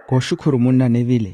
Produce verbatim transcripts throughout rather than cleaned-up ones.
Kooxukhuru munna nevile.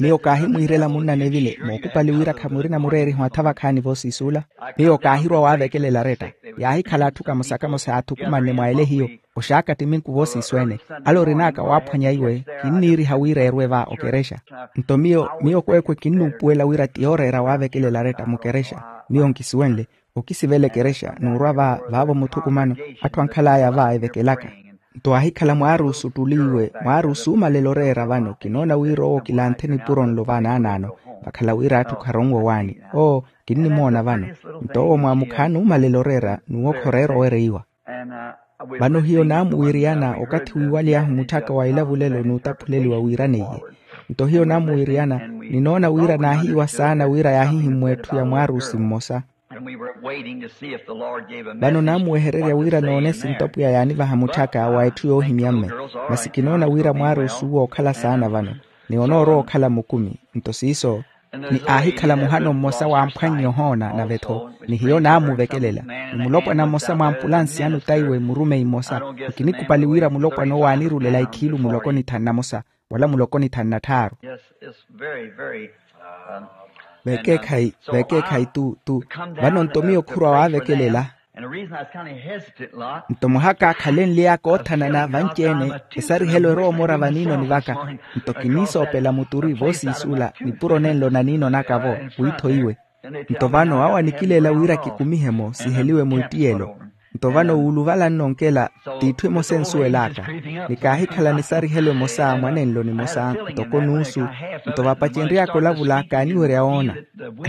Miyo kaahimwiirela munna nevile mookupali wira khamurina mureeriho atha vakhaani voosiisuula. Miyo kaahirwa waavekelela aretta. Yaahikhala atthu kamosa kamosa yaathukumanne mwa ele hiyo. Oxaaka ttiminku voosiisu ene. Ale orin'aka waaphwanya iwe kinniiriha wira erwe va okerexa. Nto miyo miyo kweekwe kinnuupuwela wira ti yooreera waavekelela aretta mukerexa. Miyo nkisuwenle okisivela ekerexa n'urwa va vaavo muthukumano. Atthu ankhal'aya va evekelaka. Nto aahikhala mwaaruusu ottuliiwe mwaaruusu oomalela oreera vano kinoona wira owo kilanthe nipuro nlo va naanaano. Vakhala wira atthu kharonwa owaani. Oo kinnimoona vano. Nto owo mwaamukhaani oomalela oreera n'uwo khoreera owereiwa. Vano hiyo naamuwiiriyana okathi wiiwaly'ahu mutthaka wa ilavulelo n'utaphuleliwa wiiraneiye. Nto hiyo naamuwiiriyana ninoona wira naahiiwa saana wira yaahihimmwa etthu ya mwaaruusi mmosa. Vano naamuwehererya wira noone sinto pwiya yaanivaha mutthaka wa etthu yoohimya mme. Masi kinoona wira mwaaruusi uwo okhala saana vano ni onoorowa okhala mukumi. Nto siiso ni aahikhala muhano mmosa wamphwannye ohoona nave-tho ni hiyo naamuvekelela ni mulopwana mmosa mwa ampulansi anu taiwe murumeyi mmosa. Nkinikupali wira mulopwana owo aanirulela ikhiilu muloko ni thanu namosa wala muloko ni thanu natthaaru. Veekeekhayi tu tu. Vano nto miyo khurwa waavekelela. Nto mwaha kaakhalenly'aka oothanana vanci-ene esarihelo erowa omora vaniinoni vaka. Nto kiniisoopela muturi voosiisuula nipuro nenlo naniinonaka-vo wiitho iwe. Nto vano awo anikileela wira kikumihe-mo siheliwe muittiyelo. Nto vano wuuluvala nnonkela t'itthu emosa ensuwel'aka. Ni kaahikhala nisarihelo emosa mwanenlo nimosa ntoko nuusu. Nto vapacenry'aka olavula kaaniwerya woona.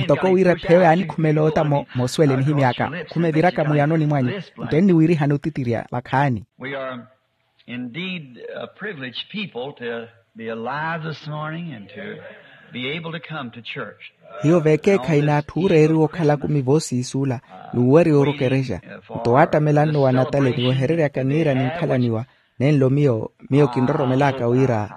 Ntoko wira epheyo yaanikhumela oota moosuwela enihimy'aka. Khumeviraka muyanoni mwanyu nto enniwiirihani otitirya vakhaani. Indeed a privileged people to be alive this morning and to be able to come to church. Hiyo veekeekhayi n'atthu ooreeriwa okhala akumi voosiisuula n'uwerya orokerexa. Nto waattamela nno wa natale niwehereryaka niira ninkhalaniwa. Nenlo miyo miyo kinroromelaaka wira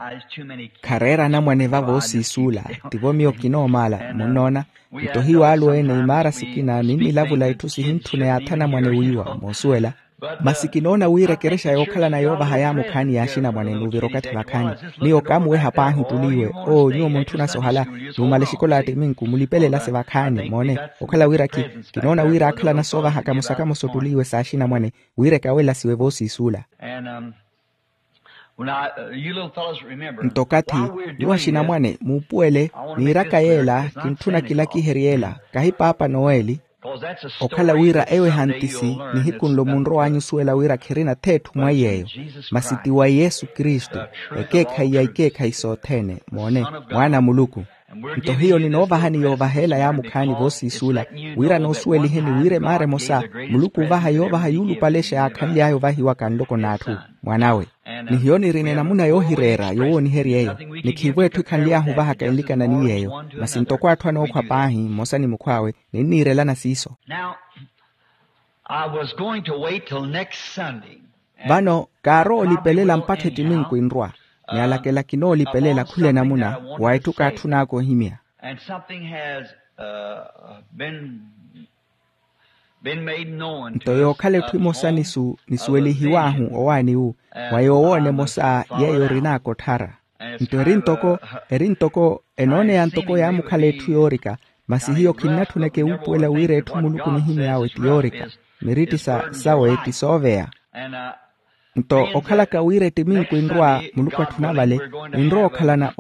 khareera anamwane va voosiisuula. Tivo miyo kinoomaala munnoona. Nto hiyo alweene imaara sikina ninnilavula itthu sihintthuna yaathi anamwane wiiwa moosuwela. Masi kinoona wira ekerexa yookhalana yoovaha yaamukhaani yaaxinamwane n'uvira okathi vakhaani. Miyo kaamuweha paahi ottuliiwe oo nyuwo muntthuna sohala. Numale exikola ya ttiminku mulipele elasi vakhaani moone. Okhala wira kinoona wira aakhalana soovahaka mosakamosa ottuliiwe saaxinamwane wira ekawelasiwe voosiisuula. Nto okathi nyuwo axinamwane muupuwele niiraka yeela kintthuna kilakiherye ela kahi paapa noeli. Okhala wira eyo ehantisi nihiku nlo munrow'anyu osuwela wira khirina th'etthu mwa iy'eyo. Masi ti wa yesu kristu ekeekhayi ya ikeekhayi sothene moone mwaana a muluku. Nto hiyo ninoovahani yoovaha ela yaamukhaani voosiisuula wira noosuweliheni wira emaara emosa muluku oovaha yoovaha yuulupale exa yaakhanly'aya ovahiwaka nloko n'atthu mwan'awe. Ni hiyo nirina enamuna yoohireera yowooniherya eyo ni khiivo etthu ekhanly'ahu ovahaka enlikana ni yeeyo. Masi ntoko atthu anookhwa paahi mmosa ni mukhw'awe ninniirelana siiso. Now I was going to wait till next Sunday. Vano kaarowa olipelela mpakha ettiminku enrwa. Ni alakela kinoolipelela khula enamuna wa etthu kaatthun'aka ohimya. And something has been been made known to us. Nto yookhala etthu emosa nisuwelihiw'ahu owaani wu mwa yoowoona emosa yeeyo orin'aka otthara. Nto eri ntoko eri ntoko enooneya ntoko yaamukhala etthu yoorika. Masi hiyo khinnatthuneke wuupuwela wira etthu muluku onihimy'awe ti yoorika. Miritti sawe ti sooveya. Nto okhalaka wira ettiminku enrwa muluku atthuna vale ninrowa okhalana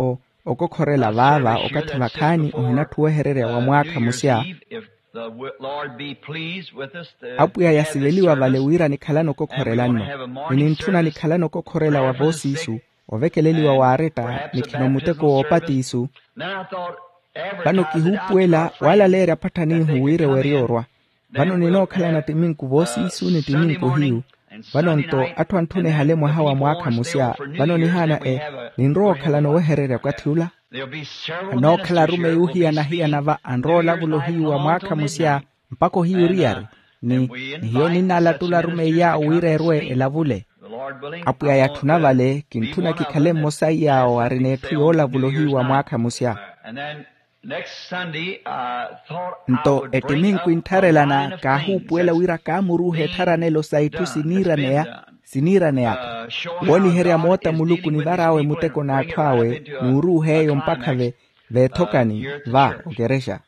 okokhorela vaava okathi vakhaani ohinatthi owehererya wa mwaakha musya. Apwiya yasiveliwa vale wira nikhalana okokhorela nno ni nintthuna nikhalana okokhorela wa voosiisu ovekeleliwa waaretta ni khino muteko woopatiisu. Vano kihuupuwela waalaleerya apatthanihu wira ewerya orwa. Vano ninookhalana ttiminku voosiisu ni ttiminku hiyu. Vano nto atthu antthuna ehale mwaha wa mwaakha musya vano nihaana e ninrowa okhalana owehererya okathi ula. Anookhala arumeyi ohiyana-hiyana va anrowa olavula ohiyu wa mwaakha musya mpakha ohiyu oriyari. Ni hiyo ninnalattula arumeyi awo wira erwe elavule. Apwiya yatthuna vale kintthuna kikhale mmosa iy'awo arina etthu yoolavula ohiyu wa mwaakha musya. Nto ettiminku enttharelana kaahuupuwela wira kaamuruuha ettharanelo sa itthu siniiraneyaka wooniherya moota muluku nivar'awe muteko n'atthu awe n'uruuha eyo mpakha veethokani va okerexa.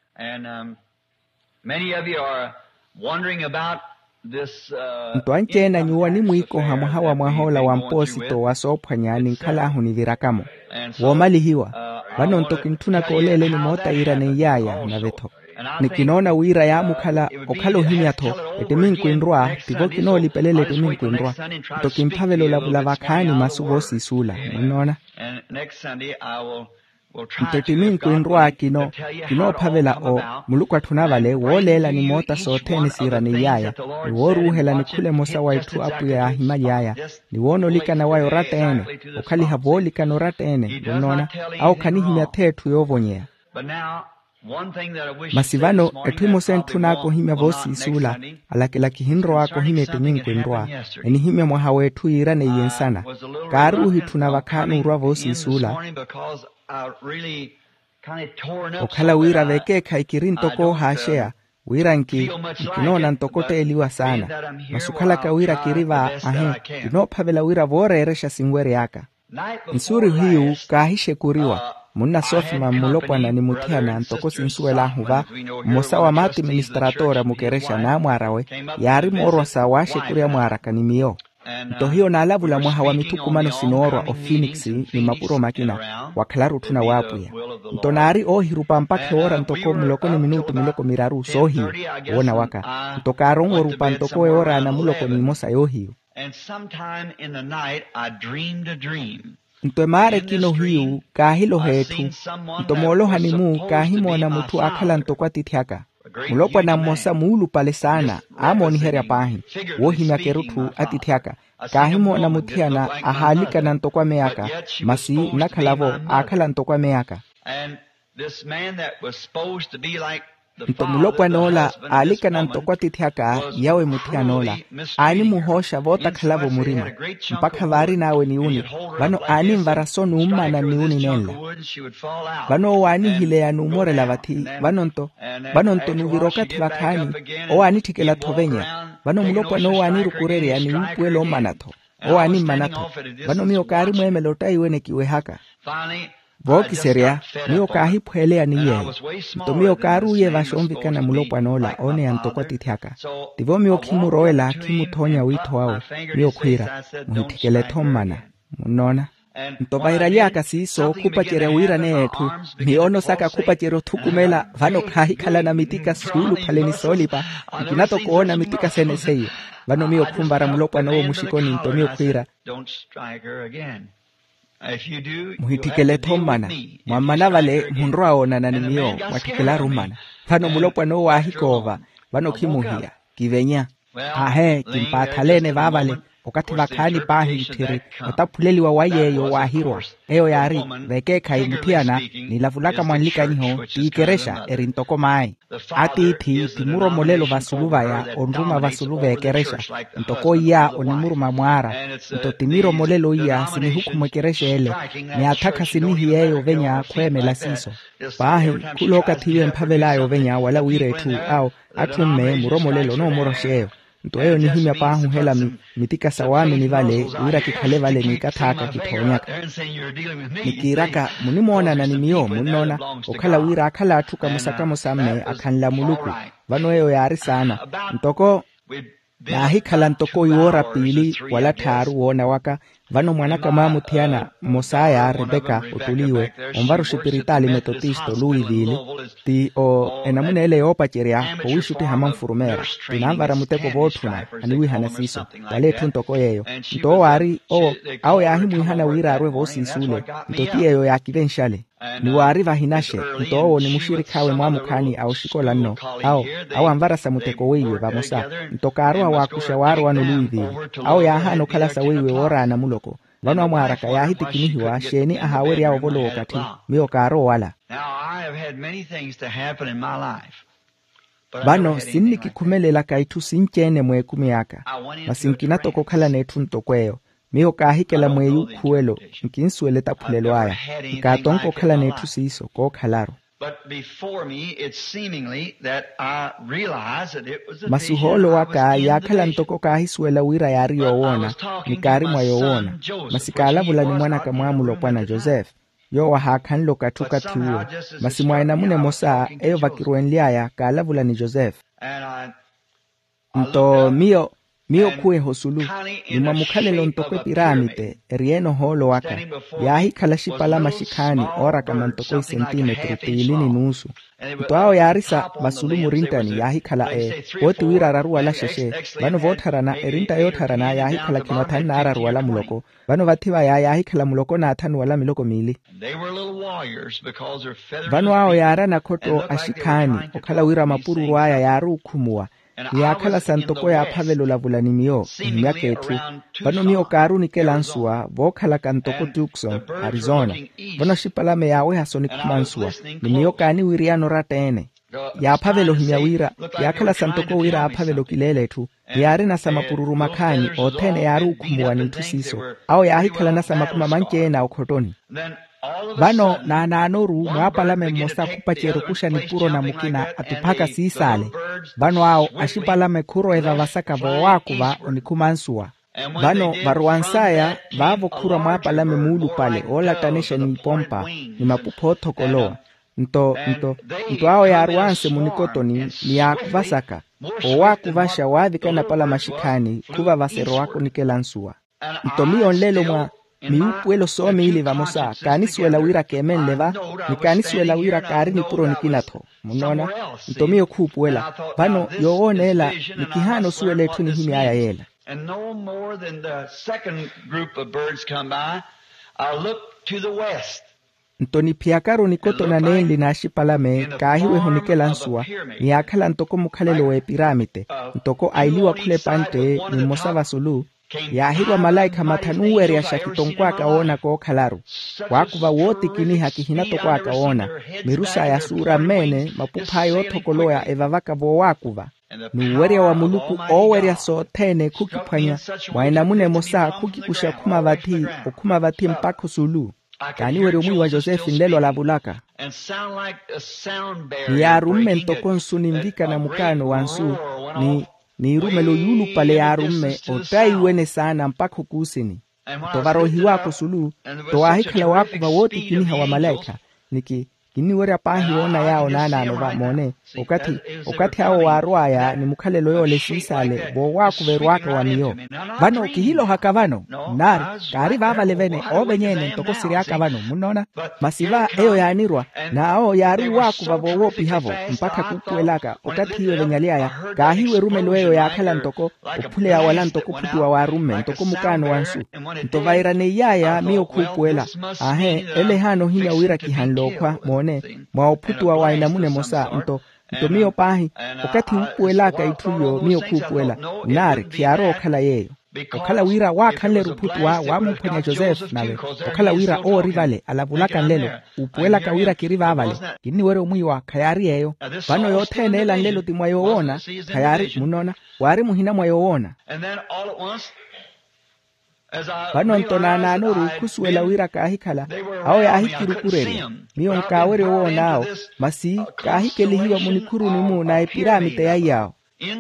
Nto anci-ene a nyuwo animwiikoha mwaha wa mwah'ola wa mpoosito wa soophwanya ninkhal'ahu niviraka-mo woomalihiwa. Vano nto kintthuna kooleeleni moota yiiraneiy'aya nave-tho ni kinoona wira yaamukhala okhala ohimya-tho. Ettiminku enrwa ttivo kinoolipelela ettiminku enrwa. Nto kimphavela olavula vakhaani masu voosiisuula munnoona. Nto ettiminku enrwa kinoophavela o muluku atthuna vale wooleela ni moota sothene siiraneiy'aya ni wooruuhela nikhula emosa wa itthu apwiya yaahimaly'aya ni woonolikana waya oratta-ene. Okhaliha voolikana oratta-ene munnoona. Awo khanihimya-tho etthu yoovonyeya. Masi vano etthu emosa entthun'aka ohimya voosiisuula alakilaki ehinrow'aka ohimya ettiminku enrwa enihimya mwaha w'etthu yiiraneiye nsana. Kaaruuhi etthuna vakhaani orwa voosiisuula okhala wira vekeekhayi kiri ntoko oohaaxeya wira nkinoona ntoko otteeliwa saana. Masi okhalaka wira kiri va ahe kinoophavela wira vooreerexa sinwery'aka. Nsuuri hiyu kaahixekuriwa munnasoothima mmulopwana ni muthiyana ntoko sinsuwel'ahu va mmosa wa maatiministratoora mukerexa n'amwaar'awe yaari moorwa sa waaxekurya mwaaraka ni miyo. Nto hiyo naalavula mwaha wa mithukumano sinoorwa ophoenix ni mapuro makina wakhalaru otthuna w'apwiya. Nto naari oohirupa mpakha ewoora ntoko muloko ni minutu miloko miraru soohiyu woona waka. Nto kaaronwa orupa ntoko ewoora ya namuloko n'imosa yoohiyu. Nto emaara ekina ohiyu kaahiloha etthu. Nto moollohani-mu kaahimoona mutthu aakhala ntoko atiithi aka. Mulopwana mmosa muulupale saana aamooniherya paahi woohimyaka erutthu atiithi aka. Kaahimoona muthiyana ahaalikana ntoko ameya aka masi nnakhala-vo aakhala ntoko ameya aka. Nto mulopwan'ola aalikana ntoko atiithi aka yawe muthiyan'ola aanimuhooxa vootakhala-vo murima mpakha vaarin'awe niwuni. Vano aanimvara so nummana nniwuni nenla. Vano owo aanihileya numorela vathi. Vano nto vano nto nuvira okathi vakhaani owo aanitthikela-tho venya. Vano mulopwan'owo aanirukurerya ni wuupuwela ommana-tho owo aanimmana-tho. Vano miyo kaarimweemela ottaiwene kiwehaka. Vookiserya miyo kaahiphweeleya ni yeeyo. Nto miyo kaaruuye vaxonvikana mulopwan'ola ooneya ntoko atiithi aka. Tivo miyo khimurowela khimuthoonya wiitho wawe. Miyo khwiira muhitthikele-tho mmana. Munnoona? Nto vairaly'aka siiso khupacerya wiiraneya etthu miyoono saka khupacerya othukumela. Vano khaahikhalana mitika suulupale ni soolipa. Nkina-tho koona mitika sene seiyo. Vano miyo khunvara mulopwan'owo muxikoni nto miyo khwiira muhitthikele-tho mmana. Mwammana vale munrowa woonana ni miyo mwatthikelaru mmana. Vano mulopwan'owo aahikoova. Vano khimuhiya kivenya. Aahe kimpaathaleene vaavale. Okathi vakhaani paahi itthiri otaphuleliwa wa yeeyo waahirwa. Eyo yaari vekeekhayi muthiyana nilavulaka mwanlikaniho t'iikerexa eri ntoko maayi. Atiithi ti muromolelo vasulu vaya onruma vasulu v'ekerexa. Ntoko iya onimuruma mwaara nto ti miromolelo iya sinihukhumwa ekerexa ele. Ni atthakha sinihiyeeyo ovenya khweemela siiso. Paahi khula okathi iwe emphavel'aya ovenya wala wira etthu awo atthu mme muromolelo onoomoroxa eyo. Nto eyo nihimya paahuhela mitika sawaamini vale wira kikhale vale n'ikatth'aka kithoonyaka. Ni kiiraka munimoonana ni miyo munnoona okhala wira akhala atthu kamosa-kamosa mme akhanla muluku. Vano eyo yaari saana ntoko naahikhala ntoko iwoora piili wala tthaaru woona waka. Vano mwanaka mwaamuthiyana mmos'aya rebeka ottuliiwe onvara oxipiritaali metotista oluwivili ti o enamuna ele yoopacerya owiixuttiha manfurumeera. Ti nanvara muteko vootthuna aniwiihana siiso wala etthu ntoko yeeyo. Nto owo aari owo awo yaahimwiihana wira arwe voosiisuule. Nto ti yeeyo yaakivenxale ni waari vahinaxe. Nto owo ni muxirikh'awe mwaamukhaani a oxikola nno awo awo anvarasa muteko weiwe vamosa. Nto kaarowa waakuxa waarowa noluwiivili awo yaahaana okhala saweiwe wooraana muloko. Vano amwaaraka yaahitikinihiwa xeeni ahaawery'awe ovolowa okathi miyo kaarowa wala. Vano sinnikikhumelelaka itthu sinci-ene mweekumi aka. Masi nkina toko okhalana etthu ntoko eyo. Miyo kaahikela mweeyo ukhuwelo nkinsuwela etaphulelo aya. Nkaatonka okhalana etthu siiso kookhalaru. But before me, it's seemingly that I realized that it was a vision. Masi ohoolo waka yaakhala ntoko kaahisuwela wira yaari yoowoona, ni kaari mwa yoowoona. Masi kaalavula ni mwanaka mwaamulo opwana josefe, yoowo ahaakhanle okathi okathi uwo. Masi mwa enamuna emosa eyo vakirwenly'aya kaalavula ni josefe. Nto miyo miyo khuweha osulu, ni mwa mukhalelo ntoko epiraamite eri-ene ohoolo waka, yaahikhala axipalame axikhaani oorakama ntoko isentimetru piili ni nuusu. Nto awo yaari sa vasulu murinttani yaahikhala e, pooti wira araruwala xexe. Vano voottharana erintta yoottharana yaahikhala khino athanu n'araruwala muloko. Vano vathi vaya yaahikhala muloko n'athanu wala miloko miili. Vano awo yaari anakhotto axikhaani okhala wira mapururu aya yaari okhumuwa, ni yaakhala sa ntoko yaaphavela olavula ni miyo ehimyaka etthu. Vano miyo kaari onikela nsuwa vookhalaka ntoko tucson, arizona. Vano axipalame yaaweha sonikhuma nsuwa, ni miyo kaaniwiriyana oratta-ene. Yaaphavela ohimya wira, yaakhala sa ntoko wira aaphavela okileela etthu. Ni yaarina sa mapururu makhaani othene yaari okhumuwa n'itthu siiso. Awo yaahikhalana sa makumi amanci-ene a okhottoni. Vano naanaanoru mwaapalame mmosa khupacerya okuxa nipuro na mukina atuphaka siisaale. Vano awo axipalame khurowa evavasaka voowaakuva onikhuma nsuwa. Vano varowans'aya, vaavo khurwa mwaapalame muulupale oolattanexa n'ipompa, ni mapupha oothokolowa. Nto nto nto awo yaarowanse munikotoni, ni yaakuvasaka. Oowaakuvaxa waavika napalame axikhaani khuvavasa erowaka onikela nsuwa. Nto miyo nlelo mwa miwuupuwelo soomiili vamosa kaanisuwela wira keemenle va, ni kaanisuwela wira kaari nipuro nikina-tho. Munnoona? Nto miyo khuupuwela. Vano yoowoona ela, ni kihaana osuwela etthu enihimy'aya yeela. And no more than the second group of birds come by, I look to the west. Nto niphiyakaru nikotona nenli n'axipalame kaahiweha onikela nsuwa, ni yaakhala ntoko mukhalelo w'epiramite, ntoko ailiwa khula epantte, ni mmosa vasulu, yaahirwa malaikha mathanu owereyaxa kitonkw'aka woona kookhalaru. Waakuva wootikiniha kihina tokwaaka woona. Miru saya suura mmeene, mapuph'aya oothokolowa evavaka voowaakuva. N'uwerya wa muluku oowerya sothene khukiphwanya, mwa enamuna emosa khukikuxa okhuma vathi okhuma vathi mpakha osulu. Kaaniwerya omwiiwa josefe nlelo alavulaka. Ni yaarumme ntoko nsu ninvikana mukaano wa nsu, ni n'irumelo yuulupale yaarumme ottaiwene saana mpakha okuusini. Nto varohiw'aka osulu, nto waahikhala waakuva wootikiniha wa malaikha. Niki kinniwerya paahi woona yaawo naanaano va moone, okathi okathi awo waarw'aya ni mukhalelo yoole siisaale voowaakuva erw'aka wa miyo. Vano kihilohaka vano, nnaari, kaari vaavale vene oovenyene ntoko siry'aka vano munnoona. Masi va eyo yaanirwa, n'awo yaari owaakuva voowoopihavo, mpakha kuupuwel'aka okathi iyo evenyaly'aya. Kaahiwa erumelo eyo yaakhala ntoko ophuleya wala ntoko ophutuwa waarumme ntoko mukaano wa nsu. Nto vaira neiy'aya miyo khuupuwela. Aahe, ele ehaana ohimya wira kihanle okhwa moone, mwa ophutuwa wa enamuna emosa. Nto nto miyo paahi, okathi wuupuwel'aka itthu iyo miyo khuupuwela. Nnaari khiyaarowa okhala yeeyo. Okhala wira waakhanle-ru ophutuwa waamumphwanya josefe nave, okhala wira owo ori vale alavulaka nlelo, uupuwelaka wira kiri vaavale. Kinniwerya omwiiwa khayaari yeeyo. Vano yothene ela nlelo ti mwa yoowoona. Khayaari munnoona, waari muhina mwa yoowoona. Vano nto naanaanoru khusuwela wira kaahikhala, awo yaahikirukurerya. Miyo nkaawerya owoon'awo, masi kaahikelihiwa munikhuruni-mu na epiramite ya iy'awo.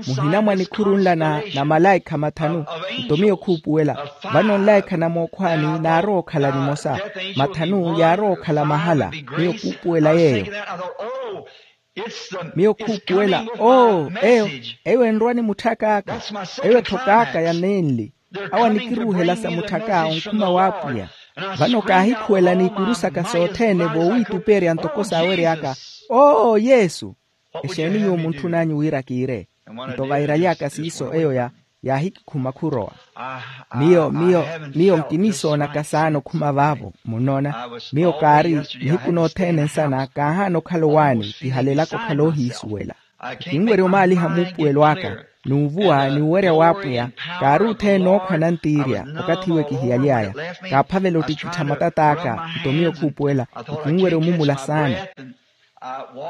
Muhina mwa nikhuru nla na malaikha mathanu. Nto miyo khuupuwela. Vano nlaikha na mookhwaani naarowa okhala nimosa, mathanu yaarowa okhala mahala. Miyo khuupuwela yeeyo. Miyo khuupuwela, oo eyo, eyo enrwa ni mutthak'aka. Eyo etthok'aka ya nenli. Awo anikiruuhela sa mutthaka onkhuma w'apwiya. Vano kaahikhuwela n'ikuru saka sothene voowiitupeerya ntoko saawery'aka, oo yesu. Exeeni nyuwo muntthun'anyu wira kiire? Nto vairaly'aka siiso eyo ya yaahikikhuma khurowa. Miyo miyo miyo nkiniisoonaka saana okhuma vaavo munnoona. Miyo kaari nihiku nothene nsana kaahaana okhala owaani kihalelaka okhala oohiisuwela. Kinwerya omaaliha muupuwelo aka n'uvuwa n'uwerya w'apwiya. Kaari othene nookhwa nantiirya okathi iwe kihiyaly'aya. Kaaphavela ottikittha matat'aka. Nto miyo khuupuwela. Kinwerya omumula saana.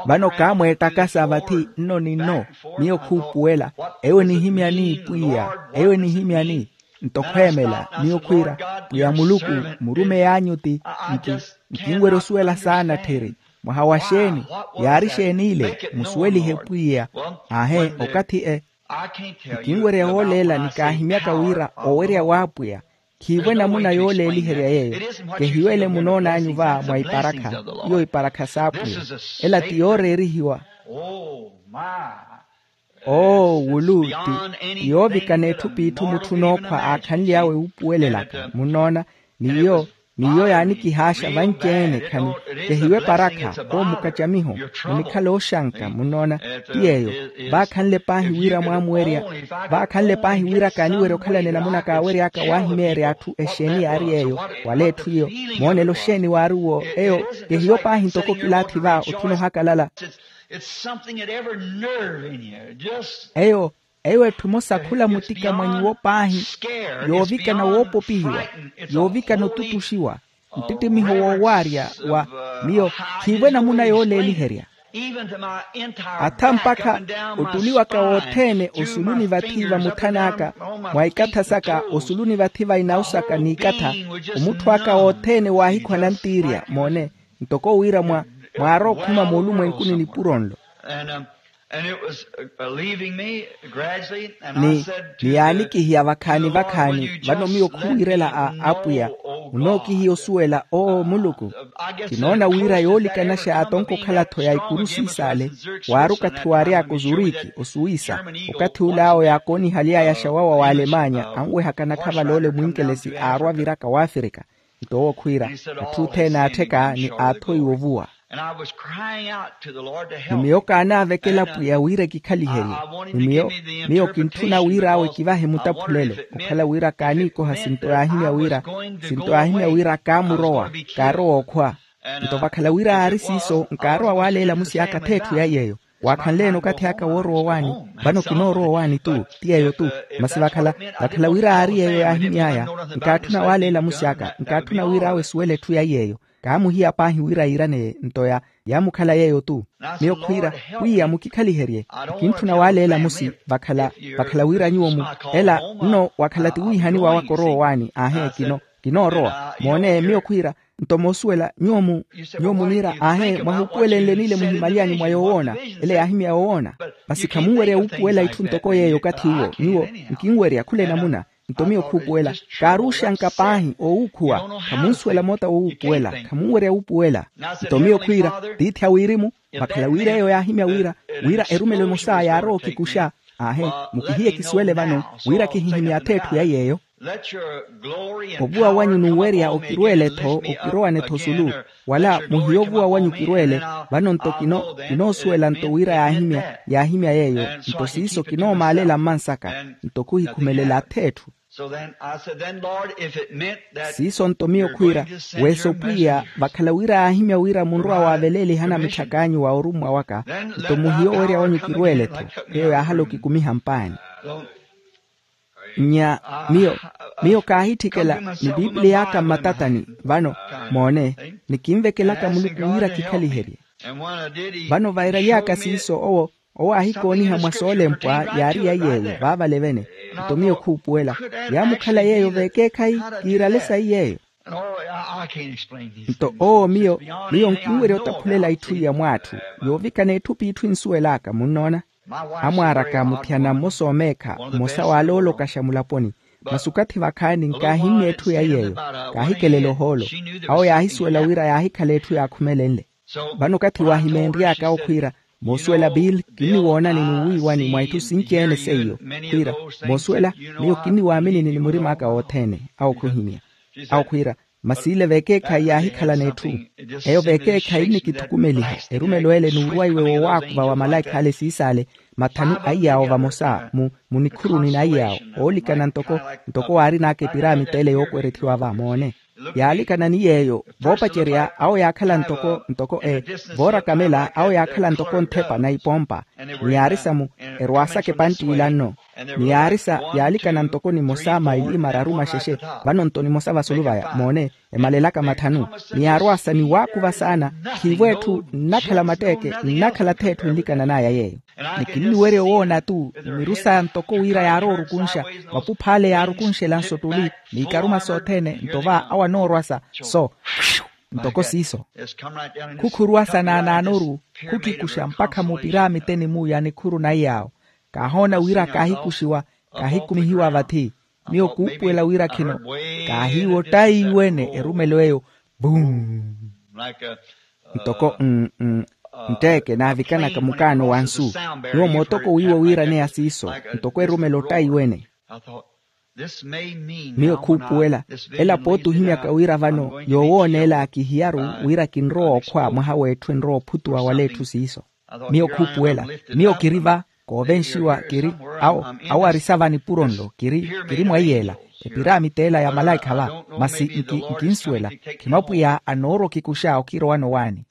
Vano kaamweettaka sa vathi nno ni nno. Miyo khuupuwela. Eyo enihimyani pwiya? Eyo enihimyani? Nto khweemela miyo khwiira, pwiya muluku, murumeyi anyu ti nkinwerya osuwela saana tthiri. Mwaha wa xeeni? Yaari xeeni ile? Musuwelihe pwiya. Aahe, okathi e nkinwerya wooleela nikaahimyaka wira owerya w'apwiya. Khiivo enamuna yooleeliherya yeeyo. Kehiyo ele munoon'anyu va mwa iparakha. Iyo iparakha s'apwiya. Ela ti yooreerihiwa. Oo wulu ti yoovikana etthu p'itthu mutthu nookhwa aakhanly'awe wuupuwelelaka munnoona. N'iyo n'iyo yaanikihaaxa vanci-ene khani. Kehiyo eparakha. Owo mukacamiho. Munikhala ooxanka munnoona. Ti yeeyo. Vaakhanle paahi wira mwaamuwerya. Vaakhanle paahi wira kaaniwerya okhalana enamuna kaawery'aka waahimeerya atthu exeeni yaari yeeyo. Wala etthu iyo. Moonelo xeeni waari uwo? Eyo kehiyo paahi ntoko kilaathi va otthuna ohakalala. It's something that every nerve in you just eyo eyo etthu emosa khula mutika mwa nyuwo paahi. Yoovikana woopopihiwa. Yoovikana otutuxiwa. Ntittimiho woowaarya wa miyo khiivo enamuna yooleeliherya. Atha mpakha ottuli waka wothene osuluni vathi va muthana aka, mwa ikatha saka osuluni vathi va inawu saka n'ikatha, omutthu aka wothene waahikhwa nantiirya moone. Ntoko wira mwa mwaarookhuma moolumwenkuni nipuro nlo. Ni ni yaanikihiya vakhaani vakhaani vano miyo khuwiirela a apwiya. Munookihiya osuwela oo muluku. Kinoona wira yoolikanaxa atonko okhala-tho ya ikuru siisale. Waari okathi waary'aka ozuriki osuwisa. Okathi ule awo yaakoonihaly'aya axawawa w'alemanya anwehakana khavaloole mwinkelesi aarwa aviraka w'afirika. Nto owo khwiira atthu othene aattheka ni aathoiwa ovuwa. Ni miyo kaanaavekela pwiya wira ekikhaliherye. Ni miyo miyo kintthuna wira awe kivahe mutaphulelo. Okhala wira kaaniikoha sinto yaahimya wira sinto yaahimya wira kaamurowa kaarowa okhwa. Nto vakhala wira aari siiso nkaarowa waaleela musi aka ath'etthu ya yeeyo. Waakhanle-ene okathi aka woorowa owaani. Vano kinoorowa owaani tu ti yeeyo tu. Masi vakhala vakhala wira aari yeeyo yaahimy'aya nkaatthuna waaleela musi aka nkaatthuna wira awe esuwele etthu ya yeeyo. Kaamuhiya paahi wira yiiraneye nto ya yaamukhala yeeyo tu. Miyo khwiira pwiya mukikhaliherye. Nkintthuna waaleela musi vakhala vakhala wira nyuwo mu ela nno wakhala ti wiihaniwa waka orowa owaani aahe kino kinoorowa moone miyo khwiira. Nto moosuwela nyuwo mu nyuwo muniira aahe mwahuupuwelenle niile muhimaly'anyu mwa yoowoona. Ele yaahimya yoowoona. Masi khamunwerya wuupuwela itthu ntoko yeeyo okathi uwo nyuwo nkinwerya khula enamuna. Nto miyo khuupuwela kaaruuxanka paahi oowuukhuwa. Khamunsuwela moota woowuupuwela khamunwerya wuupuwela. Nto miyo khwiira tiithi a wirimu vakhala wira eyo yaahimya wira wira erumelo emosa yaarowa okikuxa. Aahe mukihiye kisuwele vano wira kihihimya ath'etthu ya yeeyo. Ovuwa wanyu n'uwerya okirweele-tho okirowane-tho osulu wala muhiye ovuwa wanyu kirweele. Vano nto kinoosuwela nto wira yaahimya yaahimya yeeyo. Nto siiso kinoomaalela mmansaka nto khuhikhumelela ath'etthu. Siiso nto miyo khwiira weso pwiya vakhala wira yaahimya wira munrowa waaveleelihana mitthak'anyu wa orummwa waka. Nto muhiye owerya wanyu kirweele-tho eyo yaahala okikumiha mpaani. Nya miyo miyo kaahitthikela ni pipiliy'aka mmatatani vano moone. Ni kinvekelaka muluku wira kikhaliherye. Vano vairaly'aka siiso owo owo aahikooniha mwa soolempwa yaari ya yeeyo vaavale vene. Nto miyo khuupuwela yaamukhala yeeyo veekeekhayi kiirale sayi yeeyo. Nto owo miyo miyo nkinwerya otaphulela itthu iya mw'atthu yoovikana etthu p'itthu ensuwel'aka munnoona. Amwaar'aka muthiyana mmosa omeekha mmosa waaloolokaxa mulaponi. Masi okathi vakhaani nkaahimmya etthu ya yeeyo. Kaahikelele ohoolo. Awo yaahisuwela wira yaahikhala etthu yaakhumelenle. Vano okathi waahimeenry'aka okhwiira moosuwela bill kinniwoonani n'uwiiwani mwa itthu sinci-ene seiyo. Khwiira moosuwela miyo kinniwaaminini ni murim'aka wothene. Awo khuhimya awo khwiira masi ile veekeekhayi yaahikhalana etthu. Eyo veekeekhayi nnikithukumeliha erumelo ele n'urwaiwe woowaakuva wa malaikha ale siis'ale mathanu a iyaawo vamosa mu munikhuruni na iyaawo. Oolikana ntoko ntoko waarin'aka epiramita ele yookwerethiwa va moone. Yaalikana ni yeeyo voopacerya awo yaakhala ntoko ntoko e voorakamela awo yaakhala ntoko nthepa na ipompa. Ni yaarisa mu erwaasaka epantt'ila nno. Ni yaarisa yaalikana ntoko nimosa maili mararu maxexe. Vano nto nimosa vasulu vaya moone emalelaka mathanu. Ni yaarwaasa ni waakuva saana. Khiivo etthu nnakhala matteeke nnakhala ath'etthu enlikanan'aya yeeyo. Ni kinniwerya owoona-tu miru saya ntoko wira yaaroorukunxa mapupha ale yaarukunxela nsottuli n'ikaruma sothene nto va awo anoorwasa so. Ntoko siiso, khukhuruwa sa naanaanoru khukikuxa mpakha mupiraamiteni muuya nikhuru na iyaawo. Kaahoona wira kaahikuxiwa, kaahikumihiwa vathi. Miyo kuupuwela wira khino kaahiiwa ottayi wene erumelo eyo. Bum. Ntoko mm, mm, ntteeke naavikanaka mukaano wa nsu. Nyuwo mootoko wiiwa wiiraneya siiso ntoko erumela ottayi wene. Miyo khuupuwela ela pooti ohimyaka wira vano yoowooneela kihiyaru wira kinrowa okhwa mwaha w'etthu enrowa ophutuwa wala etthu siiso. Miyo khuupuwela, miyo kiri va koovenxiwa kiri awo, awo arisa va nipuro nlo kiri, kiri mwa iyeela epiraamita ela ya malaikha va. Masi nkinsuwela khimapwiya anoorwa okikuxa okirowano waani.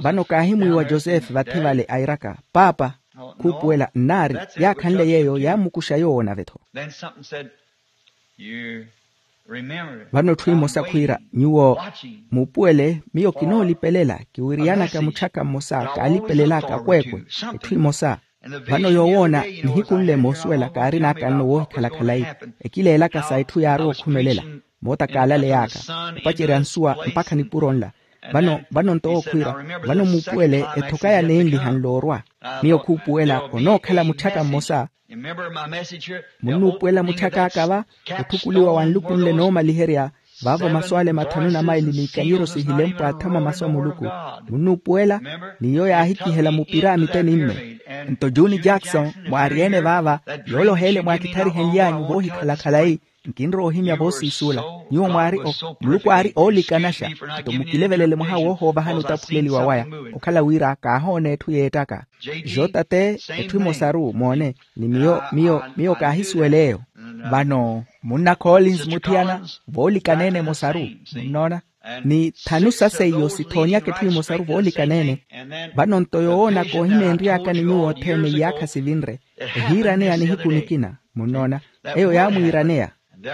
Vano kaahimwiiwa josefe vathi vale airaka paapa, khuupuwela nnaari yaakhanle yeeyo yaamukuxa yoowo nave-tho. Vano etthu emosa khwiira nyuwo muupuwele miyo kinoolipelela kiwiriyanaka mutthaka mmosa kaalipelelaka akweekwe. Etthu emosa vano yoowoona nihiku nle moosuwela kaarinaka nno woohikhala khalayi ekileelaka sa etthu yaarowa okhumelela moota kaalaleyaka opacerya nsuwa mpakha nipuro nla. Vano vano nto wookhwiira vano muupuwele ethoka ya neenliha nloorwa. Miyo khuupuwela onookhala mutthaka mmosa munnuupuwela mutthaka aka va otthukuliwa wa nluku nle noomaliherya vaavo masu ale mathanu na maili n'ikanyeryo sihilempwa athama masu a muluku. Munnuupuwela n'iyo yaahikihela mupira a miteni mme. Nto juni jackson mwaari-ene vaava yooloha ele mwaakitharihenly'anyu voohikhala khalayi. Nkinrowa ohimya voosiisuula nyuwo mwaari muluku aari oolikanaxa. Nto mukilevelele mwaha woohoovahani otaphuleliwa waya okhala wira kaahoona etthu yeettaka. Jota te etthu emosaru moone ni miyo miyo miyo kaahisuwel'eyo. Vano munna collins muthiyana voolikaneene emosaru munnoona ni thanu sa seiyo sithoonyaka etthu emosaru voolikaneene. Vano nto yoowoona koohimeenry'aka ni nyuwo othene iyaakha sivinre ehiiraneya nihiku nikina. Munnoona eyo yaamwiiraneya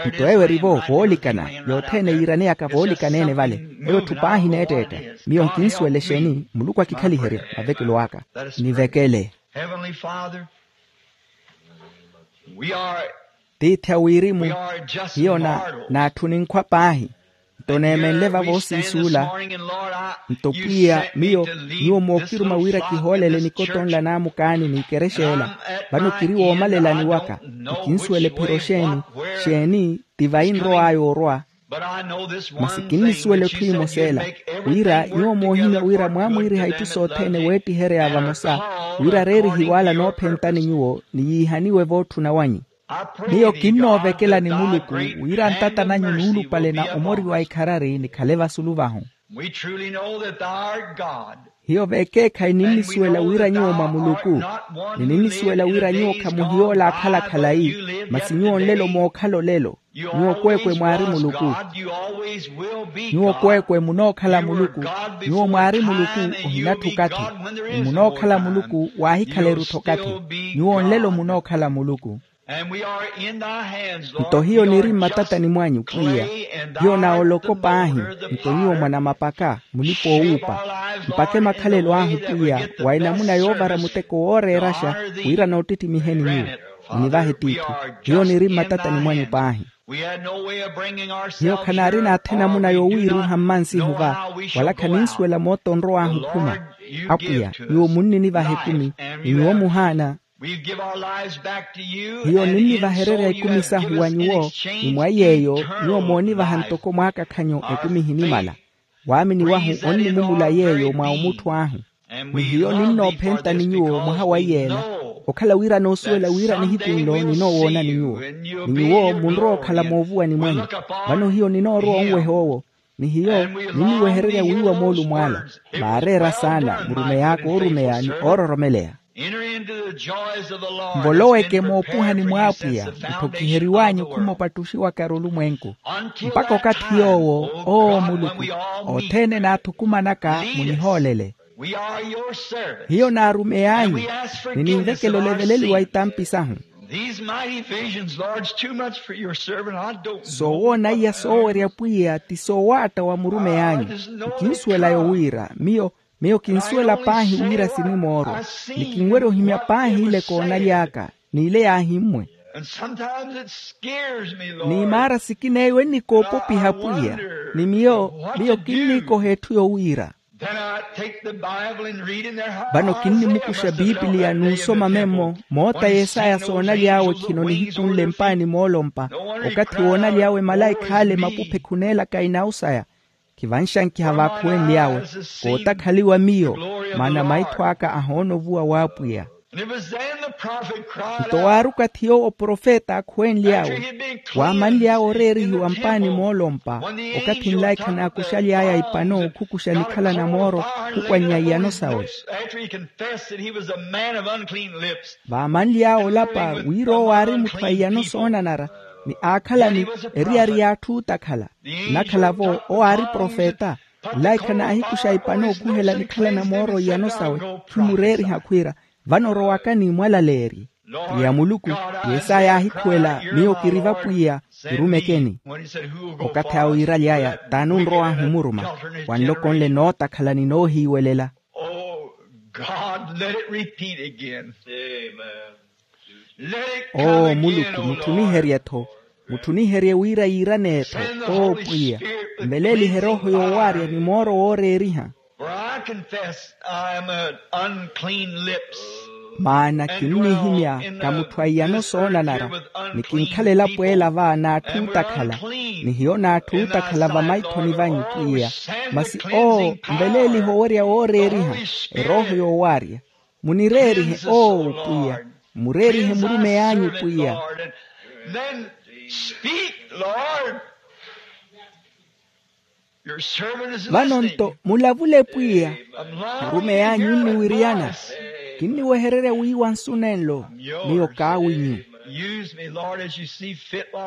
nto eyo erivo voolikana yothene yiiraneyaka voolikaneene vale. Eyo etthu paahi neetteetta miyo nkinsuwela exeeni muluku akikhaliherya mavekelo aka nivekele. Heavenly Father, we are tiithi a wirimu we are just hiyo na mortal. N'atthu ninkhwa paahi nto neemenle va voosiisuula. Nto pwiya miyo nyuwo mookiruma wira kihoolele nikotonla n'amukaani n'ikerexa ela vano kiri woomalelani waka. Nkinsuwela ephiro xeeni xeeni ti vayi nrow'aya orwa. Masi kinnisuwela etthu emosa ela wira nyuwo moohimya wira mwaamwiiriha itthu sothene weettihereya vamosa wira reerihiwaala noophentani nyuwo ni yiihaniwe vootthuna wanyu. Miyo kinnoovekelani muluku wira ntata nanyu nuulupale na omori wa ikharari nikhale vasulu vahu. Hiyo veekeekhayi ninnisuwela wira nyuwo mwa muluku ni ninnisuwela wira nyuwo khamuhiyoola akhala khalayi. Masi nyuwo nlelo mookhala olelo. Nyuwo kweekwe mwaari muluku. Nyuwo kweekwe munookhala muluku. Nyuwo mwaari muluku ohinatthu okathi ni munookhala muluku waahikhala eruttha okathi. Nyuwo nlelo munookhala muluku. Nto hiyo niri mmatatani mwanyu pwiya hiyo naoloko paahi. Nto nyuwo mwanamapaka mulipa-oowuupa mpakhe makhalelo ahu pwiya wa enamuna yoovara muteko wooreeraxa wira noottittimiheeni nyuwo. Munivahe tiithi hiyo niri mmatatani mwanyu paahi. Hiyo khanaarina athe namuna yoowiiruuha mmansihu va wala khaninsuwela moota onrow'ahu okhuma. Apwiya nyuwo munninivaha ekumi ni nyuwo muhaana. Hiyo ninnivahererya ekumi sahu wa nyuwo ni mwa iy'eyo nyuwo moonivaha ntoko mwaakakhanyo ekumi ehinimala. Waamini wahu onnimumula yeeyo mwa omuttho ahu. Ni hiyo ninnoophentani nyuwo mwaha wa iyeela okhala wira noosuwela wira nihiku nlo ninoowoonani nyuwo ni nyuwo munrowa okhala moovuwani mwanyu. Vano hiyo ninoorowa onweha owo ni hiyo ninniwehererya wiiwa moolumo ala vaareera saana murumey'aka oorumeya ni oororomeleya. Nvoloweke moopuhani mw'apwiya ntthokiheriw'anyu khumopattuxiwaka erulumwenku mpakha okathi yoowo oo muluku othene naathukumanaka munihoolele. Hiyo naarumey'anyu ni ninvekela oleveleliwa itampi sahu. Soowoona iya soowerya pwiya ti soowaatta wa murumey'anyu. Nkinsuwela yoowiira miyo miyo kinsuwela paahi wira sinimoorwa ni kinwerya ohimya paahi ile koonaly'aka n'ile yaahimmwe. Ni maara sikin'eyo ennikoopopiha pwiya. Ni miyo miyo kinniikoha etthu yowiira. Vano kinnimukuxa pipiliya n'usoma memmo moota yesaya soonaly'awe khino nihiku nle mpaani moolompa. Okathi woonaly'awe malaikha ale mapuphe khuneelaka inawu saya. Khivanxankiha vaakhuwenly'awe kootakhaliwa miyo. Maana maitho aka ahoona ovuwa w'apwiya. Nto waari okathi yoowo profeta aakhuwenly'awe waamanly'awe oreerihiwa mpaani moolompa. Okathi nlaikha naakuxaly'aya ipano okhukuxa nikhala na mooro khukwannya iyano sawe. Vaamanly'awe olapa wira owo aari mutthu a iyano soonanara ni aakhalani eriyari y'atthu ootakhala. Nnakhala-vo owo aari profeta. Nlaikha naahikuxa ipano okhuhela nikhala na mooro iyano sawe. Khimureeriha khwiira vano orowaka n'imwalaleerye. Pwiya muluku, yesaya aahikhuwela miyo kiri vapwiya. Kirumekeni. Okathi awe wiiraly'aya t'ani onrow'ahu omuruma? Wanlokonle nootakhala ni noohiiwelela. Oh god, let it repeat again. Oo muluku, mutthuniherye-tho. Mutthuniherye wira yiirane-tho. Oo pwiya, nveleelihe erooho yoowaarya ni mooro wooreeriha. For I confess I am an unclean lips. Maana kinnihimya ka mutthu a iyano soonanara. Ni kinkhala elapo ela va n'atthu ootakhala. Ni hiyo n'atthu ootakhala vamaithoni vanyu pwiya. Masi oo nveleelihe owerya wooreeriha erooho yoowaarya. Munireerihe oo pwiya. Mureerihe murumeyi anyu pwiya. Then speak, Lord. Vano nto mulavule pwiya. Murumeyi anyu onniwiriyana. Kinniwehererya wiiwa nsu nenlo. Miyo kaawinyu.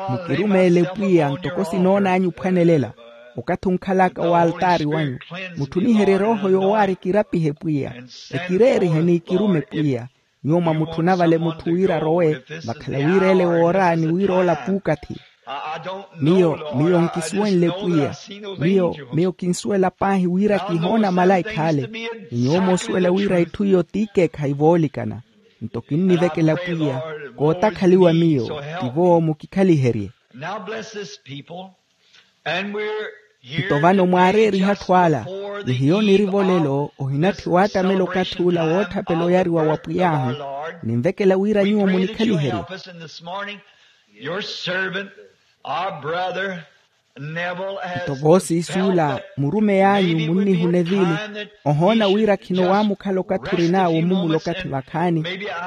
Mukirumeele pwiya ntoko sinoon'anyu ophwanelela. Okathi onkhalaka w'altaari wanyu, mutthuniherye erooho yoowaarya ekirapihe pwiya. Ekireerihe n'ikirume pwiya. Nyuwo mwamutthuna vale mutthu wira arowe vakhala wira ele woora ni wira ola puukathi. Miyo miyo nkisuwenle pwiya. Miyo miyo kinsuwela paahi wira kihoona malaikha ale. Ni nyuwo moosuwela wira itthu iyo t'ikeekhayi voolikana. Nto kinnivekela pwiya kootakhaliwa miyo. Tivo mukikhaliherye. Now bless this people. Nto vano mwaareeriha atthu ala. Ni hiyo niri-vo lelo ohinatthi waattamela okathi ula wootthapela oyariwa wa pwiy'ahu. Ninvekela wira nyuwo munikhaliherye. Nto voosiisi ula murumey'anyu munnihuna evili. Ohoona wira khino waamukhala okathi orin'awe omumula okathi vakhaani.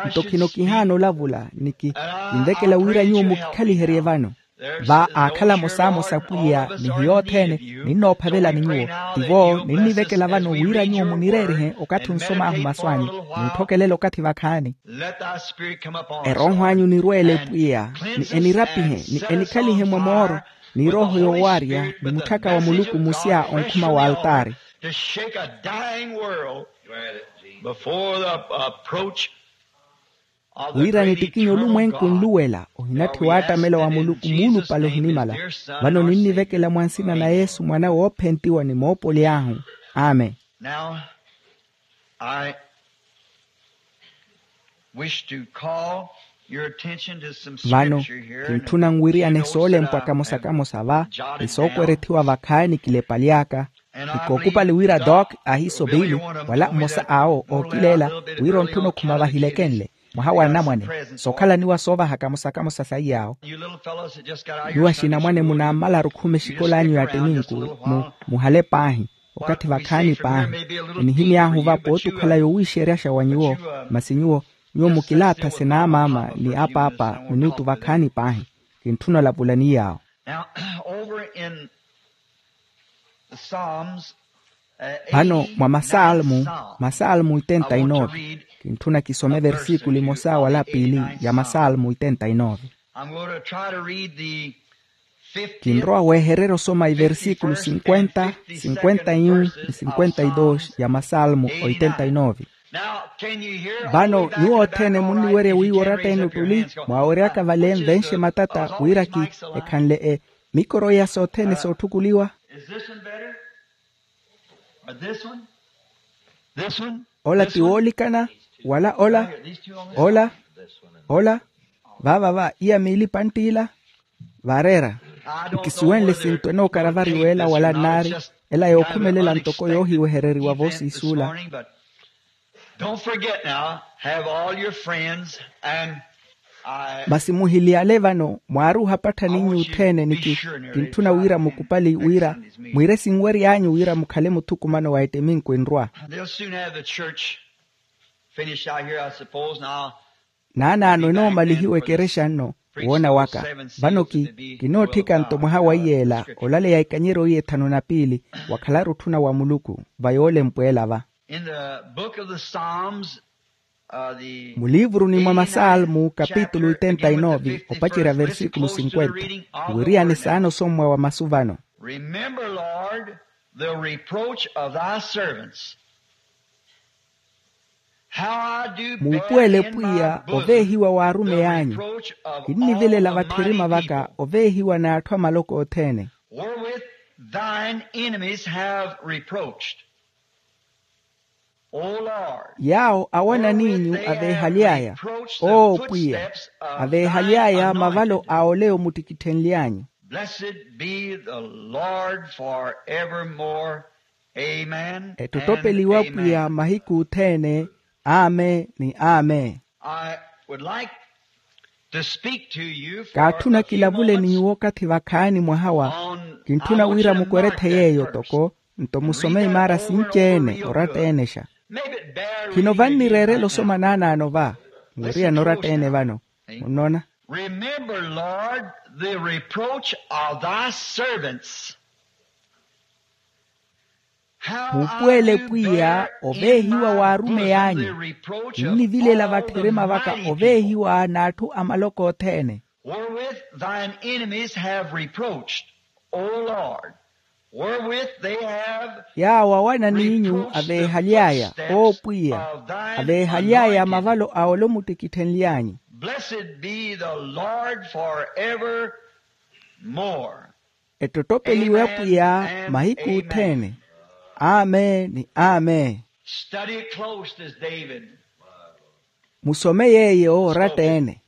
Nto khino kihaana olavula niki ninvekela wira nyuwo mukikhaliherye vano. Va aakhala amosamosa pwiya ni hiyo othene. Ninnoophavelani nyuwo. Tivo ninnivekela vano wira nyuwo munireerihe okathi onsom'ahu masu anyu. Ninthokelela okathi vakhaani. Erooho anyu nirweele pwiya ni enirapihe ni enikhalihe mwa mooro ni erooho yoowaarya ni mutthaka wa muluku musya onkhuma w'altaari. Wira nittikinye olumwenku nluwela ohinatthi waattamela wa muluku muulupale ohinimala. Vano ninnivekela mwa nsina na yesu mwana woophentiwa ni moopoli ahu. Amen. Vano kintthuna nwiriyane soolempwa kamosa kamosa va ni sookwerethiwa vakhaani kilepaly'aka. Ni kookupali wira doc ahiiso piili wala mmosa awo ookileela wira ontthuna okhuma vahilekenle mwaha wa anamwane sookhalaniwa soovahaka mosakamosa saiy'awo. Nyuwo axinamwane munaammalaru okhume exikola anyu ya ttiminku muhale paahi okathi vakhaani paahi. Enihimy'ahu va pootukhala yowiixeryaxa wa nyuwo. Masi nyuwo nyuwo mukilaatha sinaamaama ni apaapa minutu vakhaani paahi. Kintthuna olavulani yaawo. Vano mwa masalmu masalmu oitenta e nove kintthuna kisome versikulu emosa wala piili ya masalmu oitenta e nove. Kinrowa wehererya osoma iversikulu sinkwenta sinkwenta e un ni sinkwenta e dos ya masalmu oitenta e nove. Vano nyuwo othene munniwerya wiiwa oratta-ene ottuli mwaaweryaka vale nvenxe matata wira ki ekhanle e mikoro iya sothene sootthukuliwa. Ola ti woolikana wala ola ola ola Vaava va iya miili pantt'ila. Vaareera. Nkisuwenle sinto enookaravari w'ela wala nnaari, ela yookhumelela ntoko yoohiwehereriwa voosiisuula. Don't forget now, have all your friends and I. Masi muhiliyale vano mwaari ohapattha ninyu othene niki kintthuna wira mukupali wira mwiire sinwery'anyu wira mukhale muthukumano wa ettiminku enrwa. They'll soon have the church finished out here, I suppose. Now naanaano enoomallihiwa ekerexa nno. Woona waka vano ki kinootthika nto mwaha wa iyeela olaleya ekanyeryo iye thanu na piili. Wakhalaru otthuna wa muluku va yoolempwa ela va. In the book of the Psalms, uh, the muliivuruni mwa masalmu kapitulu itenta inovi opacerya versikulu sinkwenta. Wiriani saana osommwa wa masu vano. Remember, Lord, the reproach of thy servants. Muupuwele pwiya oveehiwa w'arume y'anyu. Kinnivilela vatthirima vaka oveehiwa n'atthu amaloko othene. Wherewith thine enemies have reproached, O Lord. Yaawo awananiinyu aveehaly'aya. Oo pwiya aveehaly'aya mavalo a ole omuttikitthenly'anyu. Blessed be the Lord forevermore. Amen. Ettottopeliwa pwiya mahiku othene. Amen ni amen. I would like to speak to you for kaatthuna kilavule n'uwo okathi vakhaani mwaha wa kintthuna wira mukwerethe yeeyo toko nto musome imaara sinci-ene oratta-enexa. Khino vannireerela osoma naanaano va muweriyana oratta-ene vano. Munnoona. Remember, Lord, the reproach of thy servants. Muupuwele pwiya oveehiwa w'arume y'anyu. Kinnivilela vatthirima vaka oveehiwa n'atthu amaloko othene. Wherewith thine enemies have reproached, O Lord, wherewith they have yaawo awananiinyu aveehaly'aya. Oo pwiya aveehaly'aya mavalo a ole omuttikitthenly'anyu. Blessed be the Lord forevermore. Ettottopeliwe apwiya mahiku othene. Amen ni amen. Study it close as David. Musome yeeyo oratta-ene.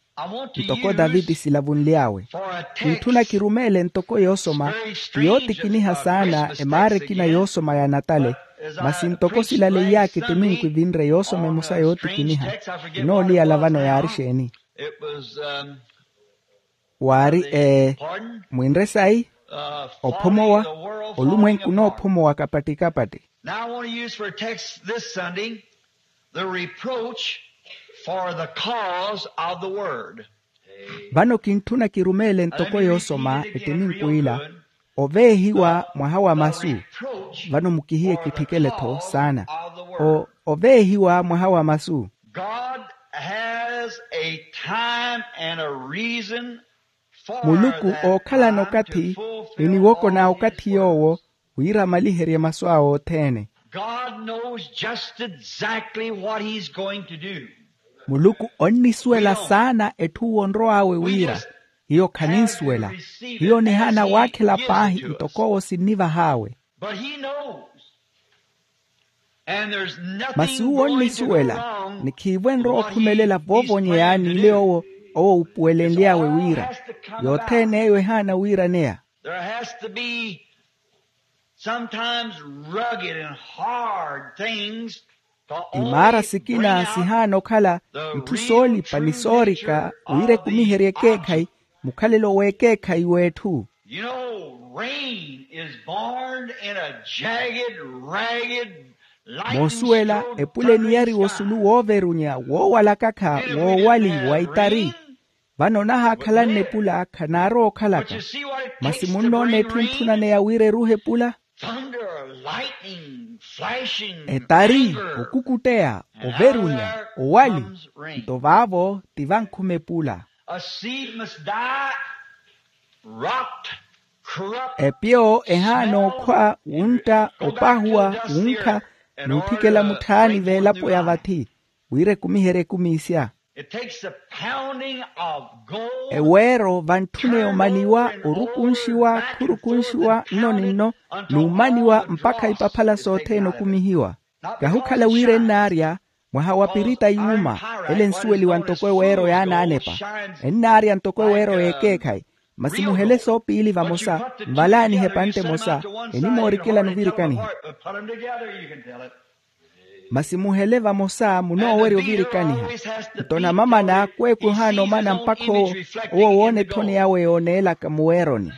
Ntoko daviti silavunly'awe kintthuna kirumeele ntoko yoosoma ti yootikiniha saana emaara ekina yoosoma ya natale. Masi ntoko silaleiy'aka ettiminku evinre yoosoma emosa yootikiniha. Kinooliyala vano yaari exeeni? Waari ee mwinre sayi? Ophomowa. Olumwenku noophomowa kapatti-kapatti. Now I want to use for a text this Sunday the reproach for the cause of the word. Vano kintthuna kirumeele ntoko yoosoma ettiminku ila oveehiwa mwaha wa masu. Vano mukihiye kitthikele-tho saana oveehiwa mwaha wa masu. God has a time and a reason. Muluku ookhalana okathi ni niwoko na okathi yoowo wira amaliherye masu awe othene. God knows just exactly what he's going to do. Muluku onnisuwela saana etthu owo onrow'awe wira. Hiyo khaninsuwela. Hiyo nihaana waakhela paahi ntoko owo sinnivah'awe. But he knows. Masi uwo onnisuwela ni khiivo enrowa okhumelela voovonyeya n'ile owo owo upuwelenly'awe wira. Yothene eyo ehaana wiiraneya. There has to be sometimes rugged and hard things. Imaara sikina sihaana okhala itthu soolipa ni soorika wira ekumiherye ekeekhayi mukhalelo w'ekeekhayi w'etthu. You know, rain is born in a jagged, ragged, moosuwela epule eniyariwa osulu wooverunya woowalakakha woowali wa itari. Vano onahaakhalanne epula khanaarowa okhalaka. Masi munnoona etthu entthunaneya wira eruhe epula. Etari, okukutteya, overunya, owali. Nto vaavo ti vankhuma epula. Epiyo ehaana okhwa wuntta opahuwa wunkha n'utthikela mutthaani veelapo ya vathi wira ekumiherye ekumiisya. Eweero vantthuna yomaniwa orukunxiwa khurukunxiwa nno ni nno n'umaniwa mpakha ipaphala sothene okumihiwa. Kahukhala wira ennaarya Mwaha wa pirita yuuma, ele ensuweliwa ntoko eweero yaanaanepa, ennaarya ntoko eweero y'ekeekhayi. Masi muhele soopiili vamosa, nvalaanihe epantte emosa, enimoorikela nuvirikaniha. Masi muhele vamosa munoowerya ovirikaniha. Nto namamana kweekwe ohaana omana mpakha owo, owo woona etthoni yawe yooneelaka muweeroni.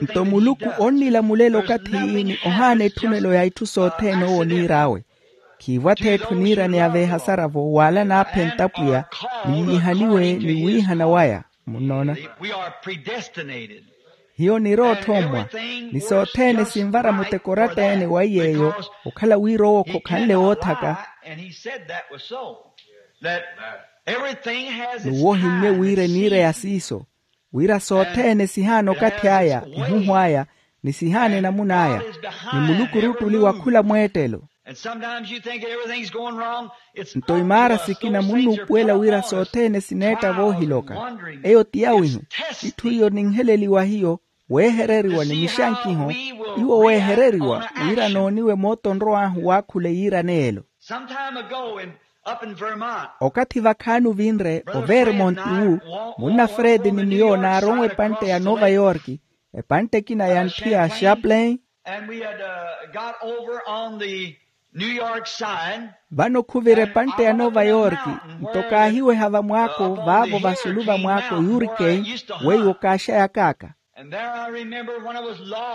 Nto muluku onnilamulela okathi ni ohaana etthunelo ya itthu sothene owo oniir'awe. Khiivwa-tho etthu eniiraneya veehasara-vo wala naaphenta apwiya, ni yiihaniwe ni wiihana waya. Munnoona? Hiyo niri otthoommwa, ni sothene sinvara muteko oratta-ene wa iy'eyo, okhala wira owo khokhanle woothaka. N'uwo ohimmye wira eniireya siiso, wira sothene sihaana okathi aya, ehuhu aya, ni sihaana enamuna aya, ni muluku ori ottuli wa khula mweettelo. Nto imaara sikina munnuupuwela wira sothene sineetta voohiloka. Eyo ti yawihu. Itthu iyo ninheleliwa hiyo, weehereriwa ni mixankiho, iwo weehereriwa wira nooniwe moota onrow'ahu waakhula eyiiraneelo. Okathi vakhaani ovinre overmont wu, munna fred ni miyo naaronwa epantte ya nova yorki, epantte ekina ya ntthiya chaplain. Vano khuvira epantte ya nova yorki, nto kaahiweha vamwaako vaavo vasulu vamwaako yurikei, weiwo kaaxayaka aka.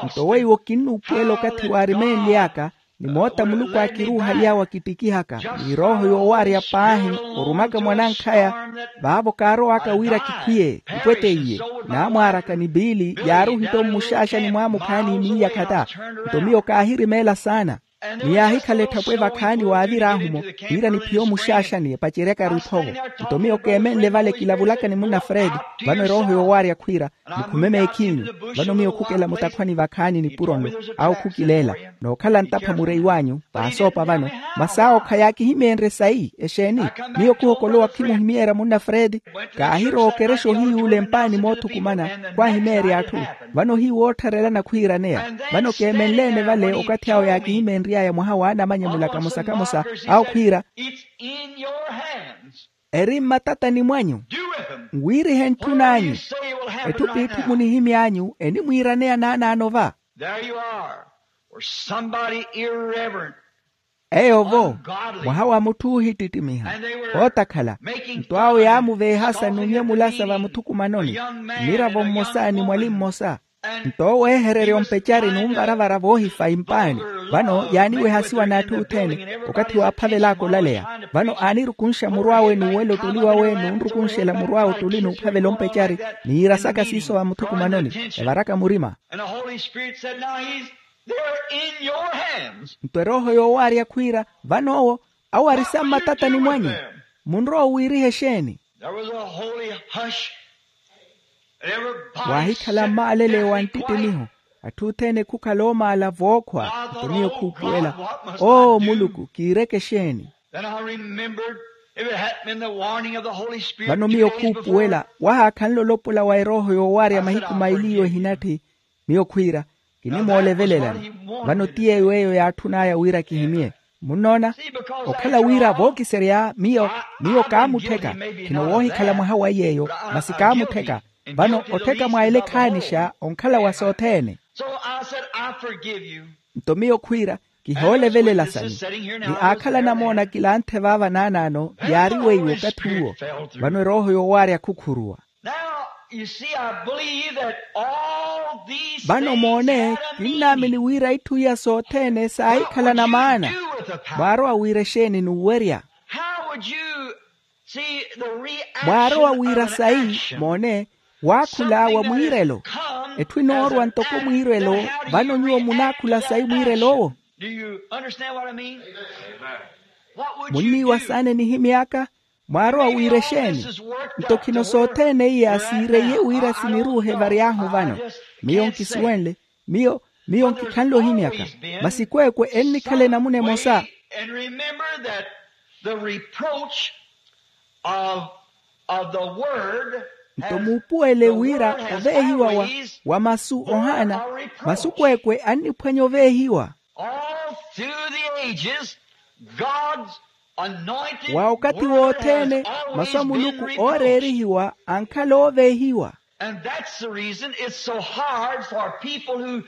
Nto weiwo kinnuupuwela okathi waarimeenly'aka, ni moota muluku aakiruuhaly'awe akittikihaka, ni erooho yoowaarya paahi, orumaka mwanankhaya. Vaavo kaarow'aka wira kikhwiye, kipwetteiye, naamwaaraka ni piili yaaruhitta ommuxaaxani mwaamukhaani miiya khata. Nto miyo kaahirimeela saana, ni yaahikhala etthapwe vakhaani waavir'ahu-mo, wira niphiye omuxaaxani epaceryaka-ru iphovo. Nto miyo keemenle vale kilavulaka ni munna fred, vano erooho yoowaarya khwiira, mukhume meekhinyu. Vano miyo khukela mutakhwani vakhaani nipuro-nlo, awo khukileela, nookhala ntapha mureyi w'anyu, paasoopa vano. Masi awo khayaakihimeenrye sayi exeeni? Miyo khuhokolowa khimuhimyeerya munna fred. Kaahirowa okerexa ohiyuula empaani moothukumana, khwaahimeerya atthu. Vano ohiiwoottharelana khwiiraneya. Vano keemenle-ene vale okathi awo yaakihimeenry'aya mwaha waanamanyamula kamosa kamosa, awo khwiira, eri mmatatani mwanyu, nwirihe ntthun'anyu. Etthu p'itthu munihimy'anyu enimwiiraneya naanaano va. Eyo-vo, mwaha wa mutthu oohittittimiha, ootakhala. Nto awo yaamuveehasa n'unyamulasa vamuthukumanoni, mmiravo mmosa ni mwali mmosa. Nto oweehererya ompecari n'unvaravara voohifa impaani. Vano yaaniwehasiwa n'atthu othene, okathi waaphavel'aka olaleya. Vano aanirukunxa muru awe n'uwela ottuli wawe n'unrukunxela muru awe ottuli n'uphavela ompecari, ni yiirasaka siiso vamuthukumanoni, evaraka murima. Nto erooho yoowaarya khwiira, vano owo, awo ari sa mmatatani mwanyu. Munrowa owiiriha exeeni? Waahikhala mmaalele wa nttittimiho. Atthu othene khukhala oomaala vookhwa. Nto miyo khuupuwela, oo muluku kiireke exeeni? Vano miyo khuupuwela wahaakhanle olopola wa erooho yoowaarya mahiku maili iwo ehinatthi. Miyo khwiira, kinimoolevelelani. Vano ti yeeyo eyo yaatthun'aya wira kihimye. Munnoona? Okhala wira vookiserya miyo, miyo kaamuttheka. Khino woohikhala mwaha wa yeeyo, masi kaamuttheka. Vano ottheka mwa ele khaanixa onkhala wa sothene. Nto miyo khwiira, kihoolevelela sani. Ni aakhala namoona kilanthe vaava naanaano yaari weiwo okathi uwo. Vano erooho yoowaarya khukhuruwa. Vano moone, kinnaamini wira itthu iya sothene saahikhala na maana. Mwaarowa wira exeeni n'uwerya? Mwaarowa wira sayi? Moone, waakhula wa mwiirelo. Etthu enoorwa ntoko mwiirelo. Vano nyuwo munaakhula sayi mwiirelo owo? Munniiwa saana enihimy'aka? Mwaarowa wira exeeni? Nto khino sothene iya siireiye wira siniruuhe varyahu vano. Miyo nkisuwenle. Miyo, miyo nkikhanle ohimyaka. Masi kweekwe ennikhala enamuna emosa. Nto muupuwele wira oveehiwa wa, wa masu ohaana, masu kweekwe anniphwanya oveehiwa. Through the ages, God's anointed wa okathi word wothene has always masu a been muluku recalled. Ooreerihiwa ankhala ooveehiwa. And that's the reason it's so hard for people who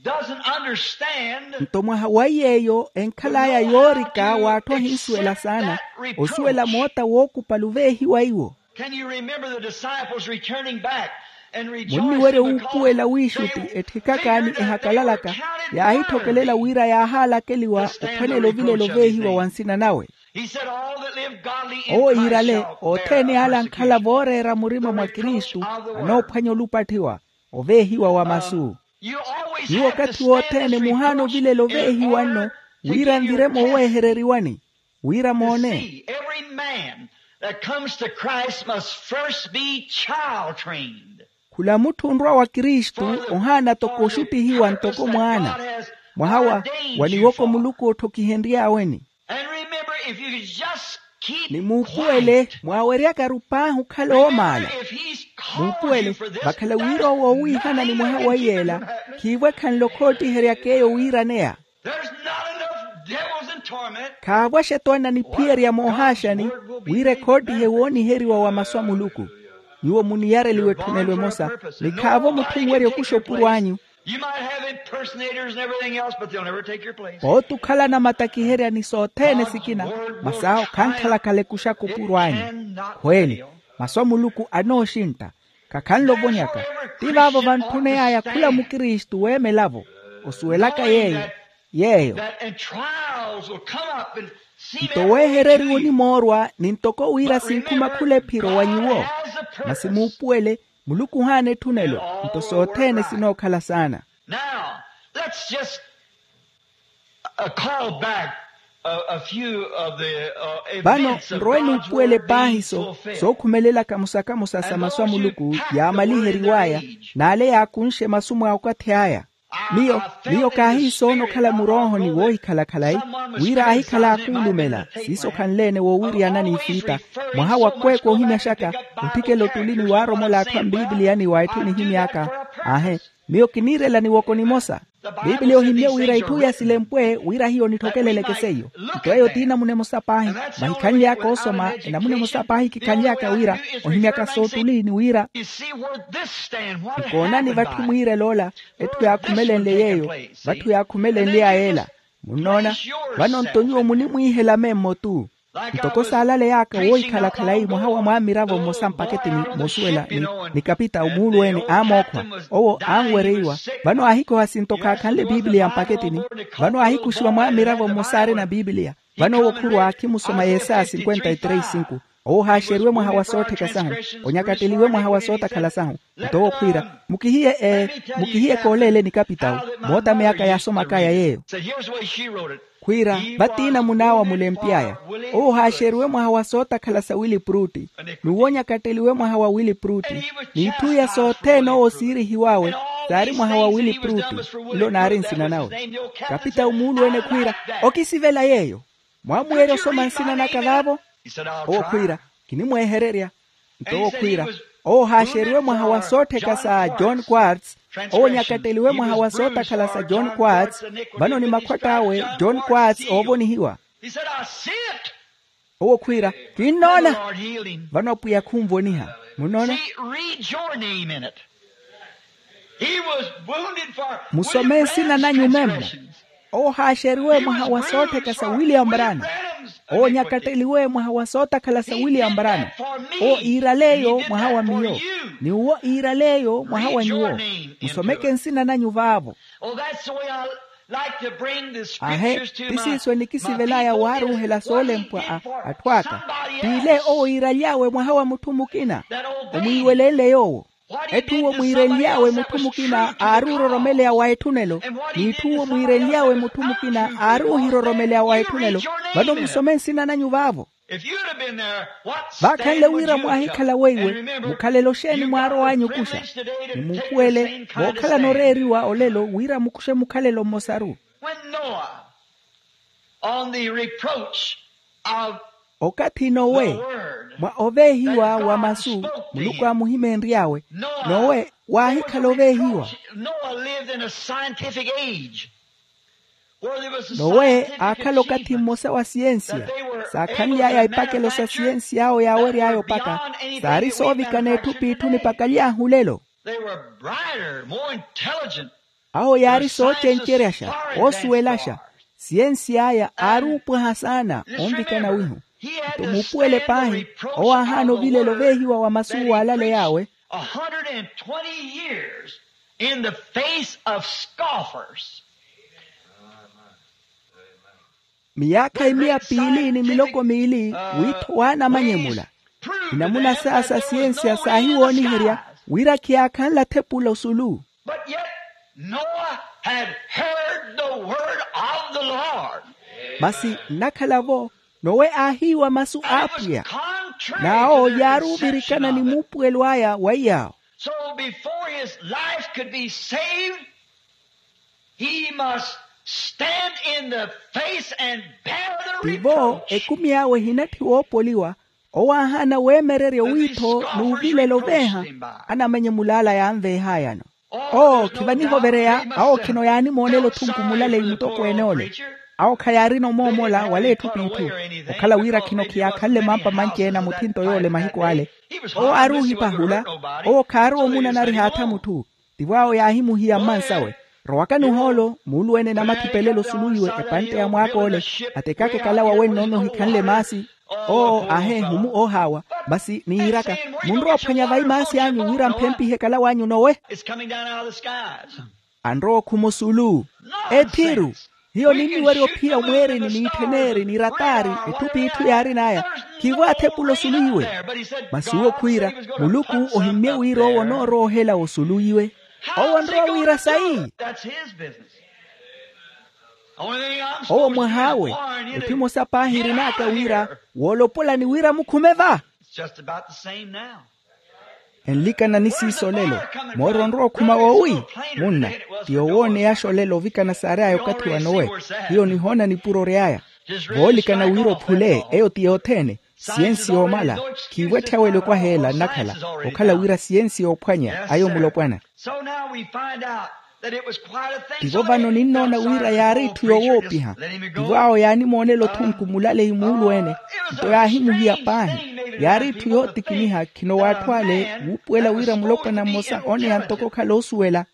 doesn't understand. Nto mwaha wa iy'eyo enkhal'aya yoorika w'atthu ahinsuwela saana osuwela moota wookupalu veehiwa iwo. Can you remember the disciples returning back and rejoicing? Munniwerya wuupuwela wiixutti etthikaka ni ehakalalaka yaahithokelela wira yaahaalakeliwa ophwanela ovilela oveehiwa wa nsina nawe. He said, all that live godly in Christ shall perish. Owo iirale othene ale ankhala vooreera murima mwa kristu anoophwanya olupatthiwa oveehiwa wa masu. Nyuwo okathi wothene muhaana ovilela oveehiwa nno wira nviremo oweehereriwani wira moone. See, every man that comes to Christ must first be child trained. Khula mutthu onrwa wa kristu ohaana toko oxuttihiwa ntoko mwaana. Mwaha wa wa niwoko muluku otthokihenry'aweni. And remember, if you could just keep ni muupuwele quiet. Mwaaweryaka-ru paahi okhala oomaala. Remember, if he's called you for this, vakhala wira owo owiihana ni mwaha wa iyeela khiivo ekhanle okhoottiheryaka eyo wiiraneya. There's not enough devils in torment. Khaavo axetoona niphiyerya moohaaxani wira ekhoottihe wooniheriwa wa masu a muluku. Nyuwo muniyareliwa etthunelo emosa ni khaavo mutthu onwerya okuxa opuro anyu. You might have impersonators and everything else, but they'll never take your place. Pootti okhalana matakiherya ni sothene sikina masi awo khankhalakhala ekuxaka opuro anyu. Khweeli masu a muluku anooxintta khakhanle ovonyaka. Ti vaavo vantthuney'aya khula mukristu weemelavo osuwelaka yeeyo yeeyo. Nto weehereriwa onimoorwa ni ntoko wira sinkhuma khula ephiro wa nyuwo. Masi muupuwele muluku ohaana etthunelo nto sothene sinookhala saana. Now, let's just uh, call back a, a few of the uh, vano nrowe nuupuwele paahi so sookhumelelaka musakamusa sa masu a muluku yaamaliheriw'aya n'ale yaakunxe masu mwa okathi aya. Miyo miyo kaahiisoona okhala muroohoni woohikhala khalayi wira aahikhala akuulumela siiso khanle-ene woowiriyana n'ifiita. Mwaha wa kweeka ohimyaxaka otthikela ottulini waaromola atthu a mpiipiliyani wa etthu enihimy'aka. Aahe miyo kiniirela niwoko nimosa. Piipiliya ohimmye wira itthu iya silempwe wira hiyo nithokeleleke seiyo. Nto eyo ti enamuna emosa paahi vahikhanly'aka osoma enamuna emosa paahi kikhanly'aka wira ohimyaka soottulini wira nkoonani vatthu mwiirel'ola etthu yaakhumelenle yeeyo vatthu yaakhumelenly'aya ela. Munnoona? Vano nto nyuwo munimwiihela memmo-tu. Ntoko saalaley'aka woohikhala khalayi mwaha wa mwaamiravo mmosa mpaketini moosuwela ni kapitawu muuluwene aamookhwa owo aanwereiwa. Vano aahikoha sinto khaakhanle piipiliya mpaketini vano aahikuxiwa mwaamiravo mmosa aarina piipiliya. Vano owo khurwa khimusoma yesaya cinquenta y três cinco owo ohaaxeriwe mwaha wa soottheka sahu onyakatteliwe mwaha wa sootakhala sahu. Nto owo khwiira mukihiye ee mukihiye kooleeleni kapitawu mootameyaka yaasomak'aya yeeyo. Khwiira vatiina munaawa mulempy'aya owo ohaaxeriwe mwaha wa sootakhala sa wili pruti n'uwo onyakatteliwe mwaha wa wili pruti n'itthu iya sothene owo siirihiw'awe saari mwaha wa wili pruti. Nlo naari nsina nawe kapitawu muuluwene khwiira okisivela yeeyo. Mwaamuweerya osoma nsina naka vaavo? Owo khwiira kinimweehererya. Nto owo khwiira owo ohaaxeriwe mwaha wa soottheka sa john quarts owo onyakatteliwe mwaha wa sootakhala sa john quarts. Vano ni makhwatt'awe john quarts oovonihiwa. Owo khwiira kinnoona. Vano apwiya khunvoniha. Munnoona? Musome nsina nanyu memmo. Owo ohaaxeriwe mwaha wa soottheka sa william brana. Owo onyakatteliwe mwaha wa sootakhala sa william brana. Owo iiraleeyo mwaha wa miyo ni uwo iiraleeyo mwaha wa nyuwo. Musomeke nsina nanyu vaavo. Ahe ti siiso enikisivel'aya waaruuhela soolempwa a atthu aka. T'ile owo iiraly'awe mwaha wa mutthu mukina. Omwiiwelenle yoowo. Etthu uwo mwiirenly'awe mutthu mukina aari ororomeleya wa etthunelo. N'itthu uwo mwiirenly'awe mutthu mukina aari ohiroromeleya wa etthunelo. Vano musome nsina nanyu vaavo. Vaakhanle wira mwaahikhala weiwe mukhalele oxeeni mwaarow'anyu okuxa. Ni muupuwele vookhalana oreeriwa olelo wira mukuxe mukhalelo mmosaru. When noah on the reproach of okathi nowe mwa oveehiwa wa masu muluku aamuhimeenry'awe. Nowe waahikhala oveehiwa. Noah lived in a scientific age. Nowe aakhala okathi mmosa wa siyensiya. Saakhanly'aya epakelo sa siyensiya awo yaawery'aya opaka. Saari soovikana etthu p'itthu nipakaly'ahu olelo. Awo yaari soocenceryaxa, oosuwelaxa. Siyensi aya aari oopwaha saana onvikana wihu. Nto muupuwele paahi, owo aahaana ovilelo veehiwa wa masu waalaleya awe. A hundred and twenty years in the face of scoffers. Miyaakha imiya piili ni miloko miili, wiitho w'anamanyemula. Inamuna saya sa siyensiya saahiwooniherya wira khiyaakhanla thepula osulu. But yet Noah had heard the word of the Lord. Masi nnakhala-vo, nowe aahiiwa masu a apwiya. N'awo yaari ovirikana ni muupuwelo aya wa iyaawo. So before his life could be saved, he must stand in the face and bear the reproach. Tivo ekumi awe ehinatthi woopoliwa, owo aahaana weemererya owiitho n'uvilelo veeha anamanyemula ala yaanveehayano. Oo khivanihovereya, awo khino yaanimoonela othunku mulaleyi mutokweene ole. Awo khayaarina omoomola wala etthu p'itthu, okhala wira khino khiyaakhanle mampa manci-ene a muthinto yoole mahiku ale. Owo aari ohipahula, owo khaari omunanariha atha mutthu. Tivo awo yaahimuhiya mmansawe, rowakani ohoolo muuluwene namathipelelo osuluwiwe epantte ya mwaak'ole. Atekaka ekalawa wennoona ohikhanle maasi. Oo aheehumu oohaawa. Masi niiraka, munrowa ophwanya vayi maasi anyu wira mphempihe ekalawa anyu nowe. Anrowa okhuma osulu. Ethiru. Hiyo ninniwerya ophiya omweerini n'itthen'eri ni rataari, etthu p'itthu yaarin'aya. Khiivo athepula osulu iwe. Masi uwo khwiira, muluku ohimmye wira owo onoorowa ohela osulu iwe. Owo onrowa wira sayi. Owo mwah'awe. Etthu emosa paahi erin'aka wira, woolopola ni wira mukhume va. Enlikana ni siiso olelo. Moori onrowa okhuma woowi? Munna, ti yowooneyaxa olelo ovikana saary'aya okathi wa nowe. Hiyo nihoona nipuro ry'aya. Voolikana wira ophule eyo ti yothene. Siyensi yoomala. Khiivo etthya wele okwaheela nnakhala, okhala wira siyensi yoophwanya ayo mulopwana. Tivo vano ninnoona wira yaari itthu yowoopiha. Tivo awo yaanimoonela othunku mulaleyi muulweene. Nto yaahimuhiya paahi. Yaari itthu yootikiniha khino w'atthu ale wuupuwela wira mulopwana mmosa oneya ntoko okhala oosuwela.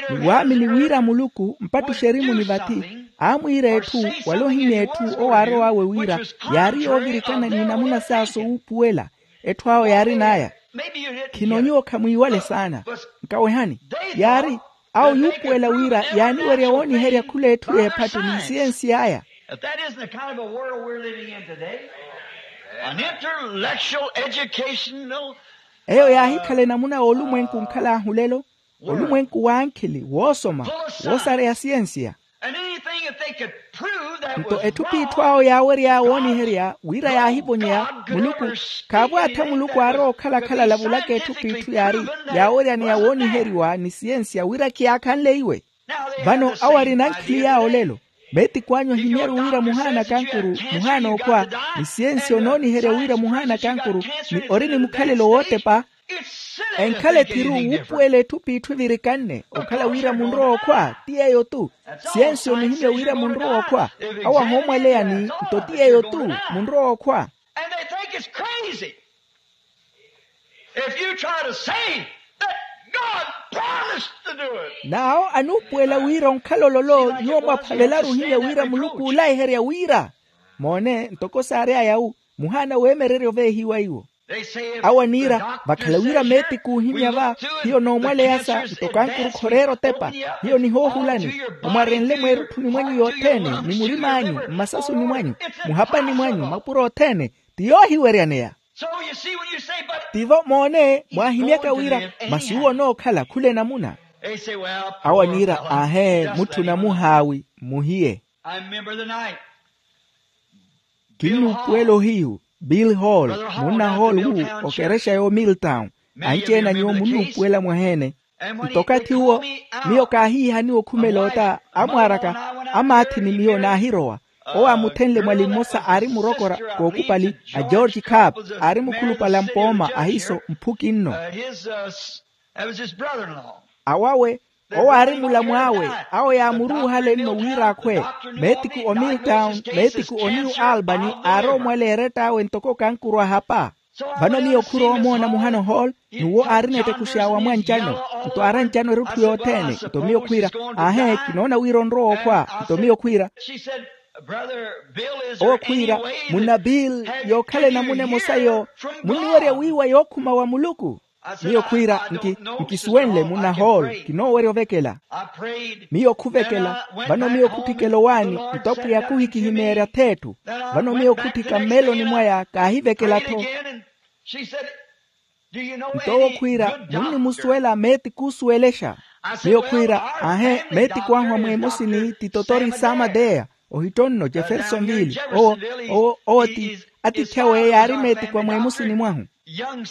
Ni waamini wira muluku mpattuxa erimuni vathi, aamwiira etthu wala ohimya etthu owo aarow'awe wira yaari yoovirikana n'inamuna saaso wuupuwela. Etthu awo yaarin'aya. Khino nyuwo khamwiiwale saana. Nkawehani. Yaari, awo yuupuwela wira yaaniwerya wooniherya khula etthu y'ephattu ni siyensi aya. If that isn't the kind of a world we're living in today, an intellectual, educational, eyo yaahikhala enamuna y'olumwenku nkhal'ahu lelo. Olumwenku w'ankhili woosoma, woosareya siyensiya. And anything that they could prove that was wrong, nto etthu p'itthu awo yaawery'aya wooniherya wira yaahivonyeya muluku. Khaavo attha muluku aarowa okhalakhala lavulaka etthu p'itthu yaari yaaweryaneya wooniheriwa ni siyensiya wira khiyaakhanle iwe. Vano awo arina nkhili yaawo lelo. Meetiku anyu ahimyaru wira muhaana kankuru, muhaana okhwa, ni siyensi onooniherya wira muhaana kankuru, ni ori ni mukhalelo wootepa. Enkhala ethiru wuupuwela etthu p'itthu evirikanne okhala wira munrowa okhwa ti yeeyo-tu. Siyensi onihimya wira munrowa okhwa. Awo ahoomwaleyani nto ti yeeyo-tu munrowa okhwa. And they think it's crazy if you try to say that God promised to do it. N'awo anuupuwela wira onkhala ololo nyuwo mwaphavelaru ohimya wira muluku oolayiherya wira. Moone ntoko saary'aya wu muhaana weemererya oveehiwa iwo. Awo aniira vakhala wira meetiku ohimya va, hiyo noomwaleya sa nto kankuru khoreera otepa. Hiyo nihoohulani omwarenle mweerutthuni mwanyu yothene ni murim'anyu mmasasuni mwanyu, muhapani mwanyu mapuro othene. Ti yoohiweryaneya. Tivo moone mwaahimyaka wira masi uwo onookhala khula enamuna. Awo aniira aahe, mutthuna muhaawi mmuhiye. Kinnuupuwela ohiyu bill hall, munna hall wu okerexa yo milltown. Anci-ene a nyuwo munnuupuwela mwaheene. Nto okathi uwo miyo kaahiihaniwa okhumela ota amwaaraka amaathi ni miyo naahirowa. Owo aamuthenle mwali mmosa aari murokora kookupali a george cap, aari mukhulupale a mpooma ahiso mphuki nno. Awawe Owo aari mulamw'awe. Awo yaamuruuhale nno wira akhwe. Meetiku o milltown, meetiku o new albany aarowa omwaleya erett'awe ntoko okankuru ahapa. Vano miyo khuro omoona muhano hall, n'uwo aarina etekux'awe amwanci ano. Nto aarancano erutthu yothene. Nto miyo khwiira, aahe, kinoona wira onrowa okhwa. Nto miyo khwiira, owo khwiira, munna bill, yookhala enamuna emosa yo, munniwerya wiiwa yookhuma wa muluku? Miyo khwiira, nkisuwenle munna hall, kinoowerya ovekela. Miyo khuvekela. Vano miyo khutthikela owaani, nto apwiya khuhikihimeerya th'etthu. Vano miyo khutthika mmeloni mwaya kaahivekela-tho. Nto owo khwiira, munnimusuwela meeti khuusuwelexa? Miyo khwiira, aahe, meeti khwahu a mweemosini ti totori samadeya, ohittonno jeffersonville. Owo owo owo ti, atiithi awe yaari meeti khwa mweemosini mwahu.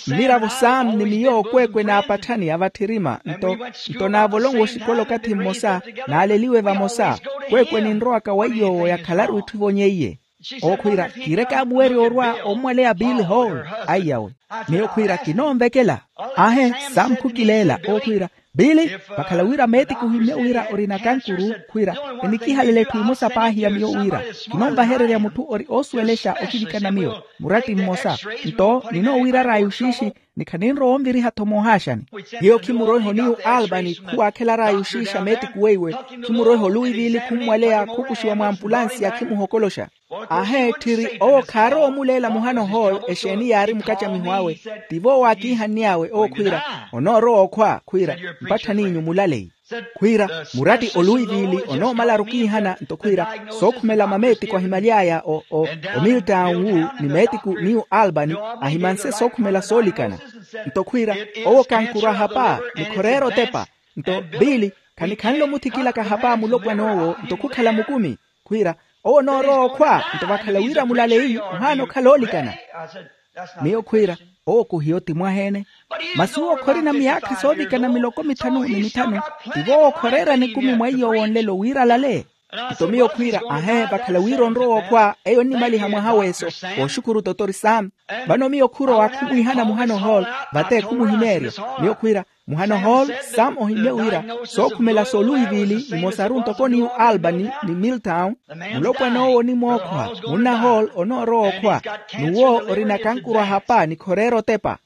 Mmiravo saamu ni miyo okweekwe naapatthani avatthirima nto nto naavolonwe oxikola okathi mmosa, naaleliwe vamosa. Kweekwe ninrowaka wa iy'owo yakhalaru itthu ivonyeiye. Owo khwiira, kiireke amuwerya orwa ommwaleya bill hall. Aiyawe. Miyo khwiira kinoonvekela. Aahe, saamu khukileela. Owo khwiira, bill, vakhala wira meetiku ohimmye wira orina kankuru khwiira, enikihalela etthu emosa paahi ya miyo wira, kinoonvahererya mutthu ori oosuwelexa okivikana miyo muratti mmosa. Nto ninoowirar'aya oxiixi, ni khaninrowa onviriha-tho moohaaxani. Hiyo khimuroiha oniyu albany khuwaakhelar'aya oxiixa meetiku weiwe. Khimuroiha oluwivili khummwaleya khukuxiwa mwampulansiya khimuhokoloxa. Aahe tthiri owo khaarowa omuleela muhano hall exeeni yaari mukacamiho awe. Tivo owo aakiihann'awe owo khwiira, onoorowa okhwa khwiira, mpatthaniinyu mulaleyi. Khwiira, muratti oluwivili onoomalaru okiihana nto khwiira, sookhumela mameetiku ahimaly'aya o o o milltown wu ni meetiku new albany, ahimanse sookhumela soolikana. Nto khwiira, owo kankuru ahapa ni khoreera otepa. Nto biili, khanikhanle omuthikilaka ahapa a mulopwan'owo nto khukhala mukumi. Khwiira, owo onoorowa okhwa nto vakhala wira mulaleyi ohaana okhala oolikana. Miyo khwiira, owo khuhiyo ti mwaheene. Masi owo khorina miyaakha soovikana miloko mithanu ni mithanu. Tivo owo khoreera nikumi mwa iy'owo nlelo wira alale. Nto miyo khwiira, ahe, vakhala wira onrowa okhwa eyo onnimaliha mwaha weeso. Wooxukuru totori saamu. Vano miyo khurowa khumwiihana muhano hall, vate khumuhimeerya. Miyo khwiira, muhano hall, saamu ohimmye wira sookhumela sooluwivili nimosaru ntoko niyu albany ni milltown. Mulopwan'owo onimwookhwa, munna hall onoorowa okhwa. N'uwo orina kankuru ahapa ni khoreera otepa.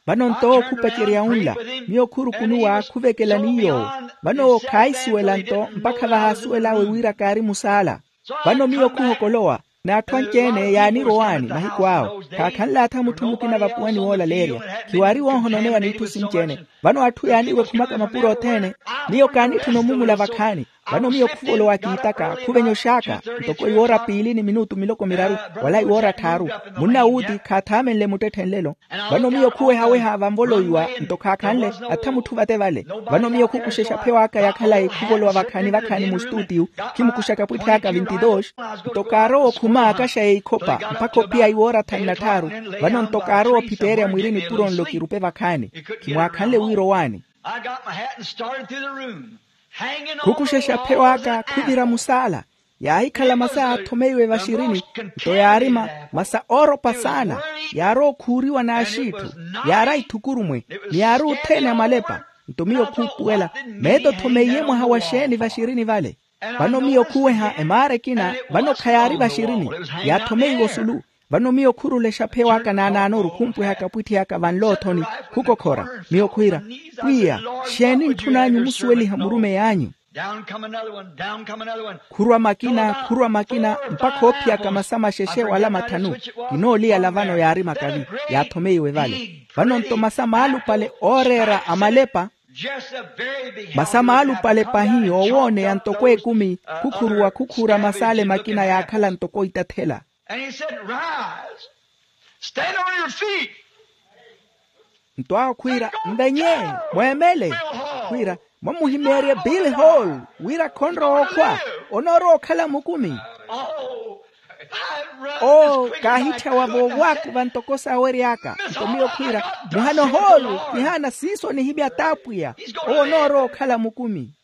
Vano nto owo khupecerya unla. Miyo khurukunuwa khuvekela n'iy'owo. Vano owo khaahisuwela nto mpakha vahaasuwel'awe wira kaari musaala. Vano miyo khuhokolowa, n'atthu anci-ene yaanirowaani mahiku awo. Khaakhanle atha mutthu mukina vapuwani woolaleerya. Khiwaari woohononeya n'itthu sinci-ene. Vano atthu yaaniiwa ekhumaka mapuro othene. Miyo kaanitthuna omumula vakhaani. Vano miyo khuvolowa kiitaka khuvenya oxaaka. Ntoko iwoora piili ni minutu miloko miraru, wala iwoora tthaaru. Munna wuuti khaathaamenle muttetthe nlelo. Vano miyo khuwehaweha vanvolowiwa nto khaakhanle. Attha mutthu vate vale. Vano miyo khukuxa exaphewa aka ya khalayi khuvolowa vakhaani vakhaani mustuutiyu. Khimukuxa kapwitthi aka vinti dos. Nto kaarowa okhuma akaxa ya ikhopa mpakha ophiya iwoora thanu na tthaaru. Vano nto kaarowa ophiteerya mwirini puro nlo kirupe vakhaani. Khimwaakhanle wira owaani. Khukuxa exaphewa aka khuvira musaala. Yaahikhala masa yaathomeiwe vaxirini. Nto yaari masa ooropa saana. Yaarowa okhuuriwa n'axiitthu. Yaari aithukurumwe. Ni yaari othene amalepa. Nto miyo khuupuwela, meeto othomeiye mwaha wa xeeni vaxirini vale? Vano miyo khuweha emaara ekina. Vano khayaari vaxirini. Yaathomeiwe osulu. Vano miyo khurula exaphewa aka naanaanoru khumpweha kapwitthi aka vanloothoni. Khukokhora. Miyo khwiira, pwiya, xeeni ntthun'anyu omusuweliha murumeyi anyu? Khurwa makina khurwa makina mpakha oophiyaka masa maxexe wala mathanu. Kinooliyala vano yaari makavi. Yaathomeiwe vale. Vano nto masa maalupale ooreera amalepa. Masa maalupale pahi oowooneya ntoko ekumi. Khukhuruwa khukhuura mas'ale makina yaakhala ntoko itathela. Nto awo khwiira, nvenye, mweemele. Khwiira, mwamuhimeerye bill hall wira khonrowa okhwa, onoorowa okhala mukumi. Oo, kaahitthyawa voowakuva ntoko saawery'aka. Nto miyo khwiira, muhano hall, kihaana siiso onihimya t'apwiya. Owo onoorowa okhala mukumi.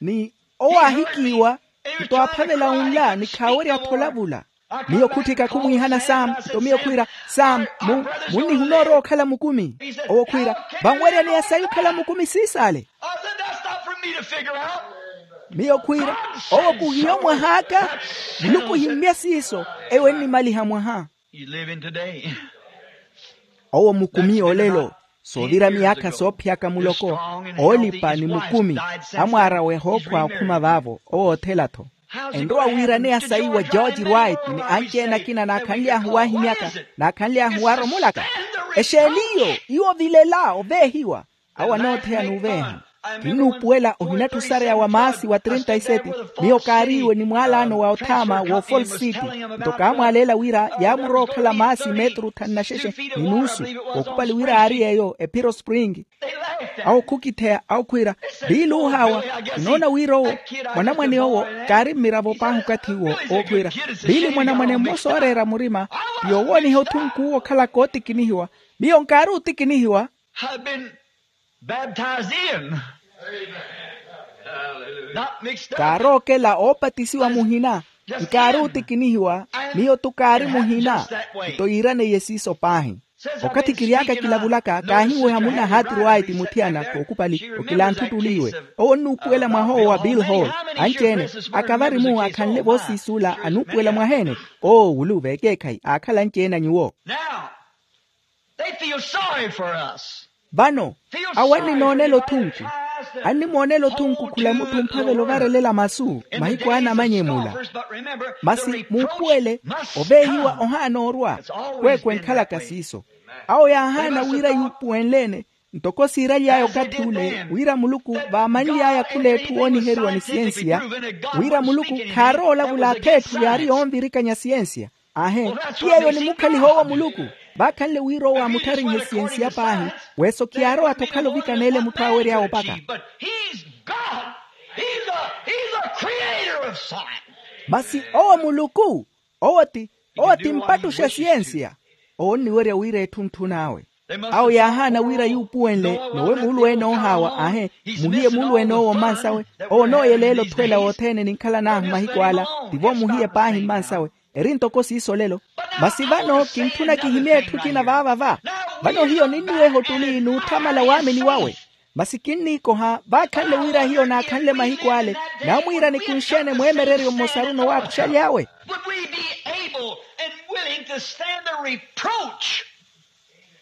Ni owo aahikiiwa. Nto aaphavela unla ni khaawerya-tho olavula. Miyo khutthika khumwiihana sam, nto miyo khwiira, sam, munnihuna orowa okhala mukumi? Owo khwiira, vanweryaneya sayi okhala mukumi siisaale. Miyo khwiira, owo khuhiyo mwah'aka. Muluku ohimmya siiso. Eyo ennimaliha mwaha. Owo mukumi olelo. Soovira miyaakha soophiyaka muloko, oolipa ni mukumi. Amwaara weha okhwa okhuma vaavo, owo othela-tho. Enrowa wiiraneya sayi wa George Wright ni anci-ene akina naakhanly'ahu waahimyaka, naakhanly'ahu waaromolaka? Exeeni iyo? Iwo vilela oveehiwa. Awo anootheya n'uveeha. Kinnuupuwela ohinatthu osareya wa maasi wa trinta y sete. Miyo kaariiwe ni mwaalaano wa othaama wa ofalse city. Nto kaamwaaleela wira yaamurowa okhala maasi metru thanu na xexe ni nuusu. Kookhupali wira aari yeeyo ephiro spring. Awo khukitheya awo khwiira, biili oohaawa. Kinoona wira owo, mwanamwane owo, kaari mmiravo paahi okathi uwo. Owo khwiira, biili mwanamwane mmosa ooreera murima, ti yoowooniha othunku uwo okhalaka ootikinihiwa. Miyo nkaari otikinihiwa. Baptized in. Not mixed up. Kaarookela oopatisiwa muhina. Nkaari otikinihiwa. Miyo-tho kaari muhina. Nto yiiraneiye siiso paahi. Okathi kiry'aka kilavulaka kaahinweha munna hati rwayi ti muthiyana kookhupali okilanthutuliwe. Owo onnuupuwela mwaha owo wa bill hall. Anci-ene, akavari-mu akhanle voosiisuula anuupuwela mwaha-ene. Owo wulu veekeekhayi aakhala anci-ene a nyuwo. They feel sorry for us. Vano, awo annimoonela othunku. Annimoonela othunku khula mutthu omphavela ovarelela masu mahiku aana amanyemula. Masi muupuwele, oveehiwa ohaana orwa. Kweekhu enkhalaka siiso. Awo yaahaana wira yuupuwenle-ene, ntoko siiraly'aya okathi ule wira muluku vaamanly'aya khul'etthu wooniheriwa ni siyensiya, wira muluku khaarowa olavula ath'etthu yaari yoonvirikanya siyensiya. Aahe, ti yeeyo onimukhaliha owo muluku. Vaakhanle wira owo aamuttharihe siyensiya paahi, weso khiyaarowa-tho okhala ovikaneela emutthu aawery'awe opaka. Masi owo muluku. Owo ti, owo ti mpattuxa siyensiya. Owo onniwerya wira etthu ntthun'awe. Awo yaahaana wira yuupuwenle nowe muulu-ene oohaawa aahe, muhiye muulu-ene owo mmansawe. Owo onooyeleela othweela wothene ninkhalan'ahu mahiku ala. Tivo muhiye paahi mmansawe. Eri ntoko siiso olelo. Masi vano kintthuna kihimye etthu ekina vaava va. Vano hiyo ninniweha ottuli n'uthamala waamini wawe. Masi kinniikoha vaakhanle wira hiyo naakhanle mahiku ale. Naamwiira nikunxe-ene mweemereryo mmosaru nowaakuxaly'awe. Would we be able and willing to stand the reproach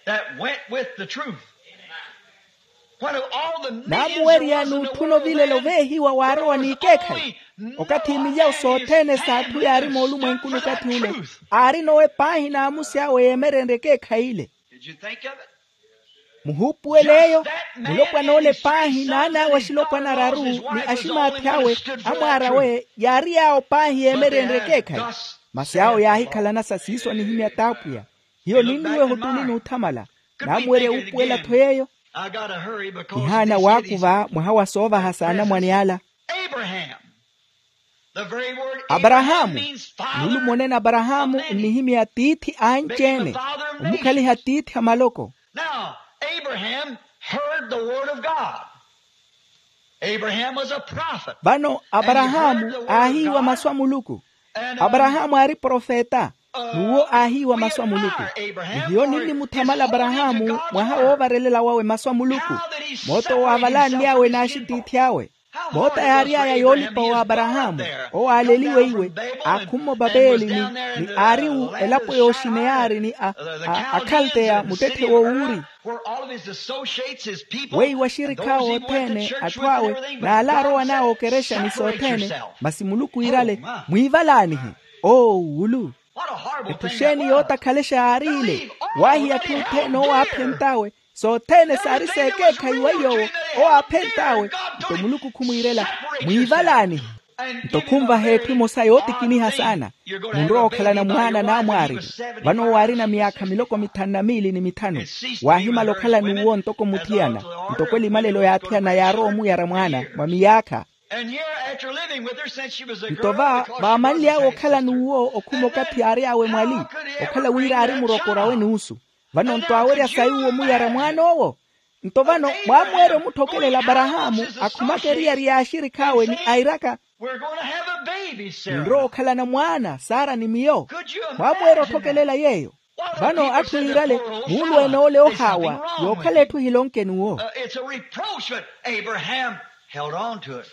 that went with the truth? Naamuwerya n'utthuna ovilela oveehiwa waarowa n'ikeekhayi. Okathi milyawo sothene s'atthu yaari moolumwenkuni okathi ule, aarina owe paahi n'amusi awe yeemerenrye ekeekhayi ile. Muhuupuwele eyo. Mulopwana ole paahi naan'awe axilopwana araru ni aximaathi awe amwaara awe yaari yaawo paahi yeemerenrye ekeekhayi. Masi awo yaahikhalana sa siiso anihimya t'apwiya. Hiyo ninniweha ottuli n'uthamala. Naamuwerya wuupuwela-tho yeeyo. Nihaana waakuva mwaha wa soovahasa anamwane ala. Aparahaamu. Nulumo onene aparahaamu nnihimya tiithi anci-ene. Omukhaliha tiithi a maloko. Vano aparahaamu aahiiwa masu a muluku. Aparahaamu aari profeta. N'uwo aahiiwa masu a muluku. Ni hiyo ninnimuthamala aparahaamu mwaha woovarelela wawe masu a muluku. Moota owo aavalanly'awe n'axitiithi awe. Moota yaary'aya yoolipa wa aparahaamu. Owo aaleliwe iwe. Aakhumma opapeeli ni aariwu elapo y'oxineyari ni akhalteya muttetthe w'owuuri. Weiwo axirikh'awe othene atthu awe n'ala arowan'awe okerexa ni sothene. Masi muluku iirale, mwiivalaanihe. Oowulu. Etthu xeeni yootakhalexa yaari ile? Waahiya atthu othene owo aaphent'awe. Sothene saari s'ekeekhayi wa iy'owo. Owo aaphent'awe. Nto muluku khumwiirela, mwiivalaanihe. Nto khunvaha etthu emosa yootikiniha saana. Munrowa okhalana mwaana n'amwaariru. Vano owo aarina miyaakha miloko mithanu na miili ni mithanu. Waahimala okhala n'uwo ntoko muthiyana. Ntoko elimalelo y'athiyana yaarowa omuyara mwaana mwa miyaakha. Nto va vaamanly'awe okhala n'uwo okhuma okathi aary'awe mwali, okhala wira aari murokor'awe nuusu. Vano nto aawerya sayi uwo muyara mwaan'owo. Nto vano mwaamuwerya omutthokelela aparahaamu akhumaka eriyari y'axirikh'awe ni airaka, We're going to have a baby, Sarah. Ninrowa okhalana mwaana, sara ni miyo. Mwamweera otthokelela yeeyo? Vano atthu yiirale, muulweene ole ohaawa, yookhala etthu ehilonke n'uwo. It's a reproach, but Abraham held on to it.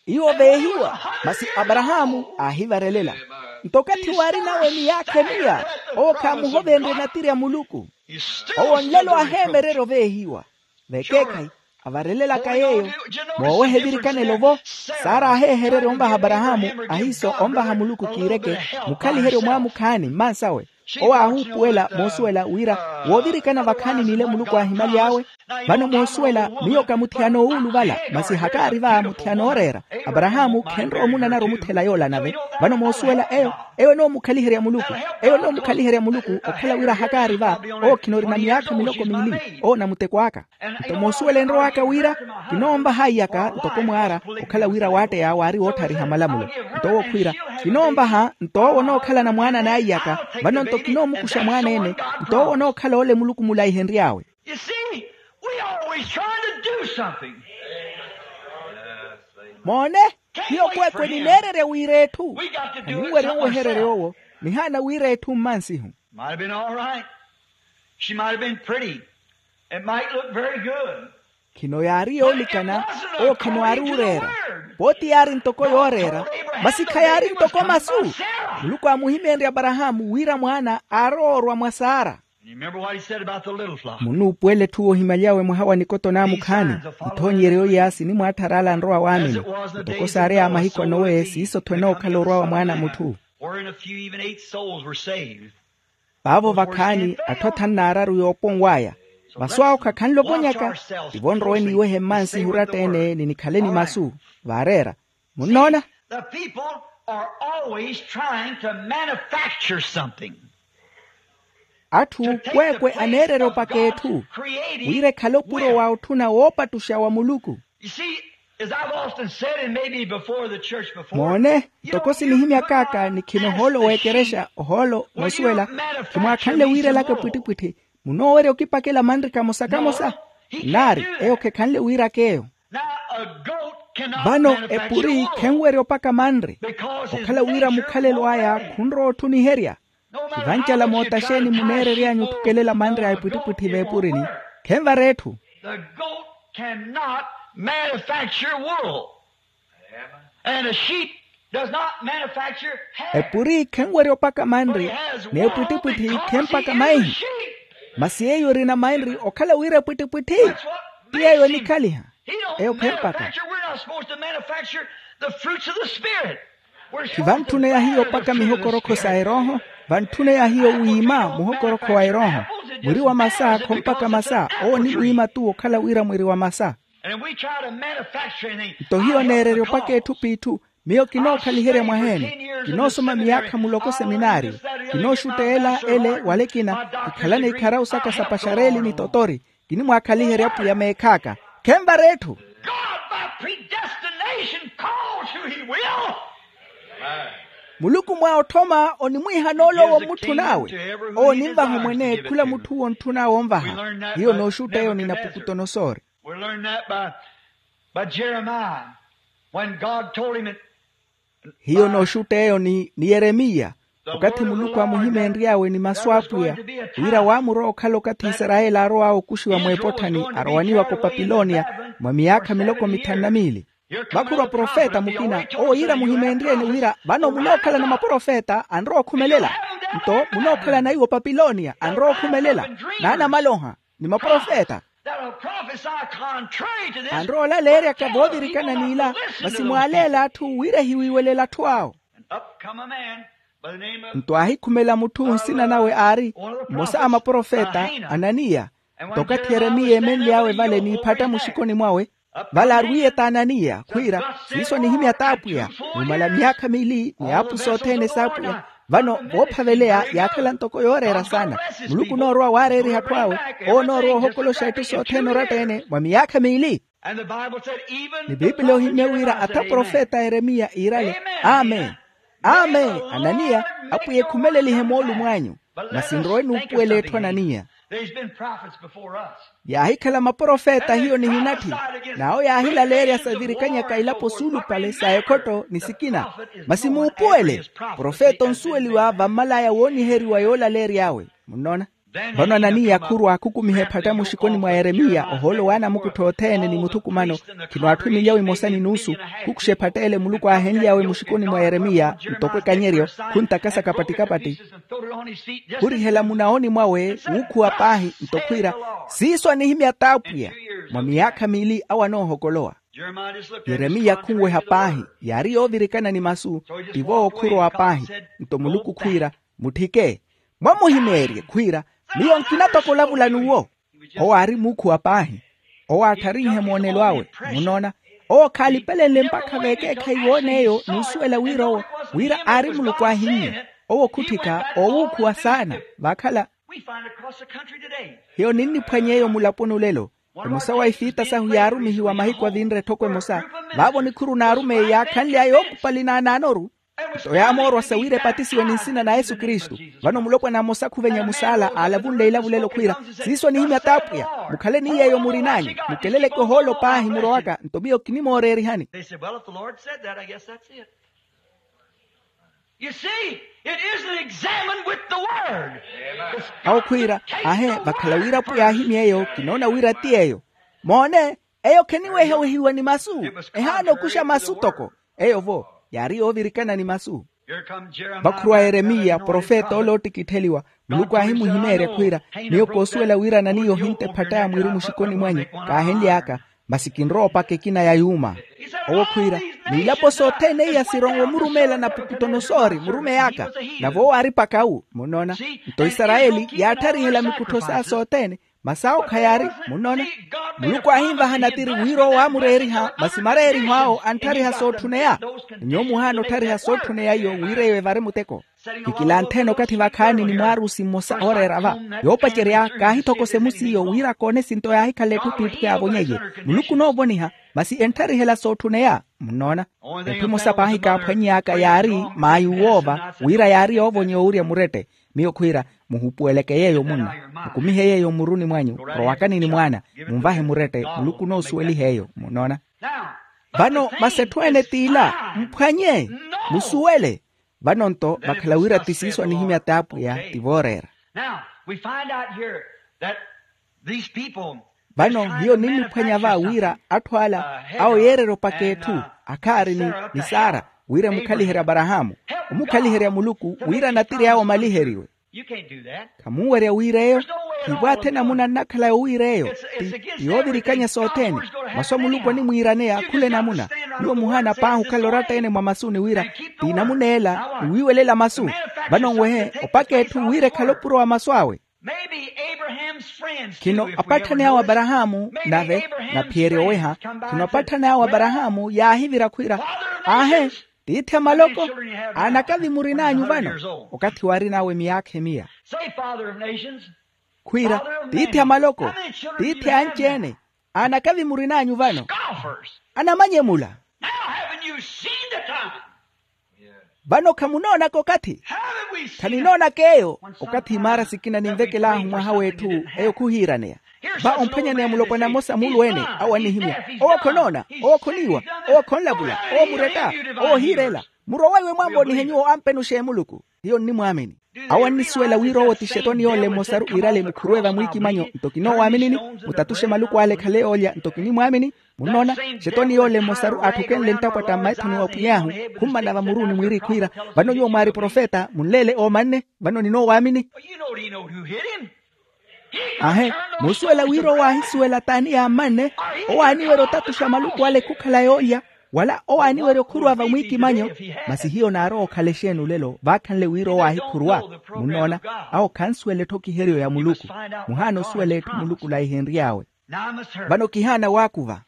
Iwo veehiwa, masi aparahaamu aahivarelela. Nto okathi waari nawe miyaakha emiya, owo khaamuhovenrye natiri a muluku. Owo nlelo aheemererya oveehiwa. Vekeekhayi, avarelelaka yeeyo. Mooweha evirikanelo-vo, sara aaheehererya onvaha aparahaamu, ahiiso onvaha muluku kiireke, mukhaliherye omwaamukhaani mmansawe. Owo aahuupuwela moosuwela wira, woovirikana vakhaani n'ile muluku aahimaly'awe. Vano moosuwela, miyo ka muthiyana owuuluvala, masi hakaari va muthiyana ooreera. Aparahaamu khenrowa omunanara omuthela yoola nave. Vano moosuwela eyo, eyo enoomukhaliherya muluku. Eyo enoomukhaliherya muluku okhala wira hakaari va, owo khinoorina miyaakha miloko miili, owo na muteko aka. Nto moosuwela enrow'aka wira, kinoonvaha aiyaka ntoko mwaara, okhala wira waatteya waari wootthariha malamulo. Nto owo khwiira, kinoonvaha nto owo onookhalana mwaana n'aiyaka. Vano nto kinoomukuxa mwaana-ene, nto owo onookhala ole muluku mulaihenry'awe. You see, we always trying to do something. Moone, hiyo kweekwe nineererya wira etthu. Khaninwerya onwehererya owo, nihaana wira etthu mmansihu. Might have been all right. She might have been pretty. It might look very good. Khino yaari yoolikana, owo khino aari ooreera. Pooti yaari ntoko yooreera, masi khayaari ntoko masu. Muluku aamuhimeenrye aparahaamu wira mwaana aarowa orwa mwa sara. And you remember what he said about the little flock. Munnuupuwela etthu woohimalyawe mwaha wa nikoto n'amukhaani. Ithoonyeryo iya sinimwaattharaala nrowa waamini. Ntoko saari a mahiku a nowe siiso-tho enookhala orwa wa mwaana a mutthu. Where in a few even eight souls were saved. Vaavo vakhaani atthu athanu n'araru yooponw'aya. Masu awo khakhanle ovonyaka. Tivo nrowe niiwehe mmansihu oratta-ene ni nikhale ni masu. Vaareera. Munnoona? The people are always trying to manufacture something. Atthu kweekwe aneererya opaka etthu wira ekhale opuro wa otthuna woopattuxa wa muluku. You see, as I've often said, and maybe before the church before, moone, ntoko sinihimyak'aka ni khino ohoolo w'ekerexa ohoolo noosuwela, khimwaakhanle wiirelaka epwittipwitthi. Munoowerya okipakela manri kamosa-kamosa? Nnaari, eyo khekhanle wiirak'eyo. Vano epuri khenwerya opaka manri, okhala wira mukhalelo aya khunrowa otthuniherya. Khivancala mootta xeeni muneerery'anyu otthukelela manri a epwittipwitthi v'epurini? Khenvara etthu. The goat cannot manufacture wool. And a sheep does not manufacture hair. Epuri khenwerya opaka manri, n'epwittipwitthi khempaka maihi. Masi yeeyo erina manri okhala wira epwittipwitthi. Ti yeeyo enikhaliha. Eyo khempaka. We're not supposed to manufacture the fruits of the Spirit. Khivantthuna ya hiyo opaka mihokorokho sa erooho. Vantthuna ya hiyo wiima muhokorokho wa erooho. Mwiri wa masa khompaka masa, owo ni wiima-tu okhala wira mwiri wa masa. Nto hiyo neererya opaka etthu p'itthu. Miyo kinookhaliherya mwaheene. Kinoosoma miyaakha muloko seminaariyo. Kinooxutteela ele wala ekina. Kikhalana ikharawu saka sa paxareeli ni totori. Kinimwaakhaliherya apwiya meekh'aka. Khenvara etthu. God by predestination calls who he will. Muluku mwa otthoma onimwiihana ole owo omutthun'awe. Owo onimvaha omwene khula mutthu owo ontthunawe onvaha. Hiyo nooxutta eyo ni napukutonosori. We learn that by, by Jeremiah, when God told him it. Hiyo nooxutta eyo ni yeremiya, okathi muluku aamuhimeenry'awe ni masu a apwiya, wira waamurowa okhala okathi isarayeli aarow'awe okuxiwa mw'epotthani arowaniwaka opapilonia, mwa miyaakha miloko mithanu na miili. Vakhurwa profeta mukina owo yiira muhimeenryeni wira vano munookhalana maprofeta anrowa okhumelela. Nto munookhalana iwo opapilonia anrowa okhumelela, n'anamaloha ni maprofeta. Anrowa olaleeryaka voovirikana n'ila, masi mwaaleela atthu wira ehiwiiwelela atthu awo. Nto aahikhumela mutthu nsina nawe aari mmosa a maprofeta, ananiya. Nto okathi yeremiya eemenly'awe vale n'iphatta muxikoni mwawe, vale arwiye t'ananiya khwiira, siiso nihimya t'apwiya. Mumala myaakha miili ni aapu sothene s'apwiya. Vano voophaveleya yaakhala ntoko yooreera saana. Muluku onoorowa waareeriha atthu awe. Owo onoorowa ohokoloxa etthu sothene oratta-ene mwa miyaakha miili. Ni piipili ohimye wira atha profeta yeremiya iirale, amen, amen, ananiya, apwiya ekhumelelihe moolumo anyu. Masi nrowe nuupuwela etthu ananiya. There's been prophets before us. Yaahikhala maprofeta hiyo nihinatthi, n'awo yaahilaleerya savirikanyaka ilapo suulupale sa ekhotto ni sikina. Masi muupuwele, profeta onsuweliwa vammalaya wooniheriwa yoolaleery'awe. Munnoona? Vano ananiya khurwa akhukumiha ephatta muxikoni mwa yeremiya ohoolo w'anamukuttho othene ni muthukumano. Khino atthu milyawo emosa ni nuusu. Khukuxa ephatta ele muluku aahenly'awe muxikoni mwa yeremiya, ntoko ekanyeryo, khuntakasa kapatti-kapatti, khurihela munaoni mwawe, wuukhuwa paahi nto khwiira, siiso anihimya t'apwiya. Mwa miyaakha miili awo anoohokolowa. Yeremiya khunweha paahi, yaari yoovirikana ni masu. Tivo okhurwa paahi, nto muluku khwiira, mutthike, mwamuhimeerye khwiira, miyo nkina toko olavula n'uwo. Owo aari muukhuwa paahi. Owo aattharinhe moonelo awe. Munnoona? Owo khaalipelenle mpakha veekeekhayi woon'eyo n'usuwela wira owo, wira aari muluku aahimmye. Owo khutthika oowuukhuwa saana. Vaakhala hiyo ninniphwany'eyo mulaponi olelo. Emosa wa ifiita sahu yaarumihiwa mahiku avinre etthoko emosa. Vaavo nikhuru n'arumeyi yaakhanly'aya ookupali naanaanoru. Nto yaamoorwasa wira epatisiwe ni nsina na yesu kristu. Vano mulopwana mmosa khuvenya musaala aalavunle ilavulelo khwiira, siiso anihimya t'apwiya. Mukhale ni yeeyo murin'anyu, mukeleleke ohoolo paahi murowaka nto miyo kinimooreerihani. They said, well, if the lord said that, I guess that's it. You see, it isn't examined with the word. Awo khwiira, ahe vakhala wira apwiya aahimya eyo kinoona wira ti eyo. Moone, eyo kheniwehawehiwa ni masu. Ehaana okuxa masu toko. Eyo-vo yaari yoovirikana ni masu. Vakhurwa yeremiya profeta ole oottikittheliwa. Muluku aahimuhimeerya khwiira, miyo koosuwela wira ananiya ohintha ephatta ya mwiiri muxikoni mwanyu. Kaahenly'aka. Masi kinrowa opaka ekina ya yuuma. Owo khwiira, n'ilapo sothene iya sirowa omurumeela napukutonosoori murumeyi aka. Nave owo aari paka wu munnoona. Nto isarayeli yaatthariherya mikuttho saya sothene. Masi awo khayaari munnoona. Muluku aahinvaha natiri wira owo aamureeriha masi mareeriho awo anttariha sootthuneya. Nyuwo muhaana otthariha sootthuneya iyo wira eyo evari muteko. Kikilantthene okathi vakhaani ni mwaarusi mmosa ooreera va, yoopacerya kaahithokosa emusi iyo wira akoone esinto yaahikhala etthu ttiitthu yaavonyeiye. Muluku onoovoniha. Masi entthariherya sootthuneya munnoona. Etthu emosa paahi kaaphwany'aka yaari maayi woova wira yaari yoovonyeya owurya murette. Miyo khwiira, muhupuweleke yeeyo munna. Mukumihe yeeyo mmuruni mwanyu. Rowakani ni mwaana. Munvahe murette muluku onoosuweliha eyo munnoona. Vano masi etthu ene t'ila, mphwanye, musuwele. Vano nto vakhala wira ti siiso anihimya t'apwiya ti vooreera. Now, we find out here that these people vano hiyo ninniphwanya va wira atthu ala awo yeererya opaka etthu, akhaari ni sara, wira emukhaliherya aparahaamu, omukhaliherya muluku wira natiri awo omaliheriwe. Khamunwerya wira eyo. Khipwaathi enamuna nnakhala yowira eyo ti yoovirikanya sothene. Masu a muluku animwiiraneya khula enamuna. Nyuwo muhaana paahi okhala oratta-ene mwa masuni wira ti namun'ela ni wiiwelela masu. Vano nwehe opaka etthu wira ekhale opuro wa masu awe. Khino apatthani awo aparahaamu nave naphiyerya oweha. Khino apatthani awo aparahaamu yaahivira khwiira, aahe, tiithi a maloko, aanakavi murin'anyu vano? Okathi waarin'awe miyaakha emiya. Khwiira, tiithi a maloko, tiithi a anci-ene, aanakavi murin'anyu vano? Anamanyemula. Vano khamunoonaka okathi? Khaninoonaka eyo. Okathi imaara sikina ninvekel'ahu mwaha w'etthu, eyo khuhiiraneya. Va omphwanyaneya mulopwana mmosa muulu-ene, awo annihimya, owo khonoona, owo khoniiwa, owo khonlavula, owo muretta, owo ohiirela. Murowaiwe mwaamvoonihe nyuwo ampenuxe muluku. Hiyo nnimwaamini. Awo annisuwela wira owo ti xetoni yoolle mmosaru iirale mukhuruwe vamwiikimanyo. Nto kinoowaamini-ni? Mutatuxe maluku ale ekhale yoolya nto kinimwaamini. Munnoona, xetoni yoolle mmosaru aatthukenle nttapwatta mmaithoni wa pwiy'ahu, khummana vamuruuni mwiiri khwiira, vano nyuwo mwaari profeta munleele oomanne. Vano ninoowaamini. Aahe, muusuwela wira owo aahisuwela t'ani yaamanne? Owo aaniwerya otatuxa maluku ale khukhala yoolya, wala owo aaniwerya okhuruwa vamwiikimanyo. Masi hiyo naarowa okhala exeeni olelo vaakhanle wira owo aahikhuruwa? Munnoona, awo khansuwela etthokiheriyo ya muluku. Muhaana osuwela etthu muluku laihenry'awe. Vano kihaana waakuva.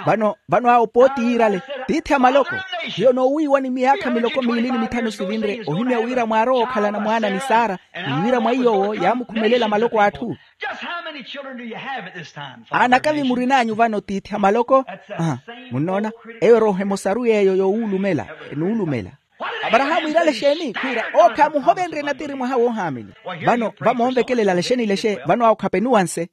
Vano vano awo pooti yiirale, tiithi a maloko. Hiyo noowiiwa ni miyaakha miloko miili ni mitthanu sivinre ohimya wira mwaarowa okhalana mwaana ni sara, ni wira mwa iy'owo yaamukhumelela maloko a atthu. Aanakavi murin'anyu vano tiithi a maloko? Munnoona, eyo erooho emosaru yeeyo yoowuulumela, enuulumela. Aparahaamu iirale exeeni khwiira owo khaamuhovenrye natiri mwaha woohaamini. Vano vamoonvekelela lexeni lexe vano awo khapenuwanse.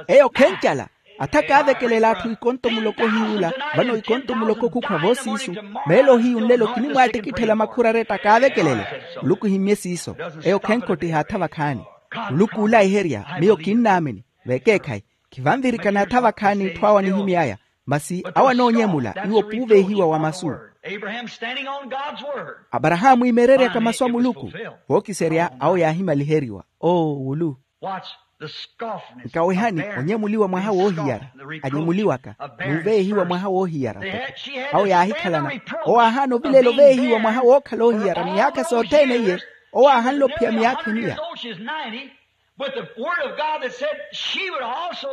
Eyo khencala. Atha kaavekelela atthu ikonto muloko hiyuula. Vano ikonto muloko khukhwa voosiisu. Meelo hiyu nlelo kinimwaattikitthela makhuraretta kaavekelele. Muluku himmye siiso. Eyo khenkhottiha atha vakhaani. Muluku oolaiherya miyo kinnaamini. Vekeekhayi. Khivanvirikana atha vakhaani itthu awo anihimy'aya. Masi awo anoonyemula iwo puuvehiwa wa masu. Aparahaamu imeereryaka masu a muluku. Vookiserya awo yaahimaliheriwa. Oo wulu. Nkawehani onyemuliwa mwaha woohiyara. Anyemuliwaka. N'uveehiwa mwaha woohiyara toko. Awo yaahikhalana. Owo aahaana ovilela oveehiwa mwaha wookhala oohiyara miyaakha sothene iye. Owo aahanle ophiya miyaakha eniya.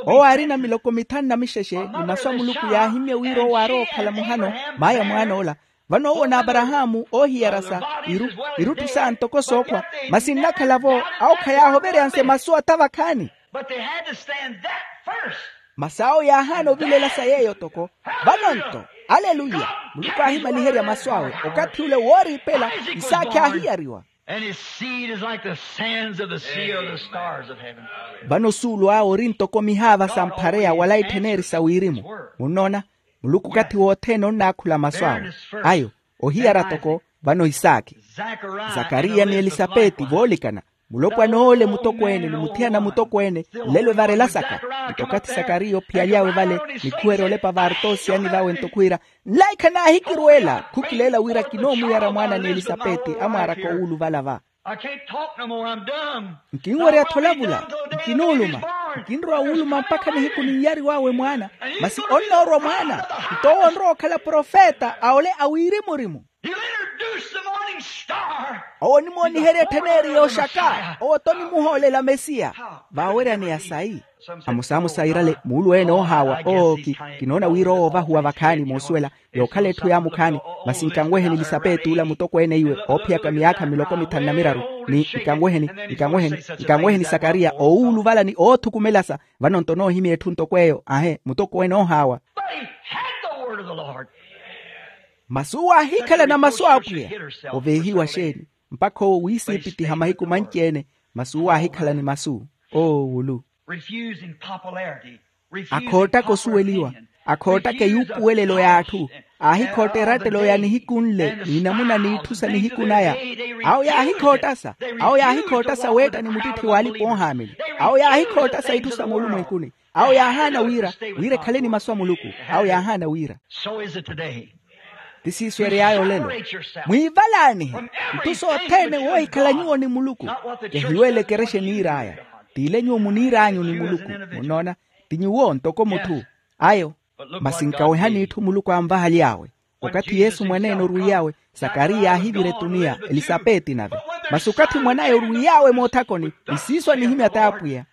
Owo aarina miloko mithanu na mixexe ni masu a muluku yaahimmye wira owo aarowa okhala muhano. Maaya mwaan'ola. Vano owo n'aparahaamu oohiyarasa irutthu sa ntoko sookhwa. Masi nnakhala-vo awo khayaahoveryanse masu atha vakhaani. Masi awo yaahaana ovilela sa yeeyo toko. Vano-nto aleluya. Muluku aahimaliherya masu awe. Okathi ule wooriipela isaakhi aahiyariwa. Vano osuulu awe ori ntoko mihaava samphareya wala ittheneri sa wirimu. Munnoona? Muluku okathi wothene onnaakhula masu awe. Ayo ohiyara toko. Vano isaakhi, zakariya ni elisapeti voolikana. Mulopwana ole mutokweene ni muthiyana mutokweene nlelo evarelasaka. Nto okathi zakariya ophiyaly'awe vale nikhuwerya olepa vaarta osiyani vawe nto khwiira, nlaikha naahikirweela khukileela wira kinoomuyara mwaana ni elisapeti amwaaraka owuuluvala va. Nkinwerya-tho olavula. Nkinooluma. Nkinrowa wuuluma mpakha nihiku ninnyariw'awe mwaana. Masi onnoorwa mwaana. Nto owo onrowa okhala profeta a ole a wirimu-rimu. Owo onimooniherya ettheneri yooxaka owo-tho onimuhoolela mesiya. Vaaweryaneya sayi. Amosamosa iirale muulu ene oohaawa oo kinoona wira owo ovahuwa vakhaani moosuwela. Yookhala etthu yaamukhaani. Masi nkanweheni elisapeti ula mutokweene iwe oophiyaka miyaakha miloko mithanu na miraru. Ni nkanweheni nkanweheni nkanweheni sakariya oowuluvala ni oothukumelasa. Vano nto noohimya etthu ntoko eyo ahe mutokweene oohaawa. Masi uwo aahikhalana masu a apwiya. Oveehiwa xeeni? Mpakha owo wiisiipitiha mahiku manci-ene. Masi uwo aahikhalani masu. Oo wulu. Akhoottaka osuweliwa. Akhoottaka eyuupuwelelo y'atthu. Aahikhootta erattelo ya nihiku nle n'inamuna n'itthu sa nihiku naya. Awo yaahikhoottasa. Awo yaahikhoottasa weetta ni muttitthi w'alipa oohaamini. Awo yaahikhoottasa itthu sa moolumwenkuni. Awo yaahaana wira wira ekhale ni masu a muluku. Awo yaahaana wira. Ti siiso ery'aya olelo. Mwiivalaanihe. Itthu sothene woohikhala nyuwo ni muluku. Kehiweele ekerexe eniir'aya. T'ile nyuwo muniir'anyu ni muluku. Munnoona? Ti nyuwo ntoko mutthu. Ayo. Masi nkawehani itthu muluku anvahaly'awe. Okathi yesu mwaneene orwiiy'awe, sakariya yaahivira etuniya elisapeti nave. Masi okathi mwan'aya orwiiy'awe moothakoni, ni siiso anihimya t'apwiya.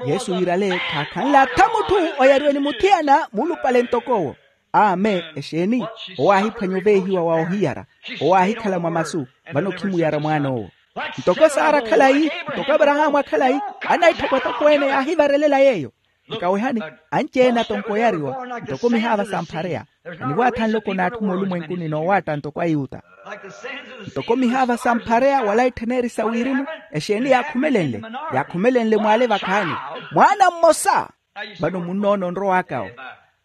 Yesu yiirale khaakhanle atha mutthu oyariwe ni muthiyana muulupale ntoko owo. Amen. Exeeni? Owo aahiphwanya oveehiwa wa ohiyara. Owo aahikhala mwa masu. Vano khimuyara mwaan'owo. Ntoko sara khalayi, ntoko aparahaamu akhalayi, anaitthokwatokweene yaahivarelela yeeyo. Nkawehani, anci-ene atonko oyariwa ntoko mihaava samphareya. Aniwaatha nloko n'atthu moolumwenkuni noowaatta ntoko ayuta. Ntoko mihaava samphareya wala ittheneri sa wirimu. Exeeni yaakhumelenle? Yaakhumelenle mwaale vakhaani. Mwaana mmosa. Vano munnoona onrow'akawo.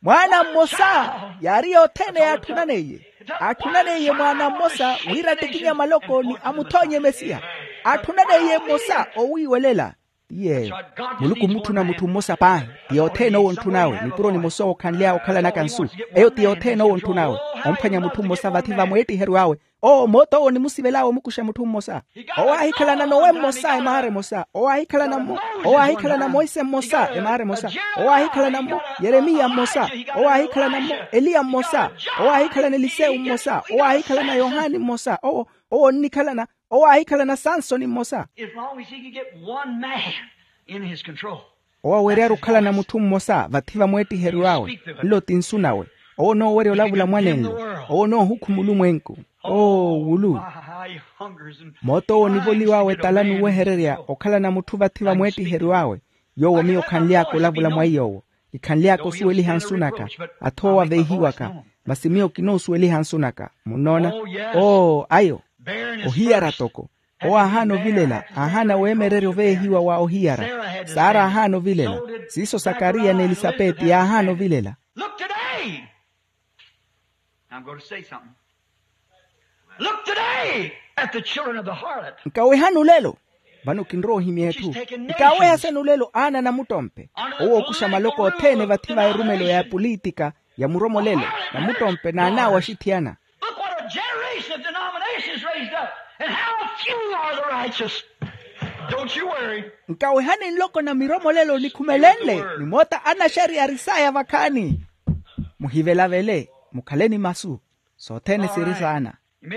Mwaana mmosa. Yaari yothene yaatthunaneiye. Aatthunaleiye mwaana mmosa wira attikinya maloko ni amuthoonye mesiya. Aatthunaleiye mmosa owiiwelela. Ti yeeyo. Muluku ommutthuna mutthu mmosa paahi. Ti yothene owo ontthun'awe nipuro nimosa owo okhanly'awe okhalanaka nsu. Eyo ti yothene owo ontthun'awe. Omphwanya mutthu mmosa vathi va mweettiheryo awe. Owo moota owo onimusivel'awe omukuxa mutthu mmosa. Owo aahikhalana nowe mmosa emaara emosa. Owo aahikhalana mmo. Owo aahikhalana moise mmosa emaara emosa. Owo aahikhalana mmo yeremiya mmosa. Owo aahikhalana mmo eliya mmosa. Owo aahikhalana elisewu mmosa. Owo aahikhalana yohani mmosa. Owo owo onnikhalana. Owo aahikhalana sansoni mmosa. As long as he can get one man in his control. Owo aweryari okhalana mutthu mmosa vathi va mweettiheryo awe. Nlo ti nsu nawe. Owo onoowerya olavula mwanenlo. Owo onoohukhu mulumwenku. Oo wulu. Moota owo onivoliw'awe etala n'uwehererya okhalana mutthu vathi va mweettiheryo awe. Yoowo miyo khanly'aka olavula mwa iy'owo. Kikhanly'aka osuweliha nsu naka. Athoowa veehiwaka. Masi miyo kinoosuweliha nsu naka. Munnoona? Oo, ayo. Ohiyara toko. Owo aahaana ovilela, aahaana weemererya oveehiwa wa ohiyara. Sara aahaana ovilela. Siiso sakariya n'elisapeti yaahaana ovilela. Look today. I'm going to say something. Look today at the children of the harlot. Nkawehani olelo. Vano kinrowa ohimya etthu. Nkaawehasani olelo aana a namuttompe. Owo ookuxa maloko othene vathi va erumelo ya epolitika ya muromolelo. Namuttompe n'an'awe axithiyana. Look what a generation of denominations raised up, and how few are the righteous. Don't you worry. Nkawehani nloko na miromolelo nikhumelenle ni moota anaxariya arisaya vakhaani. Muhivelavele. Mukhaleni masu. Sothene siri saana.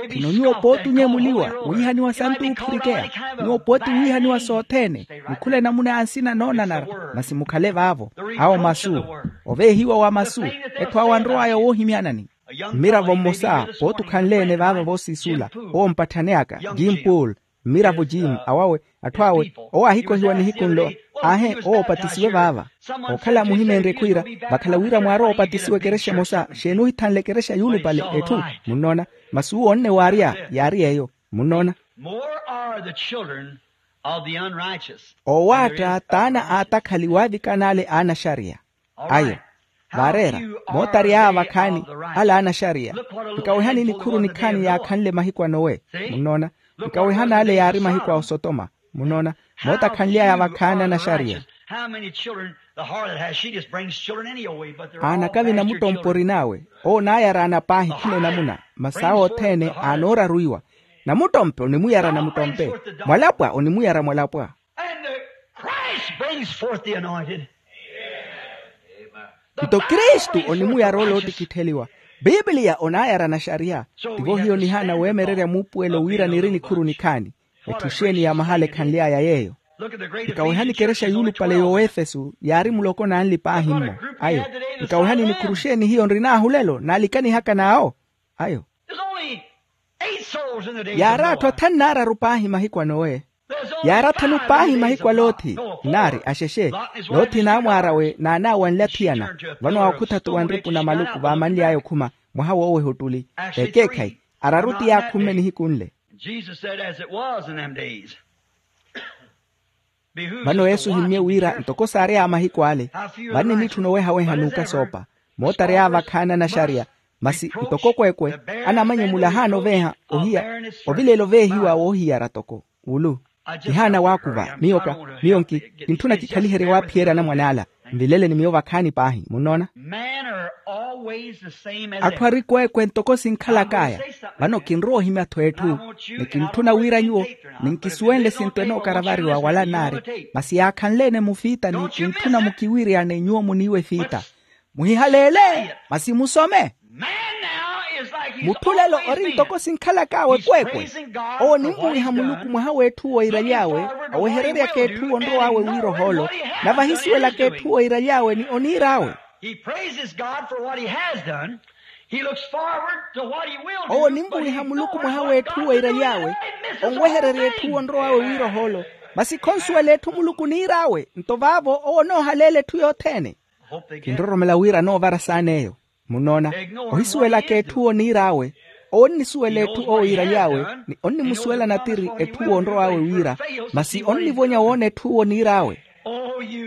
Khino nyuwo pooti onyemuliwa wiihaniwa santu oophirikeya. Nyuwo pooti wiihaniwa sothene. Mukhule namuna ansina noonanara. Masi mukhale vaavo. Awo masu. Oveehiwa wa masu. Etthu awo anrowaya woohimyanani. Mmiravo mmosa pooti okhanle-ene vaava voosiisula. Owo mpatthaneyaka jim pool. Mmiravo jim awawe. Atthu awe. Owo aahikohiwa nihiku nlo. Aahe owo opatisiwe vaava. Ookhala muhimeenrye khwiira. Vakhala wira mwaarowa opatisiwa ekerexa emosa xeeni ohithanle ekerexa yuulupale etthu. Munnoona? Masi uwo onne waarya yaari eyo. Munnoona? More are the children of the unrighteous. Oowaatta t'ana a atakhali waavikana ale aanaxariya. Ayo. Vaareera. Moota ari aya vakhaani. Ale aanaxariya. Nkawehani nikhuru nikhaani yaakhanle mahiku a nowe. Munnoona? Nkawehani ale yaari mahiku a osotoma. Munnoona? Moota khanly'aya vakhaani anaxariya. How many children the harlot has? She just brings children any old way, but they're all bastard children. Aanakavi namuttompe orin'awe. Owo naayaraana paahi khila enamuna. Masi awo othene aanooraruiwa. Namuttompe onimuyara namuttompe. Mwalapwa onimuyara mwalapwa. And the Christ brings forth the anointed. Nto kristu onimuyara ole ootikittheliwa. Pipiliya onaayara naxariya. Tivo hiyo nihaana weemererya muupuwelo wira niri nikhuru nikhaani. Etthu xeeni ya mahala ekhanly'aya yeeyo? Nkawehani ekerexa yuulupale y'oefesu yaari muloko n'anli paahi mmo. Ayo. Nkawehani nikhuru xeeni hiyo nrin'ahu lelo naalikanihaka n'awo? Ayo. Yaari atthu athanu n'araru paahi mahiku a nowe. Yaari athanu paahi mahiku a loothi. Nnaari axexe. Loothi n'amwaar'awe n'an'awe anlathiyana. Vano aakhuthatu wa nripu na maluku vaamanly'aya okhuma. Mwaha wooweha ottuli. Ekeekhayi. Araru ti yaakhumme nihiku nle. Jesus said, as it was in them days. Vano yesu ohimmye wira ntoko saary'aya mahiku ale. Vanni nitthu nowehaweha n'ukasoopa. Moota ary'aya vakhaani anaxariya. Masi ntoko kwekwe anamanyemula ahaana oveeha ohiya. Ovilela oveehiwa woohiyara toko. Ulu. Kihaana waakuva miyo ka. Miyo nki kintthuna kikhaliherye waaphiyerya anamwane ala. Nvileleni miyo vakhaani paahi munnoona. Atthu ari kweekwe ntoko sinkhalak'aya. Vano kinrowa ohimya-tho etthu. Ni kintthuna wira nyuwo ninkisuwenle sinto enookaravariwa wala nnaari. Masi yaakhanle-ene mufiitani kinttuna mukiwiiryane nyuwo muniiwe efiita. Muhihaleele. Masi musome. Mutthu lelo ori ntoko sinkhalak'awe kweekwe. Owo onimvuwiha muluku mwaha w'etthu owo eiraly'awe. Owehereryaka etthu owo onrow'awe wiira ohoolo. Nave ahisuwelaka etthu owo eiraly'awe ni oniir'awe. He praises God for what he has done. He looks forward to what he will do. Owo onimvuwiha muluku mwaha w'etthu owo eiraly'awe. Onwehererya etthu owo onrow'awe wiira ohoolo. Masi khonsuwela etthu muluku oniir'awe nto vaavo owo onoohaleela etthu yothene. Kinroromela wira anoovara saana eyo. Munnoona. Ohisuwelaka etthu owo oniir'awe. Owo onnisuwela etthu owo iiraly'awe. Ni onnimusuwela natiri etthu owo onrow'awe wira. Masi onnivonya woona etthu owo oniir'awe.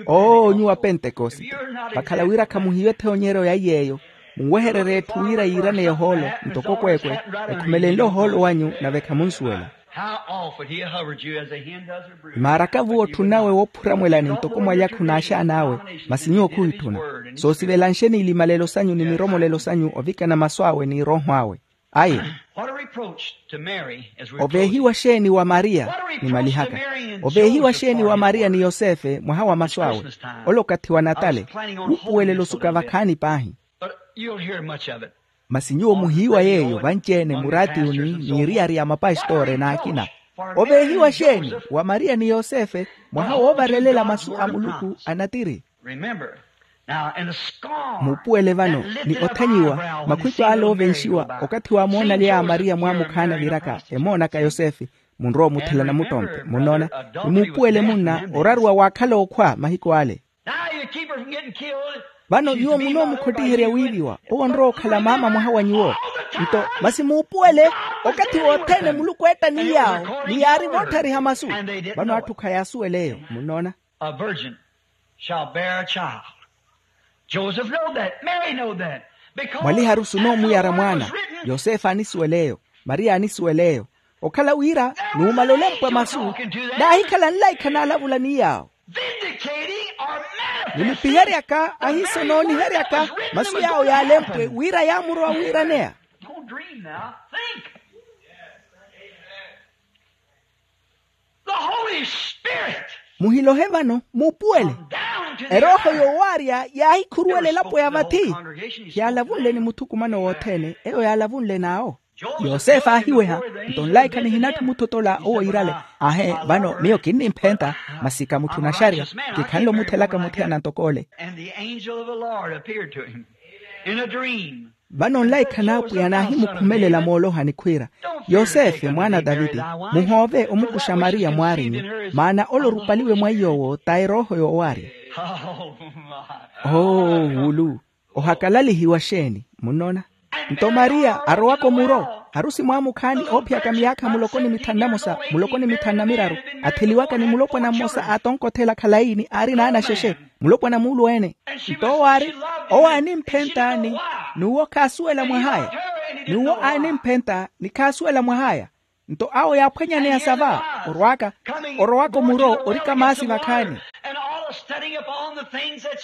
Oo nyuwo apentekosite, vakhala wira khamuhiyo ethoonyeryo ya iy'eyo. Munwehererye etthu wira yiiraneya ohoolo ntoko kweekwe. Ekhumelenle ohoolo wanyu nave khamunsuwela. How often he hovered you as a hen does her brood. Maaraka-vu otthunawe woophuramwelani ntoko mwalyakha onaaxaan'awe. Masi nyuwo khuhitthuna. Soosivelanxeni ilimalelo sanyu ni miromolelo sanyu ovikana masu awe ni erooho awe. Ayo. What a reproach to Mary as we close. Oveehiwa xeeni wa mariya? Nimalihaka. Oveehiwa xeeni wa mariya ni yosefe mwaha wa masu awe? Ole okathi wa natale. Wuupuwelelo suka vakhaani paahi. But you'll hear much of it. Masi nyuwo muhiiwa yeeyo vanci-ene muraatiuni n'iriyari ya mapastore n'akina. Oveehiwa xeeni wa mariya ni yosefe mwaha woovarelela masu a muluku a natiri. Muupuwele vano ni othanyiwa makhwico ale oovenxiwa okathi waamoonaly'aya mariya mwaamukhaana viraka emoonaka yosefe. Munrowa omuthela namuttompe munnoona. Ni muupuwele munna oraruwa waakhala ookhwa mahiku ale. Now you keep her from getting killed. Vano nyuwo munoomukhotiherya wiiviwa, owo onrowa okhala maama mwaha wa nyuwo. Nto masi muupuwele, okathi wothene muluku eetta ni yaawo ni yaari voottariha masu. Vano atthu khayaasuwela eyo. Munnoona? A virgin shall bear a child. Joseph knowed that. Mary knowed that. Mwaliharusi onoomuyara mwaana. Yosefe anisuwela eyo. Mariya anisuwela eyo. Okhala wira nuumala olempwa masu, naahikhala nlaikha naalavula ni yaawo. Vindicating or manifesting. Nilipiheryaka ahiiso nooniheryaka masu yaawo yaalempwe wira yaamurowa wiiraneya. Don't dream now. Think. The Holy Spirit. Muhilohe vano muupuwele. Come down to the earth. Erooho yoowaarya yaahikhuruwela elapo ya vathi. Yaalavunle ni muthukumano wothene eyo yaalavunle n'awo. Yosefe aahiweha. Nto nlaikha nihinatthu muthotola owo iirale. Ahe, vano miyo kinnimphenta. Masi ka mutthu naxarya. Kikhanle omuthelaka muthiyana ntok'ole. And the angel of the Lord appeared to him in a dream. Vano nlaikha n'apwiya naahimukhumelela moolohani khwiira, yosefe mwaana a taviti, muhoove omukuxa mariya mwaarinyu, maana ole orupaliwe mwa iy'owo ta erooho yoowaarya. Oh, my. Oo wulu. Ohakalalihiwa xeeni? Munnoona? Nto mariya arowaka omuro, harusi mwaamukhaani oophiyaka miyaakha muloko ni mitthanu na mosa, muloko ni mitthanu na miraru, atheliwaka ni mulopwana mmosa aatonkothela khalayi ni aari naanaxexe, mulopwana muulu-ene. Nto owo aari, owo aanimphenta ni, n'uwo khaasuwela mwah'aya. N'uwo aanimphenta ni khaasuwela mwah'aya. Nto awo yaaphwanyaneya sava, orwaka, orowaka omuro orika maasi vakhaani.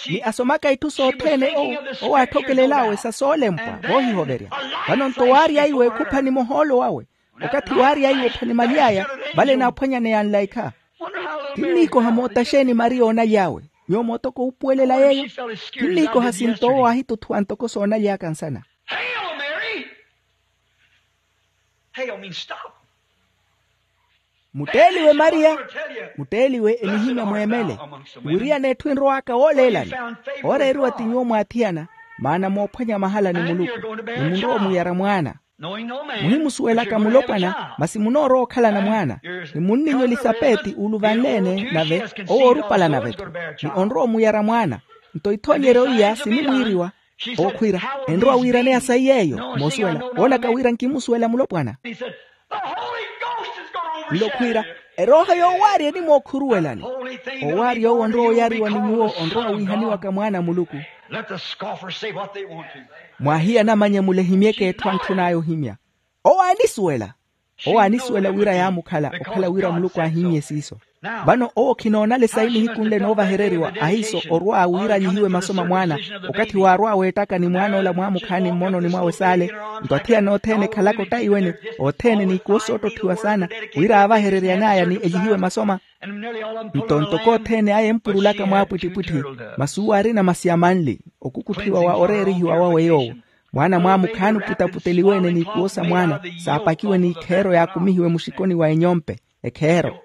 Ni asomaka itthu sothene owo, owo aatthokelel'awe sa soolempwa voohihoverya. Vano nto waarya iwe khuphani mohoolo wawe. Okathi waarya iwe ophani maly'aya, vale naaphwanyaneya nlaikha. Kinniikoha moota xeeni mariya oonaly'awe? Nyuwo mootoko wuupuwelela yeeyo. Kinniikoha sinto owo aahituthuwa ntoko soonaly'aka nsana. Hail, Mary. Hail means stop. Mutteeliwe mariya. Mutteeliwe enihimya mweemele. Wiriyana etthu enrow'aka wooleelani. Ooreeriwa ti nyuwo mwaathiyana, maana moophwanya mahala ni muluku, ni munrowa omuyara mwaana. Muhimusuwelaka mulopwana masi munoorowa okhalana mwaana. Ni munninyu elisapeti uuluvanle-ene nave owo orupala nave-tho, ni onrowa omuyara mwaana. Nto ithoonyeryo iya sinimwiiriwa. Owo khwiira, enrowa wiiraneya sayi yeeyo moosuwela, woonaka wira nkimusuwela mulopwana. Nlo khwiira, erooho yoowaarya enimwookhuruwelani. Owaarya owo onrowa oyariwa ni nyuwo onrowa wiihaniwaka mwaana a muluku. Let the scoffer say what they want to. Mwaahiyana amanyamule ehimyeke etthu antthun'aya ohimya. Owo aanisuwela. Owo aanisuwela wira yaamukhala okhala wira muluku aahimmye siiso. Vano owo khinoonale sayi nihiku nle noovahereriwa ahiiso orwa wira anyihiwe maso ma mwaana. Okathi waarwa weettaka ni mwaan'ola mwaamukhaani mmononi mwawe saale. Nto athiyana othene ekhalaka ottaiwene, othene n'ikuwo soottotthiwa saana, wira aavahereryan'aya ni enyihiwe masoma. Nto ntoko othene aya empurulaka mwaapwittipwitthi, masi uwo aarina masi a manli, okukutthiwa wa oreerihiwa wawe yoowo. Mwaana mwaamukhaani oputaputeliwe-ene n'ikuwo sa mwaana, saapakiwe n'ikheero yaakumihiwe muxikoni wa enyompe. Ekheero,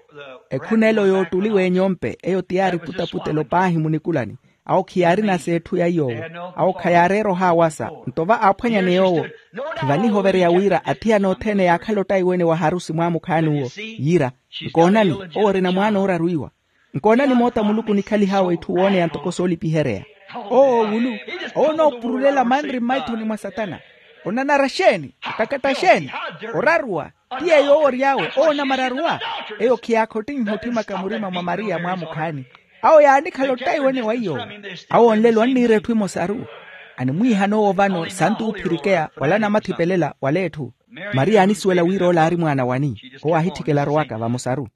ekhunelo yoottuliwa enyompe eyo ti yaari putaputelo paahi munikulani. Awo khiyaarina s'etthu ya iy'owo. Awo khayaareera ohaawasa. Nto va aaphwanyaneya owo, khivanihovereya wira athiyana othene yaakhala ottaiwene wa harusi mwaamukhaani uwo. Yiira, nkoonani, owo orina mwaana ooraru iwa. Nkoonani moota muluku onikhalihawe itthu wooneya ntoko soolipihereya. Owo wulu, owo onoopurulela manri mmaithoni mwa satana. Onanara xeeni? Okakata xeeni? Oraruwa. Ti yeeyo owo ory'awe owo onamararuwa. Eyo khiyaakhottiniha otthimaka murima mwa mariya mwaamukhaani. Awo yaanikhala ottaiwene wa iy'owo. Awo onlelo anniira etthu emosaru. Animwiihana owo vano santu oophirikeya wala anamathipelela wala etthu. Mariya aanisuwela wira ola aari mwaana wani. Owo aahitthikela arowaka vamosaru.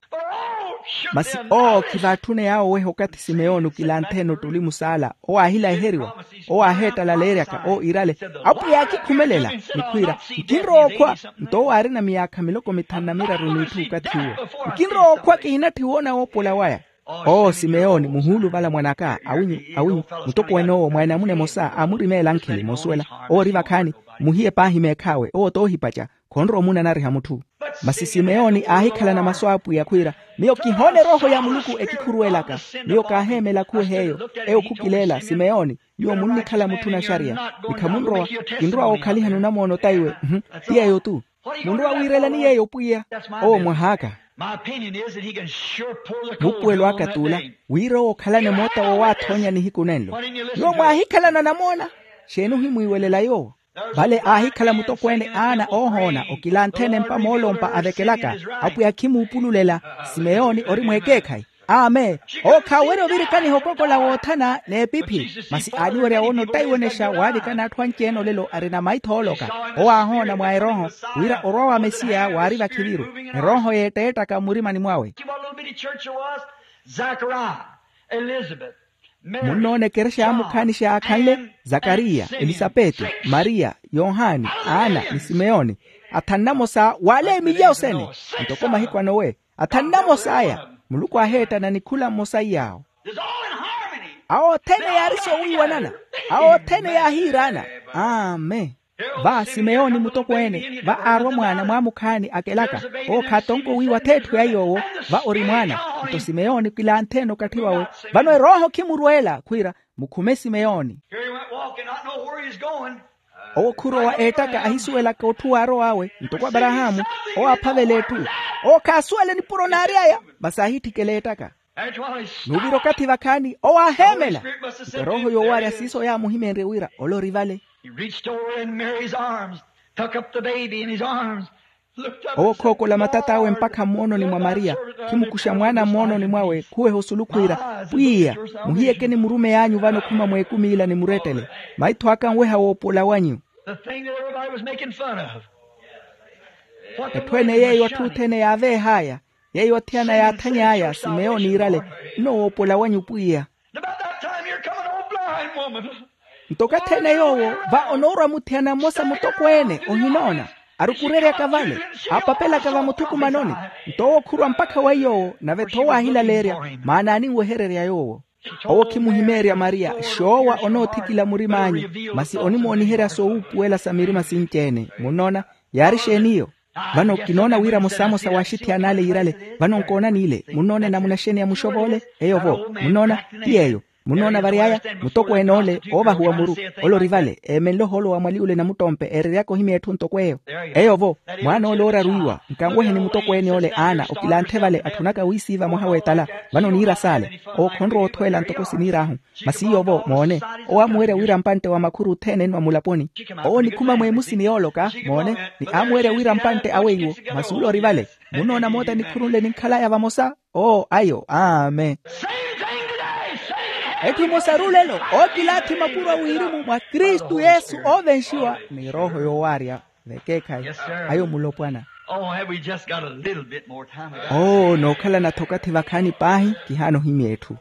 Masi owo khivaatthuneya oweha okathi simeyoni okilanthene ottuli musaala. Owo aahilaheriwa. Owo aaheettalaleeryaka owo iirale, apwiya aakikhumelela. Nikhwiira, nkinrowa okhwa. Nto owo aarina miyaakha miloko mithanu na miraru n'itthu okathi uwo. Nkinrowa okhwa kihinatthi woona woopola waya. Owo simeyoni muhuuluvala mwan'aka awinyu, awinyu, mutokowen'owo mwa enamuna emosa aamurimeela ankheli moosuwela. Owo ori vakhaani. Muhiye paahi meekhaawe owo t'ohipaca. Khonrowa omunanariha mutthu. Masi simeyoni aahikhalana masu a apwiya khwiira, miyo kihoona erooho ya muluku ekikhuruwelaka. Miyo kaaheemela khuweha eyo. Eyo khukileela simeyoni, nyuwo munnikhala mutthu naxariya. Ni khamunrowa. Kinrowa wookhaliha nunamoona otaiwe. Mhu. Ti yeeyo tu. Munrowa wiirelani yeeyo pwiya? Owo mwah'aka. Mupuwelo aka t'ula, wira owo okhalane moota wowaathoonya nihiku nenlo. Nyuwo mwaahikhalana namoona? Xeeni ohimwiiwelela yoowo? Vale aahikhala mutokweene aana oohoona okilantheene mpa moolompa avekelaka. Apwiya khimuupululela. Simeyoni ori mweekeekhayi. Amen. Owo khaawerya ovirikaniha okokola woothana n'epiphi, masi aaliwerya woona ottaiwenexa waavikana atthu anci-ene olelo arina maitho ooloka. Owo aahoona mwa erooho wira orwa wa mesiya waari vakhiviru. Erooho yeetteettaka mmurimani mwawe. Munnoona ekerexa ya mukhaani xaakhanle, zakariya, elisapeti, mariya, yohani, ana ni simeyoni. Athanna mosa waale emilya osene, ntoko mahiku anowe. Athanna mosaya, muluku aaheettana nikhula mmosa iyaawo. Awo othene yaari soowiiwanana. Awo othene yaahiiraana. Amen. Va simeyoni mutokweene va aarwa mwaana mwa mukhaani akelaka. Owo khaatonko wiiwa atheetthu ya yoowo. Va ori mwaana. Nto simeyoni kilantheene okathi wawe. Vano erooho khimurweela khwiira, mukhume simeyoni. Owo khurowa eettaka ahisuwelaka otthu waarow'awe ntoko aparahaamu. Owo aaphavela etthu. Owo khaasuwele nipuro naary'aya. Masi aahitthikela eettaka. Nuuvira okathi vakhaani owo aaheemela. Nto erooho yoowarya siiso yaamuhimenrye wira ole ori vale. Owo khookola matat'awe mpakha mmoononi mwa mariya. Khimukuxa mwaana mmoononi mwawe khuweha osulu khwiira, pwiya, muhiyekeni murumeyi anyu vano khuma mweekumi ila nimurettele. Maitho aka anweha woopola wanyu. Etthu ene yeeyo atthu othene yaaveeh'aya. Yeeyo athiyana yaathany'aya simeyoni iirale. Nno woopola wanyu pwiya. Nto okathi ene yoowo va onoorwa muthiyana mmosa mutokweene ohinoona, arukureryaka vale, aapapelaka vamuthukumanoni. Nto owo khurwa mpakha wa iyoowo nave-tho owo aahilaleerya. Maana aninwehererya yoowo. Owo khimuhimeerya mariya xoowa onoothikila murim'anyu. Masi onimooniherya soowuupuwela sa mirima sinci-ene munnoona. Yaari xeeni iyo? Vano kinoona wira mosamosa w'axithiyan'ale yiirale. Vano nkoonani ile munnoona enamuna xeeni ya muxov'ole? Eyo-vo. Munnoona? Ti yeeyo. Munnoona vary'aya? Mutokweene ole oovahuwa muru, ole ori vale eemenle ohoolo wa mwali ole namuttompe eereryaka ohimya etthu ntoko eyo. Eyo-vo. Mwaana ole ooraru iwa nkanweheni mutokweene ole aana okilanthe vale atthunaka wiisiiva mwaha w'etala. Vano niira saale. Owo khonrowa othweela ntoko siniir'ahu. Masi iyo-vo moone, owo amuwerya wira mpantte wa makhuru othene enwa mulaponi. Owo onikhuma mweemusini yooloka moone, ni amuwerya wira mpantte awe iwo. Masi ule ori vale. Munnoona moota nikhuru nle ninkhalaya vamosa. Oo ayo amen. Etthu emosa rulelo. Ookilaathi mapuro a wirimu mwa kristu yesu oovenxiwa ni erooho yoowaarya. Vekeekhayi. Ayo mulopwana. Oo nookhalana-tho okathi vakhaani paahi. Kihaana ohimya etthu.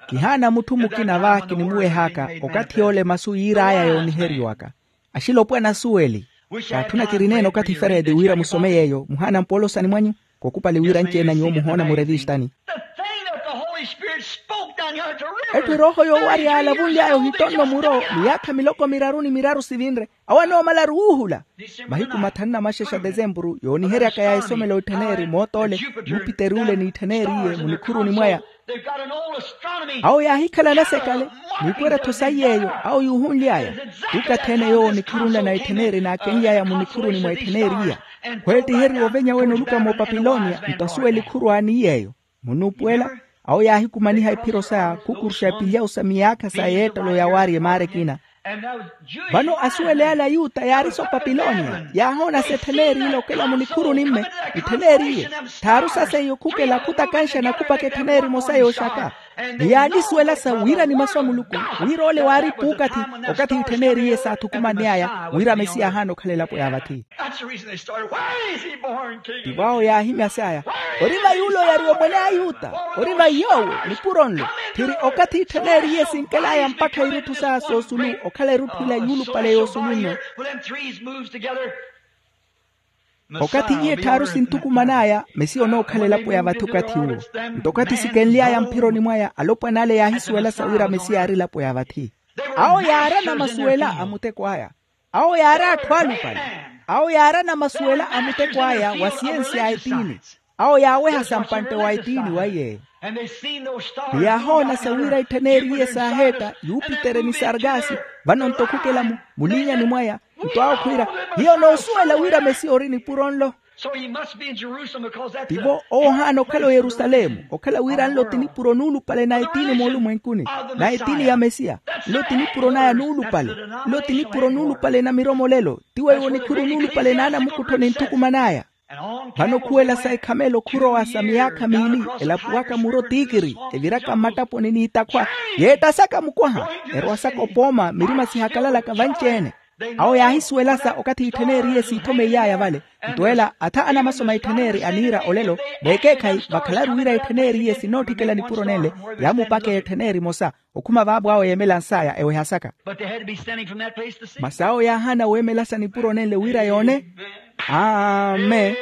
Kihaana mutthu mukina va kinimuweh'aka. Okathi yoole masu yiir'aya yooniheriwaka. Axilopwana asuweli. Kaatthuna kirineene okathi feredi wira musome yeeyo muhaana mpoolo osani mwanyu. Kokupali wira anci-ene a nyuwo muhoona murevistani. Etthu erooho yoowarya yaalavunly'aya ohitonno muro miyaakha miloko miraru ni miraru sivinre. Awo anoomalaru wuuhula. Mahiku mathanu na maxexa desempuru yooniheryaka ya esomelo ettheneri moot'ole, yupiteri ule n'ittheneri iye munikhuruni mwaya. Awo yaahikhala nasekale. N'ikwerya-tho sayi yeeyo awo yuuhunly'aya. Tuukathi-ene yoowo nikhuru nla na ittheneri naakenly'aya munikhuruni mwa ittheneri iya. Khweettiheriwa ovenya wene oluka moopapilonia nto asuweli khuru aani yeeyo. Munuupuwela. Awo yaahikumaniha iphiro saya khukuruxa epilyawu sa miyaakha sa yeettelo yawaarya emaara ekina. Vano asuwele ale ayuta yaari soopapilonia yaahoona sa ettheneri ile okela munikhuruni-mme. Ittheneri iye thaaru sa seiyo khukela khutakanxa nakupaka ettheneri emosa yooxaka. Ni yaalisuwela sa wira ni masu a muluku wira ole waari puukathi. Okathi ittheneri iye saathukumaney'aya wira mesiya ahaana okhala elapo ya vathi. Tivo awo yaahimyas'aya. Ori va yuula oyariwa omwene a ayuta? Ori va yoowo nipuro nlo. Tthiri okathi ittheneri iye sinkel'aya mpakha irutthu saya soosulu okhala erutthu ila yuulupale yoosulunno. Okathi iye tthaaru sinthukuman'aya mesiya onookhala elapo ya vathi okathi uwo. Nto okathi sikenly'aya mphironi mwaya alopwan'ale yaahisuwela sa wira mesiya aari elapo ya vathi. Awo yaarana masuwela a muteko aya. Awo yaari atthu alupale. Awo yaarana masuwela a muteko aya wa siyensi ya etiini. Awo yaaweha sa mpantte wa etiini wa yeeyo. Ni yaahoona sa wira ittheneri iye saaheetta yupitere ni sargasi. Vano nto khukela mulinyani mwaya. Nto awo khwiira hiyo noosuwela wira mesiya ori nipuro nlo. So he must be in Jerusalem because that's the tivo owo ohaana okhala oyerusalemu, okhala wira nlo ti nipuro nuulupale na etiini moolumwenkuni, na etiini ya mesiya. Nlo ti nipuro naya nuulupale. Nlo ti nipuro nuulupale na miromolelo. Ti weiwo nikhuru nuulupale na anamukuttho ninthukuman'aya. Vano khuwela sa ekhamelo khurowa sa miyaakha miili elapuwaka muro tiikiri, eviraka mmattaponi n'ittakhwa, yeettasaka mukwaha, erowa saka opooma mirima sihakalalaka vanci-ene. Awo yaahisuwela sa okathi ittheneriye siithomeiy'aya vale. Nto ela atha anamasoma ittheneri aniira olelo, veekeekhayi vakhalaru wira ittheneriye sinootthikela nipuro nenle, yaamupakeya ettheneri emosa, okhuma vaapo awo yeemelans'aya eweha saka. Masi awo yaahaana weemelasa nipuro nenle wira yoone. Amen.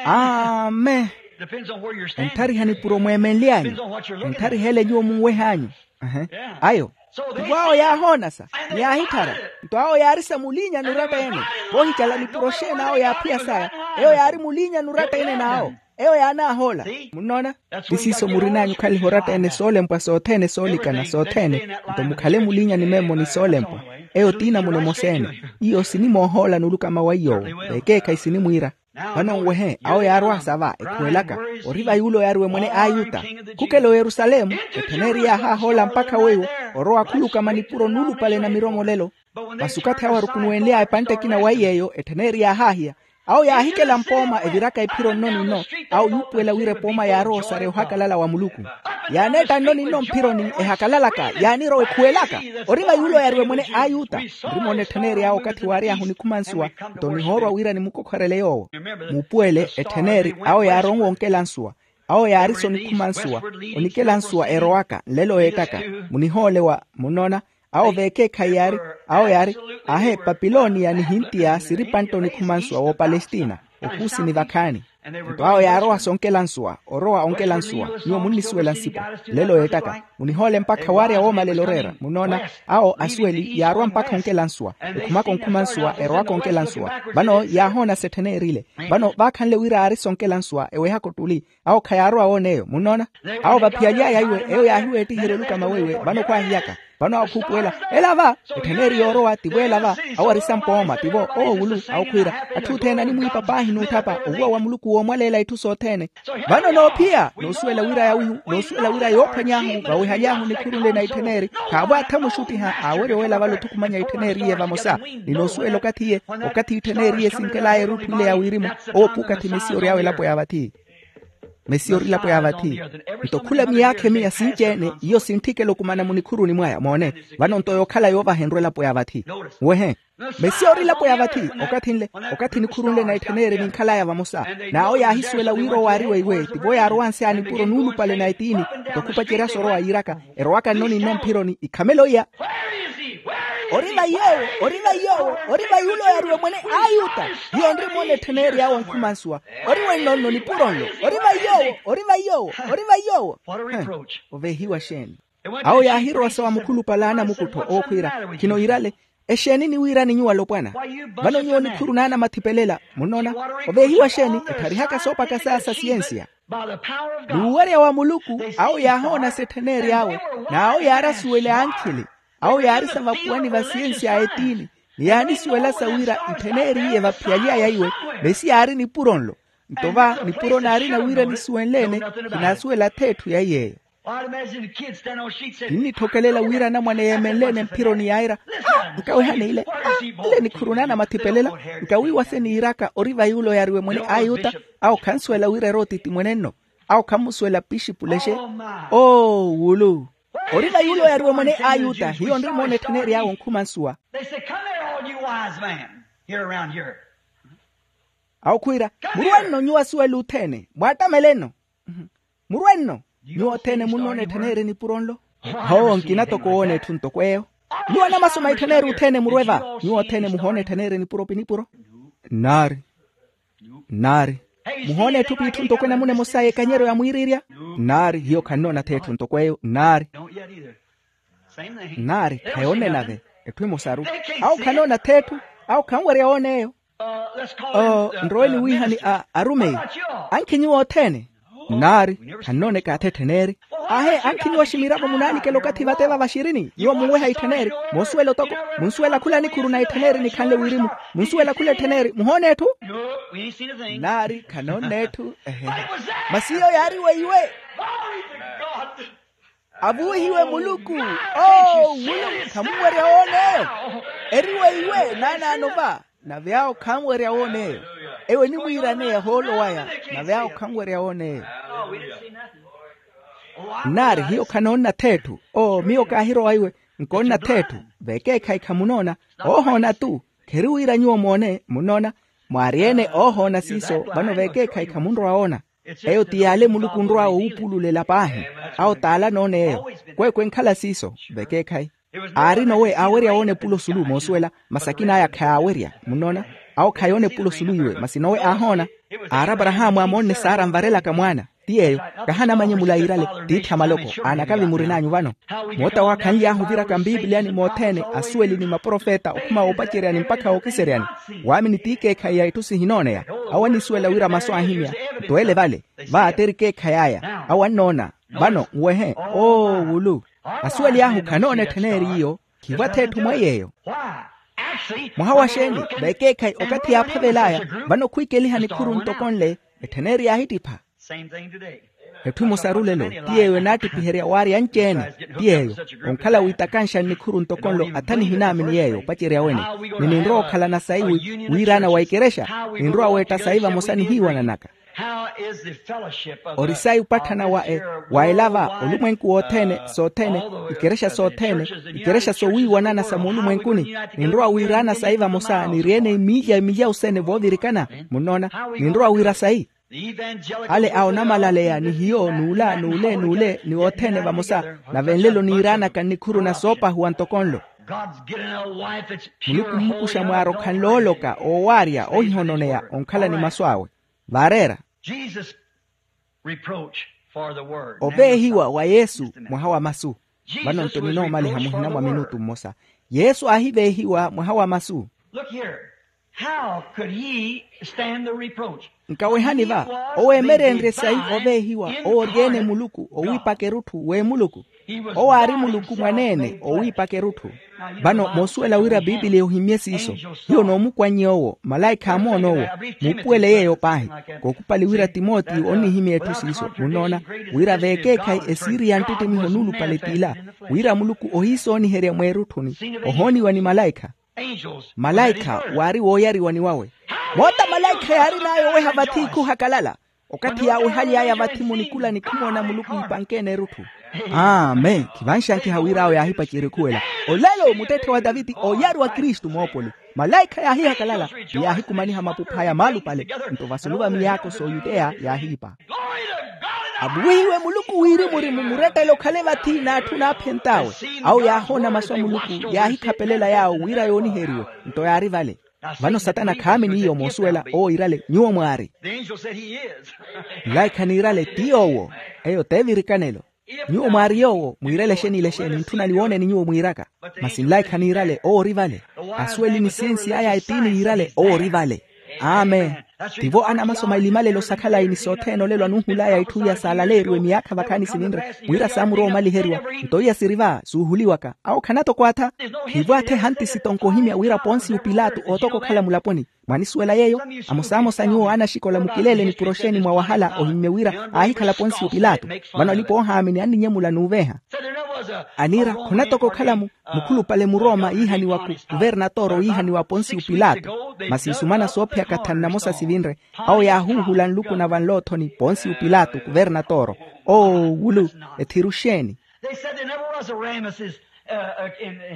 Amen. Entthariha nipuro mweemenly'anyu. Entthariha ele nyuwo munweh'anyu. Ayo. Nto awo yaahoona sa, ni yaahitthara. Nto awo yaari sa muliinyani oratta-ene. Voohicala nipuro xeeni awo yaaphiya saya? Eyo yaari muliinyani oratta-ene n'awo. Eyo yaanaahoola. Munnoona? Ti siiso murin'anyu okhaliha oratta-ene soolempwa sothene soolikana sothene. Nto mukhale muliinyani memmo ni soolempwa. Eyo t'inamuna emosa-ene. Iyo sinimoohoola nuluka mawa iy'owo. Veekeekhayi sinimwiira. Vano nwehe awo yaarwa sa va ekhuwelaka, ori va yuulo yaariwe mwene a ayuta. Khukela oyerusalemu, ettheneri yaahaahoola mpakha weiwo, orowa khulukama nipuro nuulupale na miromolelo. Masi okathi awo arukunuwenly'aya epantte ekina wa iy'eyo ettheneri yaahaahiya. Awo yaahikela mpooma eviraka ephiro nno ni nno. Awo yuupuwela wira epooma yaarowa osareya ohakalala wa muluku. Yaaneetta nno ni nno mphironi ehakalalaka, yaanirowa ekhuwelaka, ori va yuulo yaariwe mwene a ayuta. Nrimoona ettheneri awo okathi waary'ahu onikhuma nsuwa. Nto nihoorwa wira nimukokhorele yoowo. Muupuwele ettheneri awo yaaronwa onkela nsuwa. Awo yaari so onikhuma nsuwa, onikela nsuwa erowaka nlelo yeettaka. Munihoole wa munnoona. Awo veekeekhayi yaari, awo yaari, ahe papiloniya ni hintiya siri pantte onikhuma nsuwa w'opalestina, okuusi ni vakhaani. Nto awo yaarowa sonkela nsuwa orowa onkela nsuwa. Nyuwo munnisuwela nsipo. Nlelo yeettaka munihoole mpakha waarya woomalela oreera munnoona. Awo asuweli yaarwa mpakha onkela nsuwa, ekhumaka onkhuma nsuwa erowaka onkela nsuwa. Vano yaahoona settheneri ile. Vano vaakhanle wira aari sonkela nsuwa ewehaka ottuli. Awo khayaarowa woona eyo munnoona. Awo vaphiyaly'aya iwe eyo yaahiweettiherya olukama weiwe vano khwaahiyaka. Vano awo khuupuwela ela va. Ettheneri yoorowa tivo ela va. Awo ari sampooma tivo oowulu awo khwiira. Atthu othene animwiipa paahi n'utthapa owuwa wa muluku woomwaleela itthu sothene. Vano noophiya noosuwela wira yoophwany'ahu vawehaly'ahu nikhuru nle na ettheneri. Khaavo atha muxuttiha aawerya owelavalo othukumanya ettheneriye vamosa. Ni noosuwela okathi iye okathi ettheneriye sinkel'aya erutthu ile ya wirimu. Owo puukathi mesiya ory'awe elapo ya vathi. Mesiya ori elapo ya vathi. Nto khula miyaakha emiya sinci-ene iyo sintthikela okumana munikhuruni mwaya moone. Vano nto yookhala yoovahenrwa elapo ya vathi. Wehe. Mesiya ori elapo ya vathi. Okathi nle okathi nikhuru nle na ettheneri ninkhal'aya vamosa. N'awo yaahisuwela wira owo aari weiwe tivo yaarowanse a nipuro nuulupale na etiini. Nto khupacerya soorowa yiiraka erowaka nno ni nno mphironi ikhamela oiya. Ori va yoowo ori va yoowo ori va yuulo yaariwe mwene a ayuta. Hiyo nrimoona ettheneri awo onkhuma nsuwa. Ori wenno nno nipuro nlo. Ori va yoowo ori va yoowo ori va yoowo. Oveehiwa xeeni? Awo yaahirowa sa wa mukhulupale a anamukuttho ookhwiira khino yiirale. Exeeni niwiirani nyuwo alopwana? Vano nyuwo nikhuru n'anamathipelelya munnoona. Oveehiwa xeeni etharihaka soopaka saya sa siyensiya. Ni wuwerya wa muluku awo yaahoona settheneri awe. N'awo yaari asuwele ankhili. Awo yaari sa vapuwani va siyensiya a etiini. Ni yaanisuwela sa wira ntheneriye vaphiyaly'aya iwe. Mesiya aari nipuro nlo. Nto va nipuro naarina wira nisuwenle-ene. Khinaasuwela ath'etthu ya iy'eyo. Kinnitthokelela wira anamwane yeemenle-ene mphironi yaira. Nkawehani ile. Ile nikhuru n'anamathipelelo. Nkawiiwa se niiraka ori va yuulo yaariwe mwene a ayuta. Awo khansuwela wira eri otiti mwene nno. Awo khammusuwela pixipu lexe. Oo wulu. Ori va yuulo yaariwe mwene a ayuta hiyo nrimoona ettheneri awe onkhuma nsuwa. Awo khwiira, murwe nno nyuwo asuwela othene mwaattameleno. Murwe nno. Nyuwo othene munnoona ettheneri nipuro nlo? Hoowo nkina toko woona etthu ntoko eyo. Nyuwo anamasoma ettheneri othene murwe va? Nyuwo othene muhoona ettheneri nipuro pi nipuro? Nnaari. Nnaari. Muhoona etthu p'itthu ntoko enamuna emosa y'ekanyeryo ya mwiiriirya? Nnaari hiyo khannoona-tho etthu ntoko eyo nnaari. Nnaari khayoonne nave. Etthu emosaru. Awo khanoona-tho etthu. Awo khanwerya woona eyo. Oo nrowe niwiihani a arumeyi. Ankhi nyuwo othene? Nnaari, khannoona ekaathi etthen'eri. Aahe, ankhiniwa ximiravo munaanikela okathi vate va vaxirini nyuwo munweha itthen'eri. Moosuwela otoko, munsuwela khula nikhuru na itthen'eri nikhanle wirimu. Munsuwela khula etthen'eri muhoona etthu. Nnaari khannoona etthu. Ehehe. Masi iyo yaari weiwe. Avuwihiwe muluku. Oo muluku, khamunwerya woon'eyo. Eri weiwe naanaano va. Nave awo khanwerya woon'eyo. Eyo enimwiiraneya hoolo waya. Nave awo khanwerya woon'eyo. Nnaari hiyo khanoonna th'etthu. Oo miyo kaahirowa iwe. Nkoonna th'etthu. Vekeekhayi khamunoona. Oohoona-tu. Kheri wira nyuwo moone munoona. Mwaari-ene oohoona siiso vano vekeekhayi khamunrowa woona. Eyo ti yaale muluku onrw'awe owuupululela paahi. Awo t'ale anoona eyo. Kweekwe enkhala siiso. Vekeekhayi. Aari nowe aawerya woona epulo sulu moosuwela. Masi akina aya khayaawerya. Munnoona. Awo khayoona epulo sulu iwe masi nowe aahoona. Aari aparahaamu amoonne saara anvarelaka mwaana. Ti yeeyo. Kahanamanye mulairale. Tiithi a maloko aanakavi murin'anyu vano. Moota waakhanly'ahu oviraka mpiipiliyani mothene, asuweli ni maprofeta okhuma woopaceryani mpakha wookiseryani. Waamini t'ikeekhayi ya itthu sihinooneya. Awo anisuwela wira masu aahimya. Nto ele vale. Va t'eri keekhayi aya awo annoona. Vano nwehe. Oo wulu. Asuweli ahu khanoona etthen'eri iyo. Khivo ath'etthu mweiy'eyo. Mwaha wa xeeni? Vekeekhayi okathi yaaphavel'aya. Vano khwiikeliha nikhuru ntoko nle. Etthen'eri yaahittipha. Etthu emosaru lelo. Ti yeeyo enaattipiherya waarya anci-ene. Ti yeeyo. Onkhala wiitakanxa nnikhuru ntoko nlo athanihi naamini yeeyo opacerya wene. Ni ninrowa okhalana sayi wiiraana wa ikerexa. Ninrowa weetta sayi vamosa nihiiwananaka. Ori sayi opatthana wa elava olumwenku wothene sothene. Ikerexa sothene. Ikerexa sowiiwanana sa moolumwenkuni. Ninrowa wiiraana sayi vamosa niri-ene imiilya imiilya osene voovirikana. Munnoona. Ninrowa wiira sayi. Ale a onamalaleya ni hiyo n'ula n'ule n'ule ni othene vamosa. Nave nlelo niiraanaka nnikhuru na soopahuwa ntoko nlo. Muluku mmukuxa mwaari okhanle ooloka oowaarya oohihononeya onkhala ni masu awe. Vaareera. Oveehiwa wa yesu mwaha wa masu. Vano nto ninoomaliha muhina mwa minutu mmosa. Yesu aahiveehiwa mwaha wa masu. How could he stand the reproach? Nkawehani va. Owo emereenrye sayi oveehiwa owo ori-ene muluku owiipaka erutthu w'emuluku. Owo aari muluku mwaneene owiipaka erutthu. Vano moosuwela wira piipiliya ohimmye siiso. Hiyo noomukwannye owo malaikha amoona owo. Muupuwele yeeyo paahi. Kookupali wira timotiyo onnihimya etthu siiso munnoona, wira veekeekhayi esiiri ya nttittimiho nuulupale t'ila, wira muluku ohiisooniherya mweerutthuni ohooniwa ni malaikha. Malaikha waari wooyariwani wawe. Moota malaikha yaarin'aya oweha vathi ikhuhakalala. Okathi yaawehaly'aya vathi munikula ni khimoona muluku iipankeene erutthu. Amen. Khivanxankiha wir'awe yaahipacerya okhuwela. Olelo muttetthe wa taviti ooyariwa kristu moopoli. Malaikha yaahihakalala ni yaahikumaniha mapuph'aya maalupale. Nto vasulu va miyaako s'oyuteya yaahiipa. Avuwihiwe muluku wirimu ori mumurettele okhale vathi n'atthu naaphent'awe. Awo yaahoona masu a muluku yaahikhapelela yaawo wira yooniheriwe. Nto yaari vale. Vano satana khaamini iyo moosuwela owo iirale nyuwo mwaari. Nlaikha niirale ti yoowo. Eyo t'evirikanelo. Nyuwo mwaari yoowo mwiirele exeni ile exeni ntthuna niwooneni nyuwo mwiiraka. Masi nlaikha niirale owo ori vale. Asuweli ni sensi aya etiini yiirale owo ori vale. Amen. Tivo anamaso mailimalelo sa khalayi ni sothene olelo anuuhul'aya itthu iya saalaleeriwe miyaakha vakhaani sininre wira saamurowa omaliheriwa. Nto iya siri va suuhuliwaka awo khanatoko atha. Tivo atha ehanti sitonko ohimya wira ponsiyo pilato ootoka okhala mulaponi. Mwanisuwela yeeyo? Amosamosa nyuwo anaxikola mukileele ni puroxeni mwa wahala ohimmye wira aahikhala ponsiyo pilato. Vano alipa oohaamini anninyemula n'uveeha. Aniira khunatoka okhala mukhulupale muroma yiihaniwa kuvernatoro yiihaniwa ponsiyo pilato. Masi nsumana soophiyaka thanu namosa sivinre. Awo yaahuuhula nluku na vanloothoni ponsiyo pilato kuvernatoro. Oo wulu. Ethiru xeeni?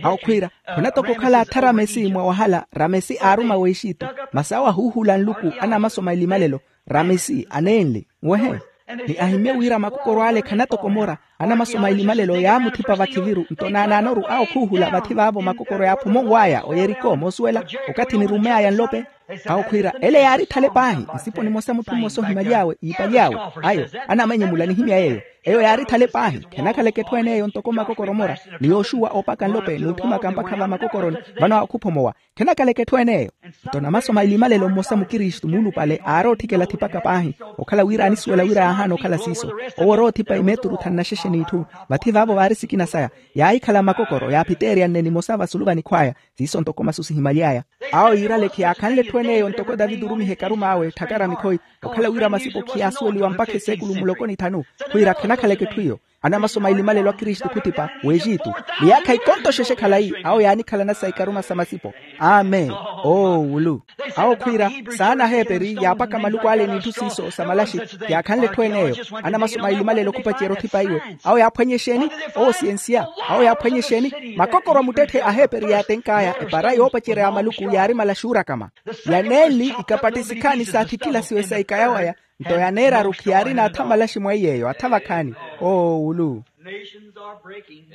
Awo khwiira khunatoka okhala atha ramesi mwa wahala ramesi aaruma w'exitu. Masi awo ahuuhula nluku anamaso mailimalelo. Ramesi aneenli nwehe. Ni ahimmye wira makokoro ale khanatokomora. Anamaso mailimalelo yaamuthipa vakhiviru nto naanaanoru awo khuuhula vathi vaavo makokoro yaaphuma onw'aya oyeriko moosuwela. Okathi nirumm'aya nlope Awo khwiira ele yaari thale paahi. Nsipo nimosa mutthu mmosa ohimaly'awe iipaly'awe. Ayo, anamenyemula nihimya yeeyo. Eyo yaari thale paahi. Khenakhaleke etthu ene eyo ntoko makokoro mora ni yooxuwa oopaka nlope n'utthimaka mpakha va makokoroni. Vano akhuphomowa. Khenakhaleke etthu ene eyo. Nto namaso maili malelo mmosa mukristu muulupale aari otthikela athipaka paahi. Okhala wira anisuwela wira yaahaana okhala siiso. Owo orowa othipa imeturu thanu na xexe n'itthu. Vathi vaavo vaari sikina saya. Yaahikhala makokoro yaaphiteeryanne nimosa vasulu va nikhw'aya. Siiso ntoko masu sihimaly'aya. Awo yiirale khiyaakhanle etthu ene eyo ntoko taviti orumiha ekarum'awe etthakara mikhoyi. Okhala wira masipo khiyaasuweliwa mpakha eseekulu muloko ni thanu. Khwiira khenakhaleke etthu iyo. Anamaso maili malelo a kristu khutipa w'exitu. Miyaakha ikonto xexe khalayi awo yaanikhalana sa ikaruma sa masipo. Amen. Oowulu. Awo khwiira saana aheeperi yaapaka maluku ale n'itthu siiso sa malaxi. Yaakhanle etthu ene eyo. Anamaso maili malelo khupacerya othipa iwe. Awo yaaphwanye exeeni? Owo siyensiya. Awo yaaphwanye exeeni? Makokoro a muttetthe aheeperi yaatenk'aya epara yoopacerya ya maluku yaari malaxi oorakama. Yaneenli ikapattisikhaani s'athikilasiwe sa ikaya waya. Nto yaneeraru khiyaari n'atha malaxi mweiy'eyo atha vakhaani. Oowulu. Nations are breaking.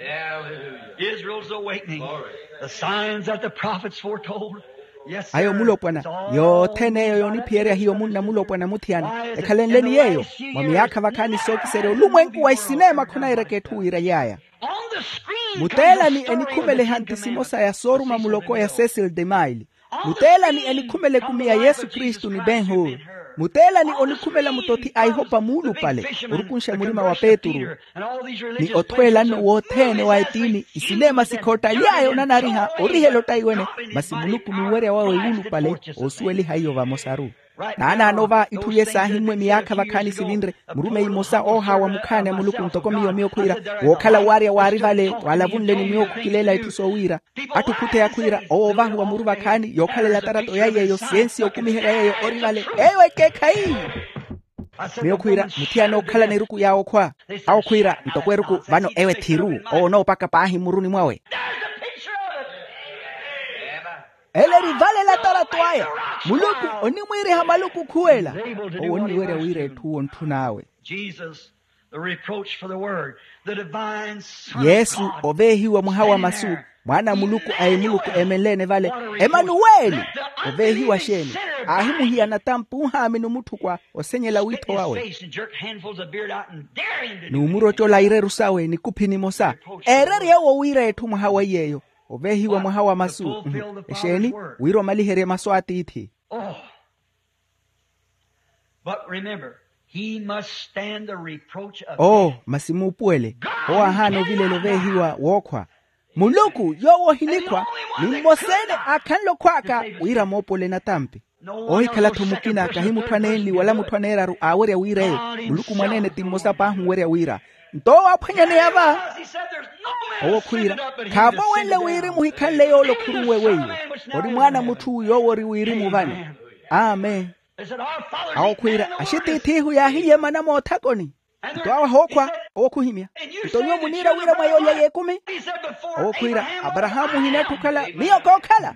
Israel's awakening. The signs that the prophets foretold. Ayo mulopwana yothene eyo yooniphiyerya hiyo munna mulopwana muthiyana. Ekhalenleni yeeyo mwa miyaakha vakhaani sookiserya olumwenku wa isineema khunairaka etthu wiiraly'aya. Muteelani enikhumele ehanti simosa ya sooruma muloko ya cecil de mile. Muteelani enikhumela ekumi ya yesu kristu ni ben hur. Muteelani onikhumela muttothi a ihopa muulupale orukunxa murima wa peturu. Ni othweelanno wothene wa etiini isineema sikhoottaly'aya onanariha orihela ottaiwene. Masi muluku n'uwerya wawe wuulupale oosuweliha iyo vamosaru. Naanaano va itthu iye saahimmwe miyaakha vakhaani sivinre. Murumeyi mmosa oohaawa mukhaani a muluku ntoko miyo miyo khwiira wookhala waarya waari vale waalavunleni miyo khukileela itthu soowiira. Atthu khutheya khwiira owo ovahiwa muru vakhaani yookhalela tarato ya yeeyo siyensi yookumiherya yeeyo ori vale. Eyo ekeekhayi. Miyo khwiira muthiyana ookhalana eruku yaawe okhwa. Awo khwiira ntoko eruku vano ewe thiru. Owo onoopaka paahi mmuruni mwawe. Ele eri vale la tarato aya. Muluku onimwiiriha maluku khuwela. Owo onniwerya wira etthu owo ntthun'awe. Jesus, the reproach for the word, the divine Son of yesu God, oveehiwa mwaha wa masu. Mwaana a muluku a emuluku eemenleene vale. Emanuweli. Oveehiwa xeeni? Aahimuhiya natampi ohaamini omutthukwa osenyela wiitho wawe. N'umurocola ireru sawe nikuphi nimosa. Eererye owo wira etthu mwaha wa iy'eyo. Oveehiwa mwaha wa masu. Exeeni? Wira omaliherye masu a tiithi. But remember, he must stand the reproach of oo death. Masi muupuwele. Owo aahaana ovilela oveehiwa wookhwa. Muluku yoowo ohinikhwa ni mmosa-ene aakhanle okhw'aka wira moopole natampi. Oohikhala-tho mukina kahi mutthu aneenli wala mutthu aneeraru aawerya wira eyo. Muluku mwaneene ti mmosa paahi owerya wira. Nto owo aaphwanyaneya va. Owo khwiira khaavo wenle wirimu ohikhanle yoole okhurunwe weiwo. Ori mwaana a mutthu yoowo ori wirimu vano. Amen. Awo khwiira axitiith'ihu yaahiyemana moothakoni. Nto awo ahookhwa. Owo khuhimya. Nto nyuwo muniira wira mwa yoolya y'ekumi? Owo khwiira aparahaamu ohinatthi okhala miyo kookhala.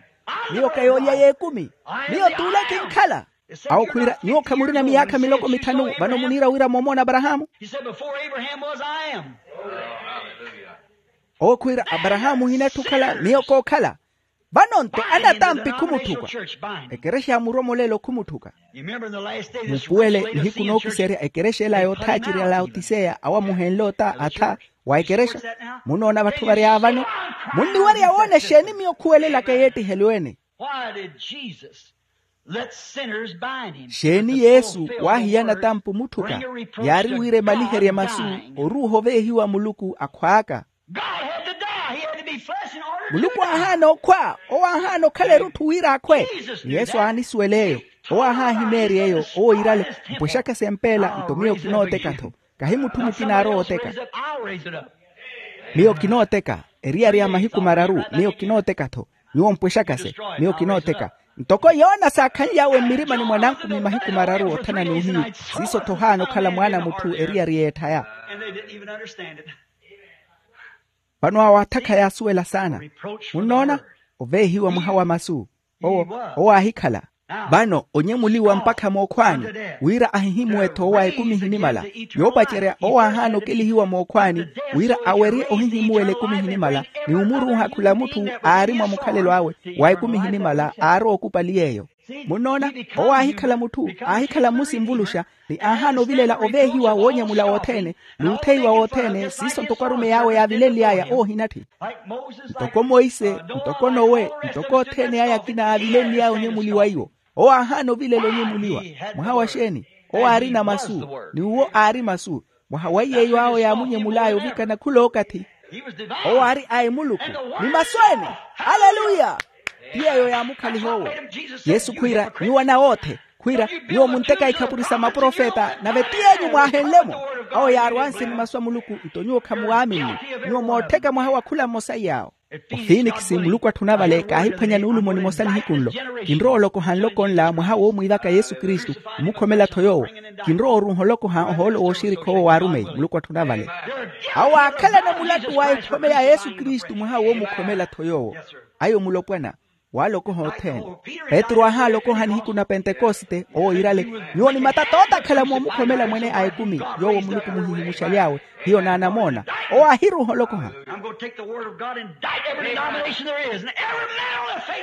Miyo ka yoolya y'ekumi. Miyo t'ule kinkhala. Awo khwiira nyuwo khamurina miyaakha miloko mithanu vano muniira wira moomoona aparahaamu? Owo khwiira aparahaamu ohinatthi okhala miyo kookhala. Vano-nto anatampi khumutthuka. Ekerexa ya muromolelo khumutthuka. Mupuwele nihiku nookiserya ekerexa ela yoothaacerya laotiseya awo amuhenle ota atha wa ekerexa. Munoona vatthu vary'awe vano. Munniwerya woona exeeni miyo khuwelelaka yeettihelo ene? Why did Jesus let sinners bind him? Xeeni yesu waahiyana tampu mutthuka? Yaari wira emaliherye masu oruuha oveehiwa muluku akhw'aka. Muluku aahaana okhwa. Owo aahaana okhala erutthu wira akhwe. Yesu aanisuwela eyo. Owo aahaahimeerya eyo owo iirale. Mpwexakase mpeela nto miyo kinooteka-tho. Kahi mutthu mukina aarowa oteka. Miyo kinooteka. Eriyari ya mahiku mararu miyo kinooteka-tho. Nyuwo mpwexakase. Miyo kinooteka. Ntoko yoona saakhanly'awe mmirimani mwa nankumi mahiku mararu othana n'uhiyu. Siiso-tho ohaana okhala mwaana a mutthu eriyari y'etthaya. Vano awo atha khayaasuwela saana. Munnoona? Oveehiwa mwaha wa masu. Owo owo aahikhala. Vano onyemuliwa mpakha mookhwaani wira ahihimuwe-tho owa ekumi ehinimala. Yoopacerya owo aahaana okelihiwa mookhwaani wira awerye ohihimuwela ekumi ehinimala. Ni omuruuha khula mutthu aari mwa mukhalelo awe wa ekumi ehinimala aarowa okupali yeeyo. Munnoona, owo aahikhala mutthu, aahikhala mmusi nvuluxa, ni aahaana ovilela oveehiwa woonyamula wothene, n'utheiwa wothene siiso ntoko arumeyi awe yaavilenly'aya oohinatthi. Ntoko monse, ntoko nowe, ntoko othene aya akina aavilenly'aya onyemuliwa iwo. Owo aahaana ovilela onyemuliwa. Mwaha wa xeeni? Owo aarina masu, ni uwo aari masu. Mwaha wa iy'eyo awo yaamunyemul'aya ovikana khul'okathi. Owo aari a emuluku, ni masu ene. Aleluya. Ti yeeyo yaamukhaliha owo. Yesu khwiira, nyuwo anawoothe, khwiira, nyuwo munteka ikhapuri sa maprofeta nave ti yeenyu mwaahenle-mo. Awo yaarwanse ni masu a muluku, nto nyuwo khamuwaaminni. Nyuwo moottheka mwaha wa khula mmosa iy'awo. Ofinikisi muluku atthuna vale kaahiphwanya nuulumo nimosa nihiku nlo. Kinrowa olokoha nloko nla mwaha woomwiivaka yesu kristu, omukhomela-tho yoowo. Kinrowa oruuha olokoha ohoolo wooxirikha owo waarumeyi muluku atthuna vale. Awo aakhalana mulattu wa ekhome ya yesu kristu mwaha woomukhomela-tho yoowo. Ayo mulopwana. Waalokoha othene. Petru aahaalokoha nihiku na pentekoste owo iirale, nyuwo ni matata ootakhala moomukhomela mwene a ekumi. Yoowo muluku muhihimuxaly'awe, hiyo naanamoona. Owo aahiruuha olokoha.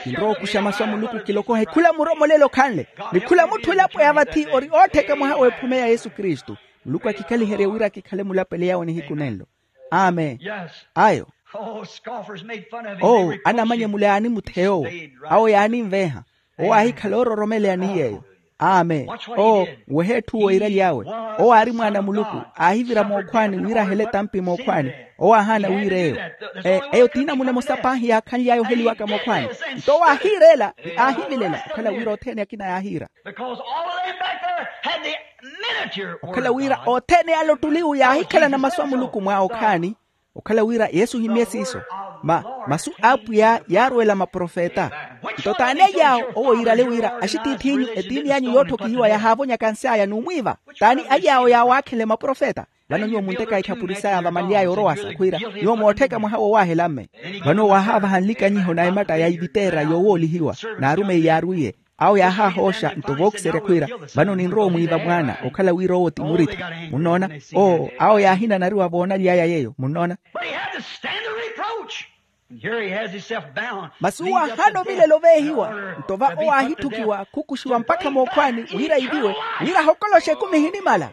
Kinrowa okuxa masu a muluku kilokohe khula muromolelo khanle, ni khula mutthu elapo ya vathi ori oottheka mwaha w'ephome ya yesu kristu. Muluku akikhaliherye wira kikhale mulapele yawe nihiku nenlo. Amen. Ayo. Owo anamanyemula yaanimutheya owo. Awo yaaninveeha. Owo aahikhala oororomeleya ni yeeyo. Amen. Owo nwehe etthu owo iiraly'awe. Owo aari mwaana a muluku. Aahivira mookhwaani wira ahele etampi mookhwaani. Owo aahaana wira eyo. Eyo t'inamuna emosa paahi yaakhanly'aya oheliwaka mookhwaani. Nto owo aahiireela ni aahivilela okhala wira othene akina yaahiira. Okhala wira othene ale ottuliwu yaahikhalana masu a muluku mwa okhaani. Okhala wira yesu ohimye siiso. Ma masu a apwiya yaarwela maprofeta. Nto t'ani aly'awo owo iirale wira axitiith'inyu etiini anyu yootthokihiwa yahaavonyaka nsi aya n'umwiiva? T'ani aly'awo yaawaakhele maprofeta? Vano nyuwo munteka ikhapuri saya vamanly'aya orowasa khwiira, nyuwo moottheka mwaha wowaahela mme. Vano waahaavaha nlikanyiho na ematta ya iviteera yoowoolihiwa. N'arumeyi yaarwiye. Awo yaahaahooxa nto vookiserya khwiira, vano ninrowa omwiiva mwaana okhala wira owo ti murithi. Munnoona? Oo awo yaahinanariwa voonaly'aya yeeyo munnoona. Masi owo aahaana ovilela oveehiwa. Nto va owo aahitthukiwa khukuxiwa mpakha mookhwaani wira iviwe, wira ahokoloxe ekumi ehinimala.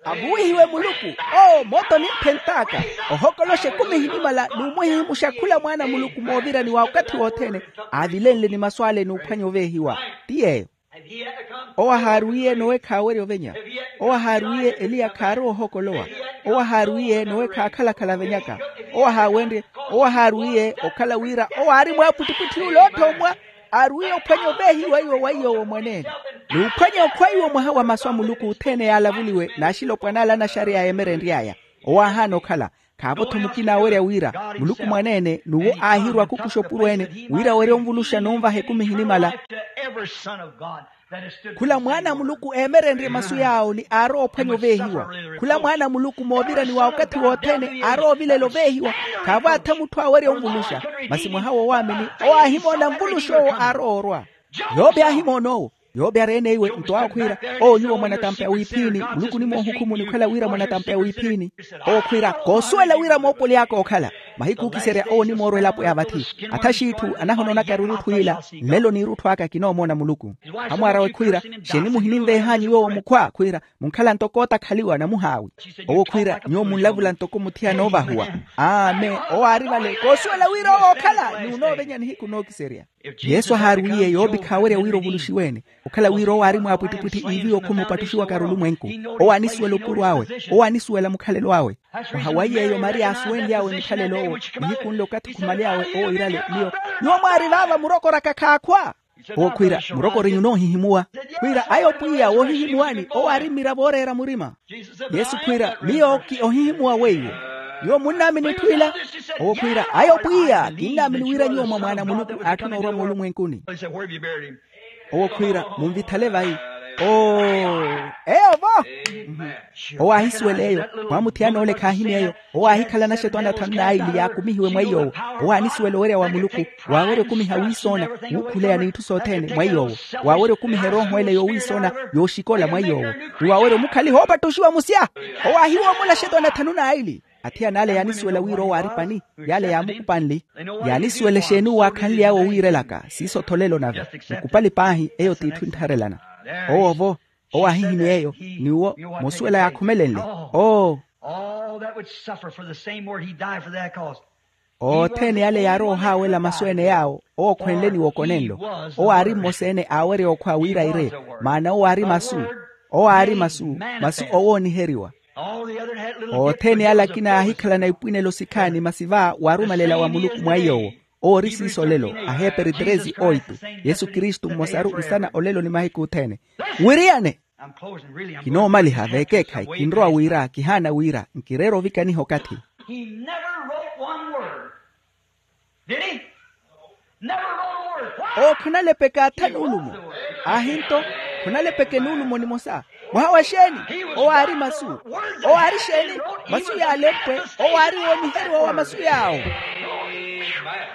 Avuwihiwe muluku. Oo mootoni mphentt'aka. Ohokoloxa ekumi ehinimala n'umuhihimuxa khula mwaana a muluku moovirani wa okathi wothene. Aavilenle ni masu ale n'uphwanya oveehiwa. Ti yeeyo. Owo ahaarwiye nowe khaawerya ovenya. Owo ahaarwiye eliya khaarowa ohokolowa. Owo ahaarwiye nowe khaakhala-khala avenyaka. Owo ahaawenrye. Owo ahaarwiye okhala wira owo aari mwaapwittipwitthi ule otthoomwa. Aarwiye ophwanya oveehiwa iwo wa iy'owo mwaneene. N'uphwanya okhwa iwo mwaha wa masu a muluku othene yaalavuliwe n'axilopwana ale anaxareya yeemerenry'aya. Owo aahaana okhala. Khaavo-tho mukina awerya wira muluku mwaneene n'uwo aahirwa khukuxa opuro ene wira awerye onvuluxa n'unvaha ekumi ehinimala. Khula mwaana a muluku eemerenrye masu yaawo ni aarowa ophwanya oveehiwa. Khula mwaana a muluku moovirani wa okathi wothene aarowa ovilela oveehiwa. Khaavo atha mutthu awerya onvuluxa. Masi mwaha woowaamini owo aahimoona nvuluxa owo aarowa orwa. Yope aahimoona owo. Yope ari ene iwe nto awo khwiira, owo nyuwo mwanatampa ya wiiphiini muluku onimoohukhumuni okhala wira mwanatampa ya wiiphiini. Owo khwiira koosuwela wira moopoli aka ookhala. Mahiku ookiserya owo onimoorwa elapo ya vathi. Atha xiitthu anahonoonaka erurutthu ila. Nlelo n'irutthu aka kinoomoona muluku. Amwaarawe khwiira, xeeni muhininveeh'anyu yoowo mukhwa khwiira munkhala ntoko ootakhaliwa namuhaawi. Owo khwiira nyuwo munlavula ntoko muthiyana oovahuwa. Amen. Owo aari vale koosuwela wira owo ookhala n'unoovenya nihiku nookiserya. Yesu ahaarwiye yoopi khaawerya wira ovuluxiwe-ene. Okhala wira owo aari mwaapwittipwitthi iiviwa okhuma opattuxiwaka arulumwenku. Owo anisuwela opuro awe. Owo anisuwela mukhalelo awe. Mwaha wa iy'eyo maria aasuwenly'awe mukhalelo owo. Nihiku nlo okathi khumale awe owo iirale miyo. Nyuwo mwaari vaava murokoraka khaakhwa. Owo khwiira murokori nyunoohihimuwa. Khwiira ayo pwiya woohihimuwani owo aari mmiravo ooreera murima. Yesu khwiira miyo ki ohihimuwa weiwo. Nyuwo munnaamini etthu ila? Owo khwiira ayo pwiya kinnaamini wira nyuwo mwa mwaana a muluku aatthuna orwa moolumwenkuni. Owo khwiira munvithale vayi. Oo eyo vo. Owo aahisuwela eyo. Mwamuthiyana ole khaahini eyo. Owo aahikhala anaxetwaani athanu n'aili yaakumihiwe mwa iy'owo. Owo aanisuwela owerya wa muluku. Waawerya okumiha wiisoona. Wuukhuleya n'itthu sothene mwa iy'owo. Waawerya okumiha erooho ele yoowiisoona yooxikola mwa iy'owo. Ni waawerya omukhaliha oopattuxiwa musya. Owo aahiwoomola axetwaani athanu n'aili. Athiyana ale yaanisuwela wira owo aari pani. Y'ale yaamukupanli. Yaanisuwela exeeni owo aakhanly'awe owiirelaka siiso-tho olelo nave. Mukupali paahi eyo t'itthu enttharelana. Owo-vo owo aahihimya eyo. N'uwo musuwela yaakhumelenle. Oo. All that would suffer for the same word, he died for that cause. Othene yale yaarowa ohaawela masu ene yaawo owo okhwenle ni wokonenlo. Owo aari mmosa ene aawerya okhwa wira ire. Maana owo aari masu. Owo aari masu. Masu owooniheriwa. Othene yale akina yaahikhalana ipwinelo sikhaani masi va waarumelela wa muluku mwa iy'owo. Owo ori siiso olelo. Aheeperi tresi oitu. Yesu kristu mmosaru nsana olelo ni mahiku othene. Wiriyane. Kinoomaliha veekeekhayi kinrowa wira kihaana wira nkireera ovikaniha okathi. He never wrote one word. Did he? Never wrote a word. Why? Owo khanalepeke atha nuulumo. Aahinto khanalepeke nuulumo nimosa. Mwaha wa xeeni? Owo aari masu. Owo aari xeeni? Masu yaalempwe. Owo aari wooniheriwa wa masu yaawo.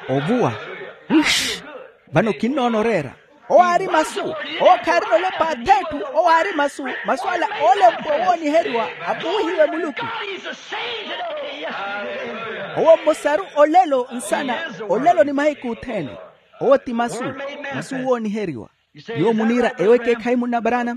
Ovuwa. Vano kinnoona oreera. Owo aari masu. Owo khaarina olepa ath'etthu. Owo aari masu. Masu ala oolempwa owooniheriwa. Apuwihiwe muluku. Owo mmosaru olelo nsana. Olelo ni mahiku othene. Owo ti masu. Masu wooniheriwa. Nyuwo muniira ewo ekeekhayi munna barana.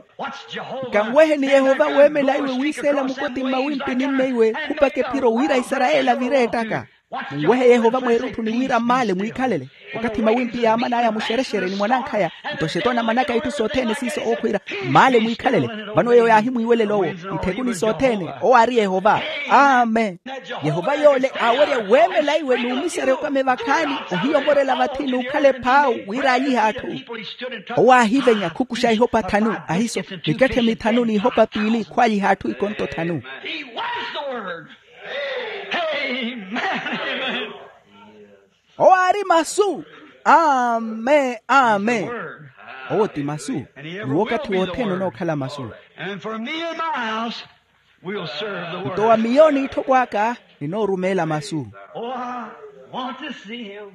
Nkanweheni yehova weemela iwe wiiseela mukoti mmawimpi ni mmeiwe khupaka ephiro wira isarayeli avire ettaka. Munwehe yehova mweerutthu ni wira mmaale mwiikhalele. Okathi mawimpi yaaman'aya muxerexere ni mwanankhaya nto xetoona manaka itthu sothene siiso ookhwiira mmaale mwiikhalele. Vano eyo yaahimwiiwelela owo ntthekuni sothene. Owo aari yehova. Amen. Yehova yoole aawerya weemela iwe n'umiserya okame vakhaani. Ohiyomorela vathi n'ukhala ephaawu wira alyihe atthu. Owo aahivenya khukuxa ihopa thanu ahiso miketthe mithanu n'ihopa piili khwalyiha atthu ikonto thanu. He was the word. Amen. Owo aari masu. Amen. Amen. Owo ti masu. N'uwo okathi wothene onookhala masu. And for me and my house, we'll serve the word. Nto wa miyo n'itthoko aka ninoorumeela masu. Oh, I want to see him.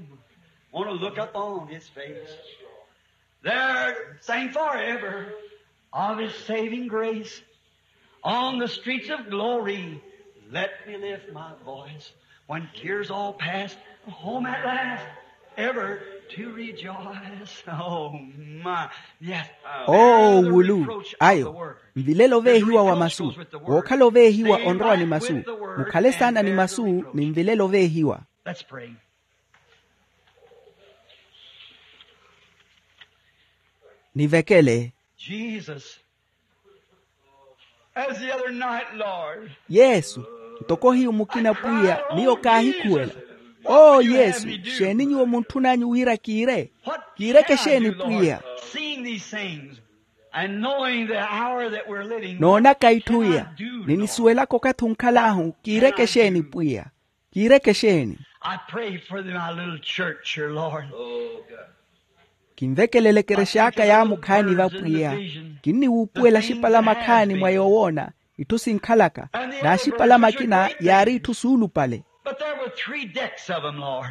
Want to look upon his face. There sang forever of his saving grace. On the streets of glory, let me lift my voice. When tears all past, home at last, ever to rejoice. Oh, my. Yes. Oh wulu. Ayo. Nvilelo veehiwa wa masu. Wookhala oveehiwa onrowa ni masu. Mukhale saana ni masu ni nvilelo veehiwa. Let's pray. Nivekele. Jesus. As the other night, Lord. Yesu. Ntoko hiyu mukina pwiya miyo kaahikhuwela. Oo yesu, xeeni nyuwo muntthun'anyu wira kiire? Kiireke xeeni pwiya? Seeing these things and knowing the hour that we're living, noonaka itthu iya, ninisuwelaka okathi onkhal'ahu kiireke xeeni pwiya? Kiireke xeeni? I pray for my little church here, Lord. Kinvekelele ekerex'aka yaamukhaani vapwiya. Kinniwuupuwela axipalama akhaani mwa yoowoona itthu sinkhalaka. N'axipalama akina yaari itthu suulupale. But there were three decks of them, Lord.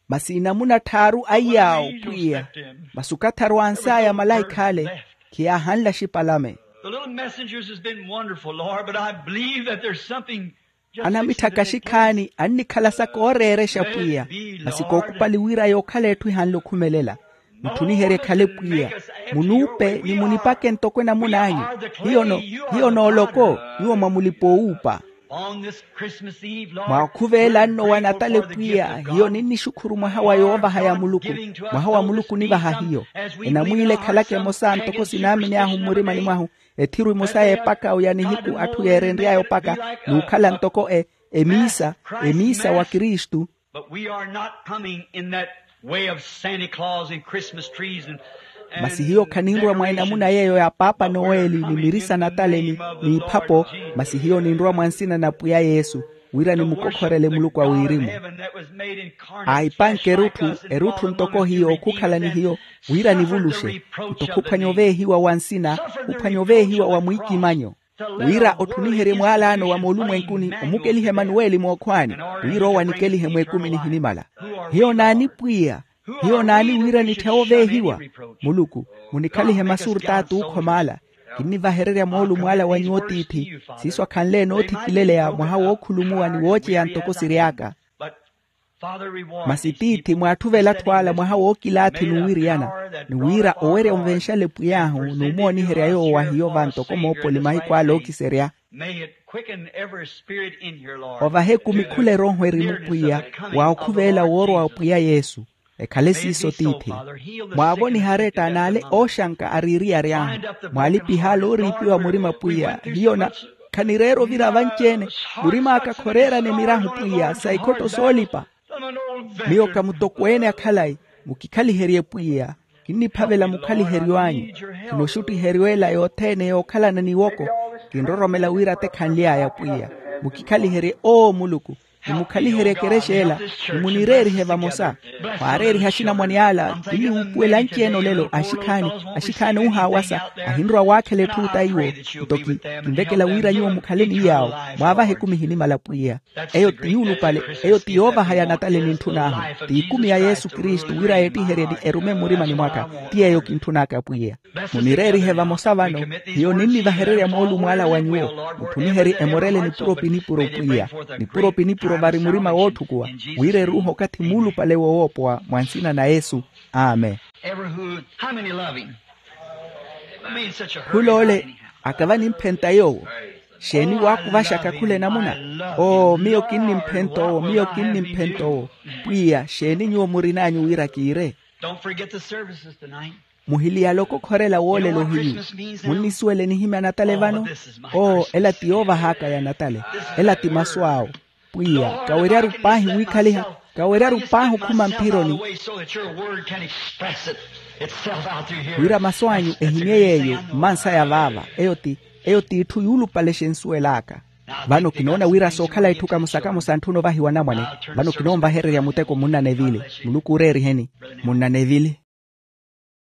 Masi inamuna tthaaru a iyaawo pwiya. Masi okathi arwans'aya malaikha ale khiyaahanle axipalame. The little messengers has been wonderful, Lord, but I believe that there's something just. Anamitthaka axikhaani annikhala sa kooreerexa pwiya. Masi kookupali wira yookhala etthu ihanle okhumelela. Mutthuniherye ekhale pwiya. Munuupe ni munipake ntoko enamun'anyu. Hiyo nooloko. Nyuwo mwa mulipa owuupa. Mwaakhuveela nno wa natale pwiya hiyo ninnixukhuru mwaha wa yoovaha ya muluku. Mwaha wa muluku onivaha hiyo. Enamwiila ekhalaka emosa ntoko sinaamini ahu mmurimani mwahu. Ethiru emosa y'epaka oya nihiku atthu yeerenry'aya opaka n'ukhala ntoko emiisa. Emiisa wa kristu. But we are not coming in that way of santa claus and christmas trees and. Masi hiyo khaninrwa mwa enamuna yeeyo ya paapa noweli ni mirisa natale ni iphapo. Masi hiyo ninrwa mwa nsina na pwiya yesu wira nimukokhorele muluku a wirimu. Aahipanke erutthu erutthu ntoko hiyo okhukhala ni hiyo wira nivuluxe. Nto khuphwanya oveehiwa wa nsina khuphwanya oveehiwa wa mwiikimanyo. Wira otthuniherye mwaalaano wa moolumwenkuni omukeliha emanuweli mookhwaani wira owo anikelihe mweekumi nihinimala. Hiyo naani pwiya? Hiyo naani wira nitthewe oveehiwa? Muluku munikhalihe masu ortaati ookhomaala. Kinnivahererya moolumo ala wa nyuwo tiithi, siiso akhanle enoothikileleya mwaha wookhulumuwa ni wooceya ntoko siry'aka. Masi tiithi, mwaatthuve elatthu ala mwaha wookilaathi n'uwiriyana, ni wira owerya onvenxale pwiy'ahu n'umooniherya yoowo wa hiyo va ntoko moopoli mahiku ala ookiserya. Ovahe ekumi khula erooho erimu pwiya, wa okhuveela woorwa wa pwiya yesu. Ekhale siiso tiithi. Mwaavonihe aretta n'ale ooxanka ariiriyary'ahu. Mwaalipihe ale ooriipiwa murima pwiya hiyo na, khanireera ovira vanci-ene. Murim'aka khoreerana emirahu pwiya sa ikhotto soolipa. Miyo ka mutokweene a khalayi. Mukikhaliherye pwiya. Kinniphavela mukhaliheryo anyu. Khinoxuttiheryo ela yothene yookhalana n'iwoko. Kinroromela wira tekhanly'aya pwiya. Mukikhaliherye oo muluku. Nimukhaliherye ekerexa ela. Nimunireerihe vamosa. Khwaareeriha axinamwane ala kinniwuupuwela anci-ene olelo axikhaani. Axikhaani oohaawasa. Ahinrowa waakhela etthu ota iwo. Nto ki kinvekela wira nyuwo mukhale ni yaawo. Mwaavahe ekumi ehinimala pwiya. Eyo ti yuulupale. Eyo ti yoovaha ya natale nintthun'ahu. Ti ikumi ya yesu kristu wira yeettiherye ni erume mmurimani mwaka. Ti yeeyo kintthun'aka pwiya. Munireerihe vamosa vano. Hiyo ninnivahererya moolumo ala wa nyuwo. Mutthuniherye emorele nipuro pi nipuro pwiya. Nipuro pi nipuro vari murima wootthukuwa. Wira eruuhe okathi muulupale wowoopowa mwa nsina na yesu. Amen. Khul'ole, akava nimphenta yoowo. Xeeni waakuvaxaka khula enamuna? Oo miyo kinnimphenta owo miyo kinnimphenta owo. Pwiya xeeni nyuwo murin'anyu wira kiire? Muhiliyale okokhorela woolelo hiyu. Munnisuwela enihimya natale vano? Oo ela ti yoovah'aka ya natale. Ela ti masu awo. Pwiya kaweryaru paahi wiikhaliha. Kaweryaru paahi okhuma mphironi. Wira masu anyu ehimye yeeyo mmansaya vaava. Eyo ti eyo ti itthu yuulupale xensuwel'aka. Vano kinoona wira sookhala itthu kamosa-kamosa antthuna ovahiwa anamwane. Vano kinoonvahererya muteko munna nevili. Muluku ooreeriheni. Munna nevili.